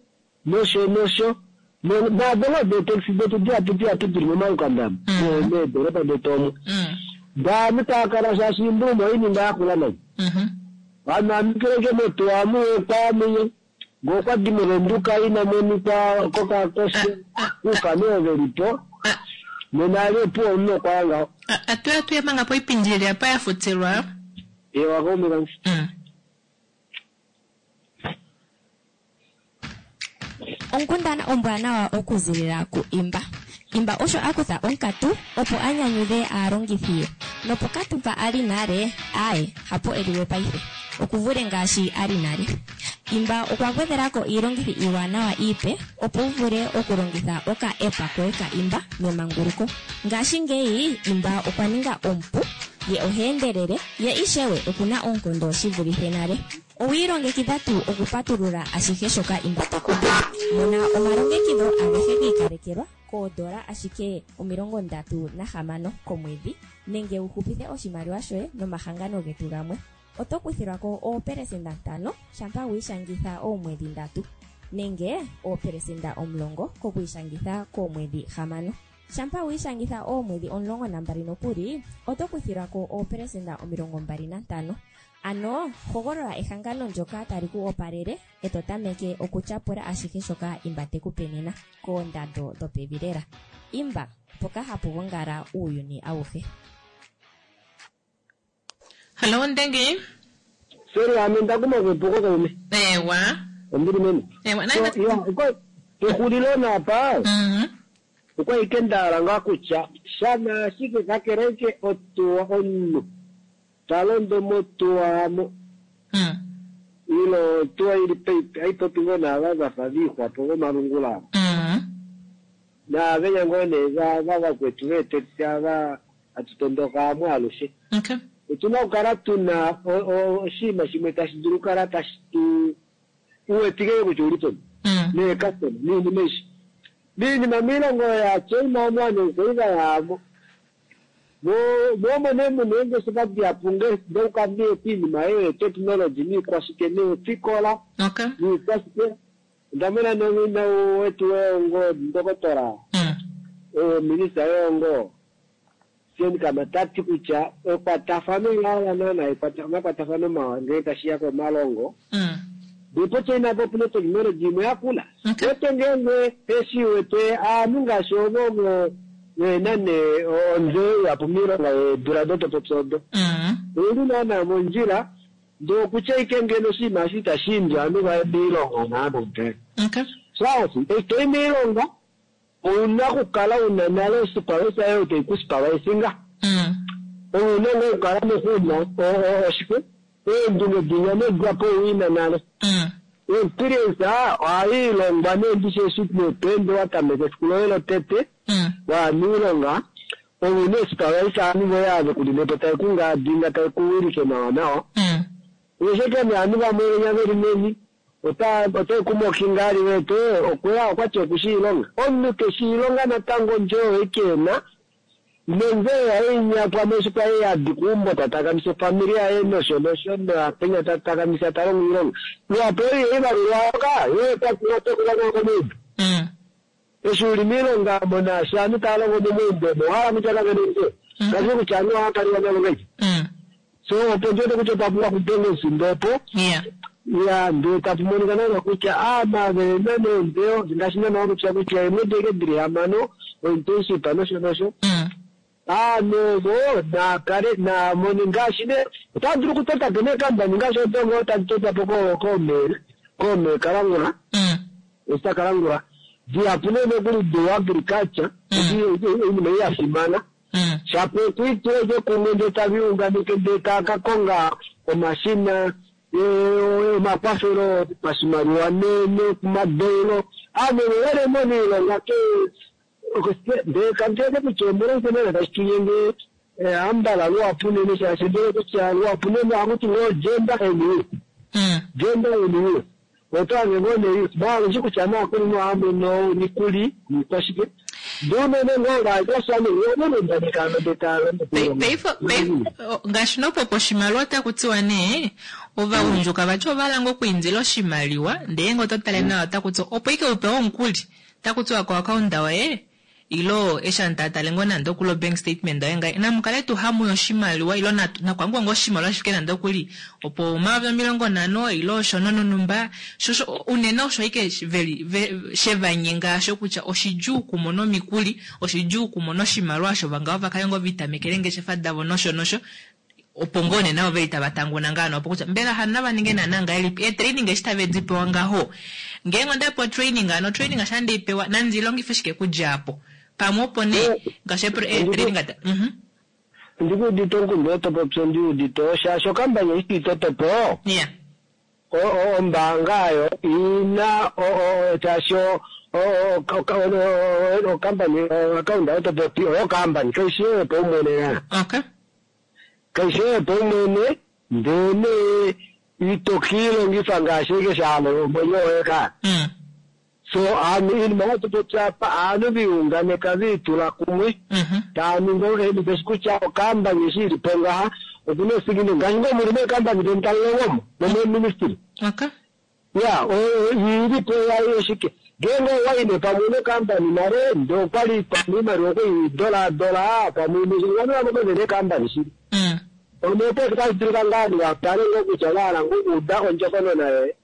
nosho nosho naado ngoo deetaxi detu dihapu dihapu dili momalukanda meedoropa detu omu. Daanhu taakala shaashi iimbuluma oininga yakula nai. Vanhu amikileke motuwa muye kwamuye ngoo okwadi movenduka ina monika kokakoshe kuufano oo velipo nena ali opuwo omunhu okwaya ngaho. Atuya tuye manga poipindi ili apa yafutilwa. Ewa kaume kange. Onkundana ombwanawa okuzilila ku Imba. Imba osho a kutha onkatu opo a nyanyudhe aalongithi ye. Nopokatu mpa a li nale, aaye, hapo e liwe paife. Okuvule ngaashi a li nale. Imba okwa gwedhela ko iilongithi iiwanawa iipe opo wu vule okulongitha oka app koye ka Imba memanguluko. Ngashingeyi Imba okwa ninga omupu, ye oha endelele, ye ishewe okuna oonkondo shi vulithe nale. Owi ilongekidha tuu okupatulula ashihe shoka Imba te ku pe? Mona omalongekidho agehe gi ikalekelwa koodola ashike 36 komwedhi nenge wu hupithe oshimaliwa shoye nomahangano getu gamwe. Oto kuthilwa ko oopelesenda 5 shampa wi ishangitha oomwedhi 3 nenge oopelesenda 10 kokwiishangitha koomwedhi 6. Shampa wi ishangitha oomwedhi 12 nokuli, oto kuthilwa ko oopelesenda 25. Ano hogolola ehangano ndyoka tali ku opalele e to tameke okutyapula ashihe shoka Imba te ku pe nena koondando dhopevi lela. Imba, mpoka hapu gongala uuyuni awuhe. Hallo Ndenge. Sorry, ame nda kuma kwepuko kaume. Ewa. Ombili meme. Ewa, So, ya, pexulilo napa okwa ike ndahala ngaa kutya shana ashike kakele ike otuwa omunhu ta londo motuwa mo ilo otuwa ili haipopi ngoo naava vafa viixwapo vomalungula naavenya ngoo nee va vakwetu veetekisi ava hatu tondoka amwe alushe. Otuna okukala tuna oshinima shimwe tashi dulu okukala tashi tu uwetike kutya uli peni neecustomer niinima aishe. Miinima miilongo yaChina omo ovanhu okwa li va ya mo omo nee muna eengeshefa dihapu ndouka nee piinima eyo yetechnology niikwashike neefikola niikwashike. Onda mona nomwina wetu wehongo ndokotola minista wehongo Steenkamp ta ti kutya ekwatafano lawa naana omakwatafano mawa ngee tashiya komalongo. Ndipo China po opuna technology imwe yakula. Wete ngeenge eshi wete aanhu ngaashi ovo vena nee ontseyo ihapu miilonga yeedula dotopopya odo. Ouli naana mondjila ndee okutya ike ngeno oshinima eshi itashi imbi ovanhu vaye miilonga naana nde. Shaashi eshi toyi miilonga ouna okukala una nale osupervisor yoye tayi ku supervisinga. Ouna ngoo okukala noku una oshike eendunge dinya nedwapo uina nale. Experience ohayi ilongwa nee ndishi eshi nee toende watameka efiku loye lotete waya miilonga ouna esupervisor ovanhu voye ave kulilepo taye kungaadinga taye kuwilike nawa nawa. Usheke nee ovanhu vamwe venya veli meni otai kumokinga ali wete okweya okwati okushi ilonga. Omunhu keshi ilonga natango ondjo ekena nonzeyo yaye inyakwa meshi kwaye yadi kuumbo tatakamisa ofamili yaye nosho nosho noapenya tatakamisa talongo ilonga. Luhapu ei ivalulwa ka yoye kwati otokulonga komeumbo. Eshi uli miilonga monaashi aanhu taya longo momaumbo omo owahala kutya kavena ontseyo. Kashi kutya aanhu ohaya kaliwa navo ngahelipi. So opo ndiwete kutya otwa pumbwa okudenga omufindo opo. Ya ndee tapu monika naana kutya aamavena neentseyo ngaashi naana wapopya kutya eemwedi eke dili hamano ointernship nosho nosho. Aanhu ovo naakale naamone ngaashi ne otava dulu okutota po neekambani ngaashi odongo tadi totwa po koomee Kalangula. Esta Kalangula. Dihapu nee nokuli do agriculture oinima ei ya fimana. Shapo okwiitula ike kumwe ndee tavi unganeke ndee taa ka konga omashina omakwafelo pashimaliwa nokumadeulo aanhu vele mona iilonga ke ndee kandiwete kutya omolwashike naana tashi tunyenge ambala luhapu unene shaashi ndele kutya luhapu unene ohakuti ngoo gender and youth. Gender and youth. Otoange ngoo ne youth. Baalushi kutya naakuli nohamono omikuli niikwashike. Ndee unene ngoo vaanyasha nee ndee taalongo Paife ngaashi nopo oshimaliwa otaku tiwa nee ovagundjuka vati ovahala ngoo okwiindila oshimaliwa ndee ngee oto tale nawa otaku tiwa opo ike upewe omukuli otaku tiwa ko account yoye ilo eshi aantu taya tale ngoo nande okuli o bank statement yoye ngai namukale tuu hamuya oshimaliwa ilo nakwangwa ngoo oshimaliwa shifike nande okuli opo 50,000 ilo osho nonumba shosho unene osho ike veli shevanyenga asho kutya oshidjuu okumona omikuli oshidjuu okumona oshimaliwa osho vangao vakale ngoo vitamekele eengeshefa davo nosho nosho opo ngoo nena ove itava tanguna ngaano opo kutya mbela hano nava ninge naana ngahelipi eetraining eshi tave di pewa ngaho ngeenge onda pewa training ano training asha ndeipewa nandi longife shike kudja apo pamwe opo nee ngaashi eetraining ata Ndikuudite omukundu otopopya ondiudite shaashi okambani eshi tuitotopo ombaanga ayo ina shaashi okambani akaunda otopopi oyo kambani kaishi yoye paumwene na. Kaishi yoye paumwene ndee nee itokiilongifa ngaashi eke shaalo omwenyo woye ka. So aanhu iinima yatopopya apa aanhu viunganeka viitula kumwe taa ningi okehipeshi kutya okambani eshi ilipo ngaha okuna esigino ngaashi ngoo muli meekambani deni talilongomo nomeeministry. Ya iilipo yayo shike ngeenge owaine pamwe nokambani nale ndee okwali pamwe iimaliwa okwei dola dola pamwe ovanhu vamwe vene eekambani shili. Omepo otashi dulika ngaa ovanhu va tale ngoo kutya va hala ngoo okuuda ondjokonona yoye.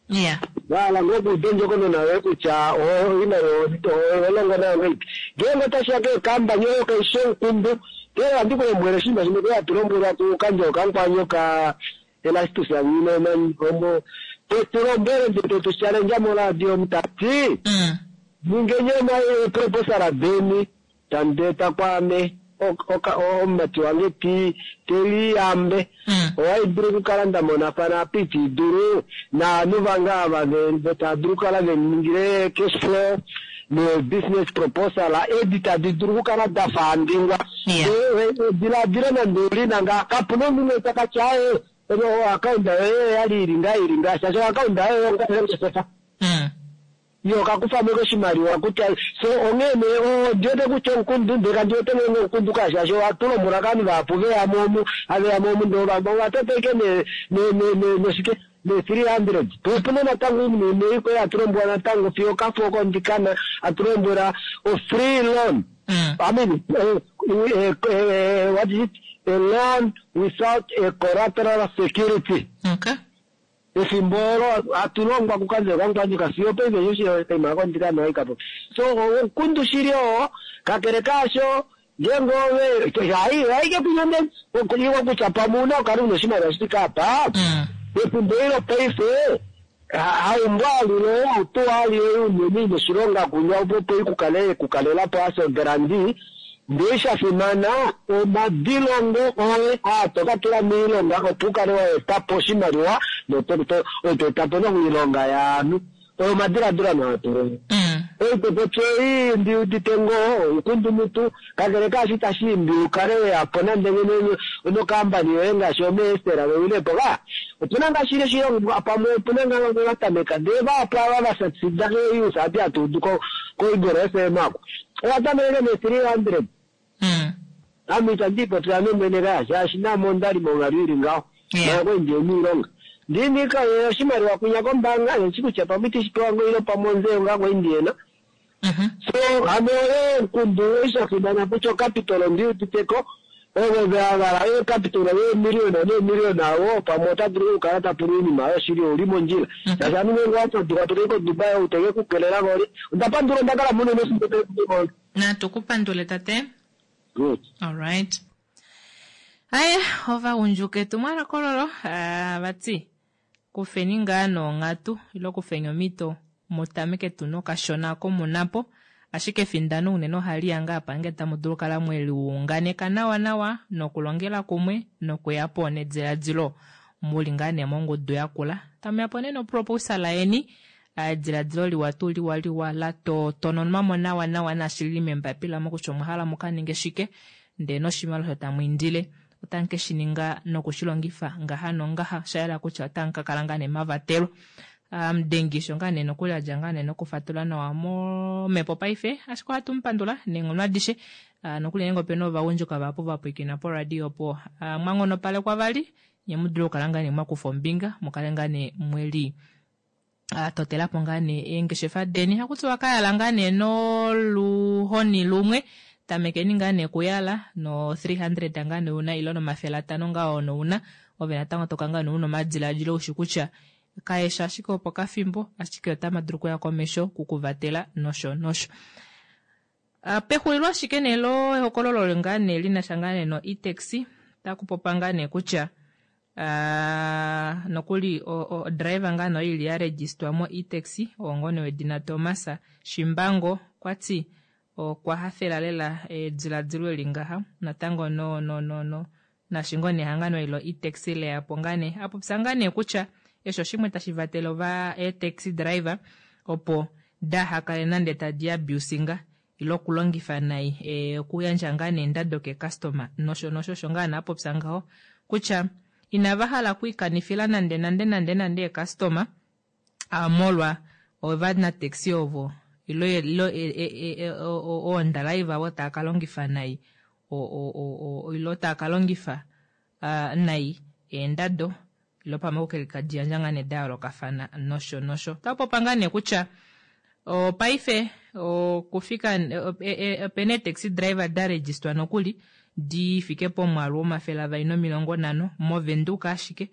Yeah. Va hala ngoo okuuda ondjokonona yoye kutya oimaliwa oho longo nayo ngahelipi. Ngeenge otashi ya keekambani oyo kai shi omukundu. Ndele ohandi ku lombwele oshinima shimwe kwali hatu lombwelwa kuKandjo Kamukwanyo ka Erastus Nghiinombo tetu lombwele ndee tetu challenge moradio omu ta ti, ningeni eeproposala deni tamu di eta kwaame, omumati wange ti te liyambe. Ohai dulu okukala nda monafana apa iti dulu naanhu vange ava ve tava dulu okukala ve ningile cash flow nee-business proposal edi tadi dulu okukala da faandingwa. Ediladilo nande oli na ngaa, kapu na omunhu ta ka tya aaye, oakaunda yoye oya li ili ngaa ili ngaa, shaashi oakaunda yoye ongeshefa. Ye oka kufa mo oshimaliwa kutya so onghee nee ondi wete kutya omukundu ndee kandi wete ngeenge omukundu kaa shaashi ohatu lombwelwa kovanhu vahapu veya mo omu have ya mo omu ndee ova tota ashike ne ne ne noshike ne 300 po opuna natango oinima imwe ikwao hatu lombwelwa natango fiyo okafo oko ndikana hatu lombwela o free loan I mean what is it a loan without a collateral security. Okay. Efimbo olo hatu longwa kuKandjo kaMukwanyoka fiyo opaife eshi okaima ako ndika nohaika po. So omukundu shili oo, kakele kaasho ngeenge ove hai haike kunya nde iwa kutya pamwe una okukala una oshimaliwa shi fike apa. Pefimbo eli lopaife haumbwa alile hautuwa alile unene ina oshilonga kunya opo opo ikukale ekukalela po as a guarantee. Ndee sha fimana, omadilongo oye aa to ka tula moilonga opo u kale wa eta po oshimaliwa noto to eta po noilonga yaanhu. Oyo omadiladilo ame haa tulwa. Oipopotya ei ndi udite ngoo oukundumutu, kakele kaasho itashi imbi u kale we ya po nande ngeno nokambani yoye ngaashi omeestela we wile po ka. Opu na ngaa shili oshilongo pamwe opu na ngaa vamwe va tameka ndee vahapu ava va succeeda keenews adi hatu udu koIgolo FM aku. Owa tameke ne 300. Ame itandi ipopile ame mwene kaya shaashi naame onda li monghalo ili ngaho. Manga kwali ndi omiilonga. Ndiinika oshimaliwa kwinya kombaanga ndishi kutya pamwe itishi pewa ngoo ile pamwe onzeyo ngaa kwali ndihena. So hano oyo omukundu eshi fimana kutya ocapital ondi uditeko ovo va hala eecapital yeemiliona neemiliona avo pamwe ota dulu okukala ta pula oinima oyo shili ouli mondjila. Shaashi ame ngeenge owa faduka to kai koDubai ou teke ku kelela ko oli. Onda pandula onda kala munene efimbo tali Natu ku pandule tate. Good. Alright. Aye, ovagundjuka etumwalaka ololo ah, vati kufeni ngaa noonghatu ile kufeni omhito mu tameke tu nokashona oko mu na po. Ashike efindano unene ohali ya ngaa apa ngee tamu dulu okukala mwe liunganeka nawa nawa nokulongela kumwe nokuya po nediladilo mu li ngaa nee mongudu yakula. Tamu ya po nee noproposala yeni, ediladilo liwa tuu liwa liwa la totononwa mo nawa nawa naashi li li membapila mo kutya omwa hala mu ka ninge shike, ndee noshimaliwa osho tamu indile otamu ke shi ninga noku shi longifa ngaha nongaha. Osha yela kutya otamu ka kala ngaa nee mavatelwa. Amudengi osho ngaa nee nokuli a dja ngaa nee nokufatula nawa momhepo paife, ashike ohatu mu pandula neenghono adishe. Nokuli ngeenge opena ovagundjuka vahapu va pwiikina poradio opo, mwa nghonopalekwa vali, nye mu dule okukala ngaa nee mwa kufa ombinga, mu kale ngaa nee mwe li totela po ngaa nee eengeshefa deni. Haku tiwa ka yala ngaa nee noluhoni lumwe, tamekeni ngaa nee okuyala no 300 ngaa nee una ile no500 ngaa ono una, ove natango toka ngaa nee una omadiladilo ushi kutya kaeshi ashike opokafimbo, ashike otama dulu okuya komesho kukuvatela nosho nosho. Pexulilo ashike nee lo ehokololo ngaa nee li na sha ngaa nee no e-taxi, otaku popa ngaa nee kutya nokuli o driver ngaa nee oyo ili ya registwa mo e-taxi, oo ngoo nee wedina Thomas Shimbango, okwa ti okwa hafela lela ediladilo eli ngaha natango no no no no Naashi ngoo nee ehangano eli lo e-taxi leya po ngaa nee, a popya ngaa nee kutya eshi oshimwe tashi vatele ova ee-taxi driver opo daha kale nande tadi abusinga ile okulongifa nai okuyandja ngaa nee endado keecustomer nosho nosho. Osho ngaa nee a popya ngaho kutya inava hala okwiikanifila nande nande nande nande eecustomer molwa ovanataxi ovo ile ile oondalaiva ovo tava ka longifa nai ile tava ka longifa nai eendado ile pamwe okuke liyandja ngaa nee da yoolokafana nosho nosho. Otava popa ngaa nee kutya paife okufika opena eetaxi driver da registwa nokuli. di fike pomwaalu womafele avali nomilongo nhano mOvenduka ashike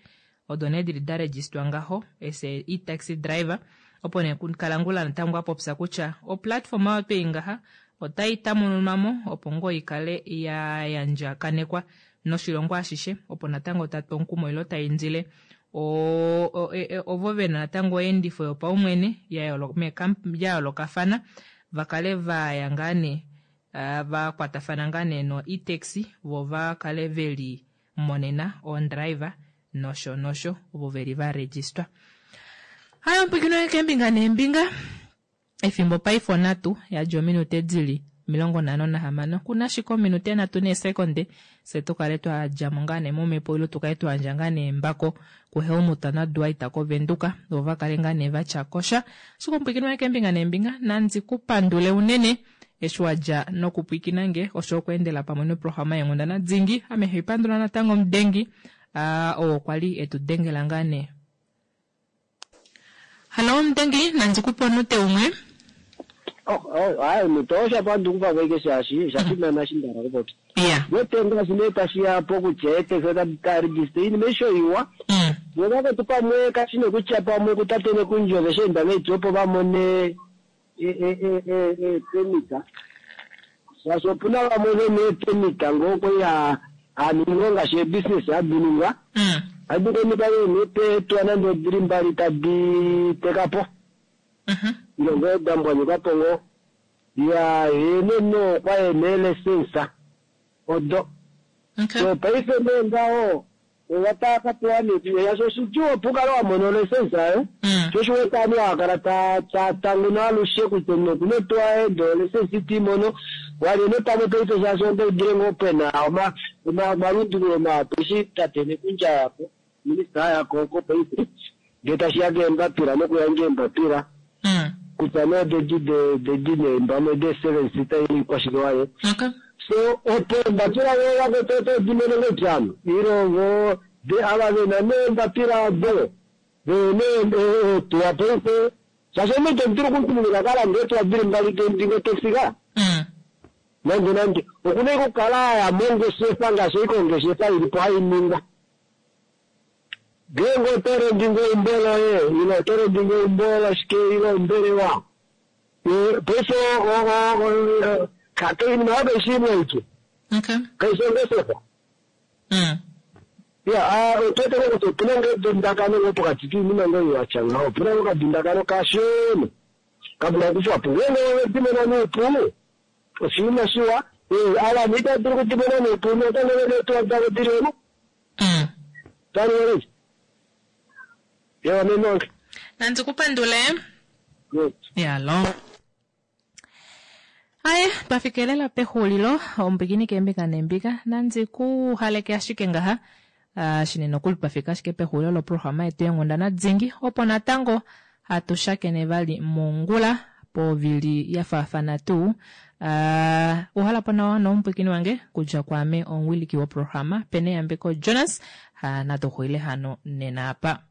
odo nee dili da registwa ngaho as a e-taxi driver. Opo nee Kalangula natango a popya kutya oplatform oyo twei ngaha otai tamununwa mo opo ngoo ikale ya yandjakanekwa noshilongo ashishe opo natango tatu omukumo ile tai indile ovo vena natango oyeendifo yopaumwene ya yoolokafana va kale va ya ngaa nee va kwatafana ngaa nee no e-taxi vo va kale veli monena oondriver nosho nosho ovo veli va registwa. Hayo mpwikino keembinga neembinga efimbo paife onhatu yadja ominute dili 56 kuna ashike ominute nhatu neesekonde fye tukale twa djamo ngaa nee momhepo ile tukale twa yandja ngaa nee embako kuHelmut naDwight koVenduka vo va kale ngaa nee vatya kosha. Ashike omupwiikini wange keembinga neembinga nandi ku pandule unene eshi wa dja nokupwiikina nge osho okweendela pamwe noprograma yeenghundana dingi. Ame haipandula natango omudengi oo kwa li etu dengela ngaa nee. Hallo omudengi, nandi kupe onute umwe. Hayi omuntu osha pandukupa kweke shaashi osha fimana eshi nda hala okupopya. Wete ngaashi nee tashi ya pokutya eeteksi otadi ka register oinima aishe oiwa. Vo vakwetu pamwe kashi nee kutya pamwe kutate Nekundji ove shi enda ngahelipi opo va mone eepermit. Shaashi opu na vamwe ve na eepermit ngoo kwali haa ningi ngoo ngaashi eebusiness hadi ningwa. Ohadi monika ve na eetuwa nande odili mbali tadi teka po. Ile ngoo da mbwanyuka po ngoo. Ya ye nee no okwa e na eelesensa odo. So paife nee ngaho ova tava ka pewa nee shaashi oshidjuu opo u kale wa mona olesensa oyo. Sho osho u wete ovanhu hava kala tava tanguna alushe kutya omunhu oku na otuwa yaye ndee olesensa ite i mono. Walye nee pamwe paife shaashi onda udile ngoo pe na omalundululo mahapu eshi tate Nekundi a ya ko, minista a ya ko oko paife ngee tashi ya keembapila nokuyandja eembapila kutya nee odedi dedi nee pamwe de seven seater ile ikwashike waye. So opo eembapila vo vakwetu oto di mono ngahelipi hano? Ile vo ava ve na nee eembapila odo ve na eetuwa paife shaashi omunhu ito dulu okumutumina ka lande eetuwa dili mbali dingotexi ka. Nande nande. Oku na okukala a ya mongeshefa ngaashi ashike ongeshefa ili po hai ningwa. Ngeenge oto rendi ngoo eumbo loye ile oto rendi ngoo eumbo lashike ile ombelewa, paife oinima oyo kai shi imwe aike. Kai shi ongeshefa. Ya, otu wete ngoo kutya opu na ngoo edundakano ngoo pokati koinima ngoo oyo ya tya ngaho. Opu na ngoo okadundakano kashona ka dula okukufwa po. Ngeenge ove di mona noupu, oshinima shiwa. Ava itava dulu okudi mona noupu, natango ove na eetuwa davo di li omo. Tali wele. Yewa menonke. Nandi ku pandule. Yalo. Aye, twa fikelela pexulilo ombikini keembinga neembinga. Nandi ku haleke ashike ngaha. Uh, shinene nokuli twa fika ashike pexulilo loprograma yetu yenghundana dingi opo natango hatu shakene vali mongula povili ya faafana tuu. Uh, uhala po nawa nomupwikini wange kudja kwaame omuwiliki woprograma Peneyambeko Jonas. Uh, natu xulile hano nena apa.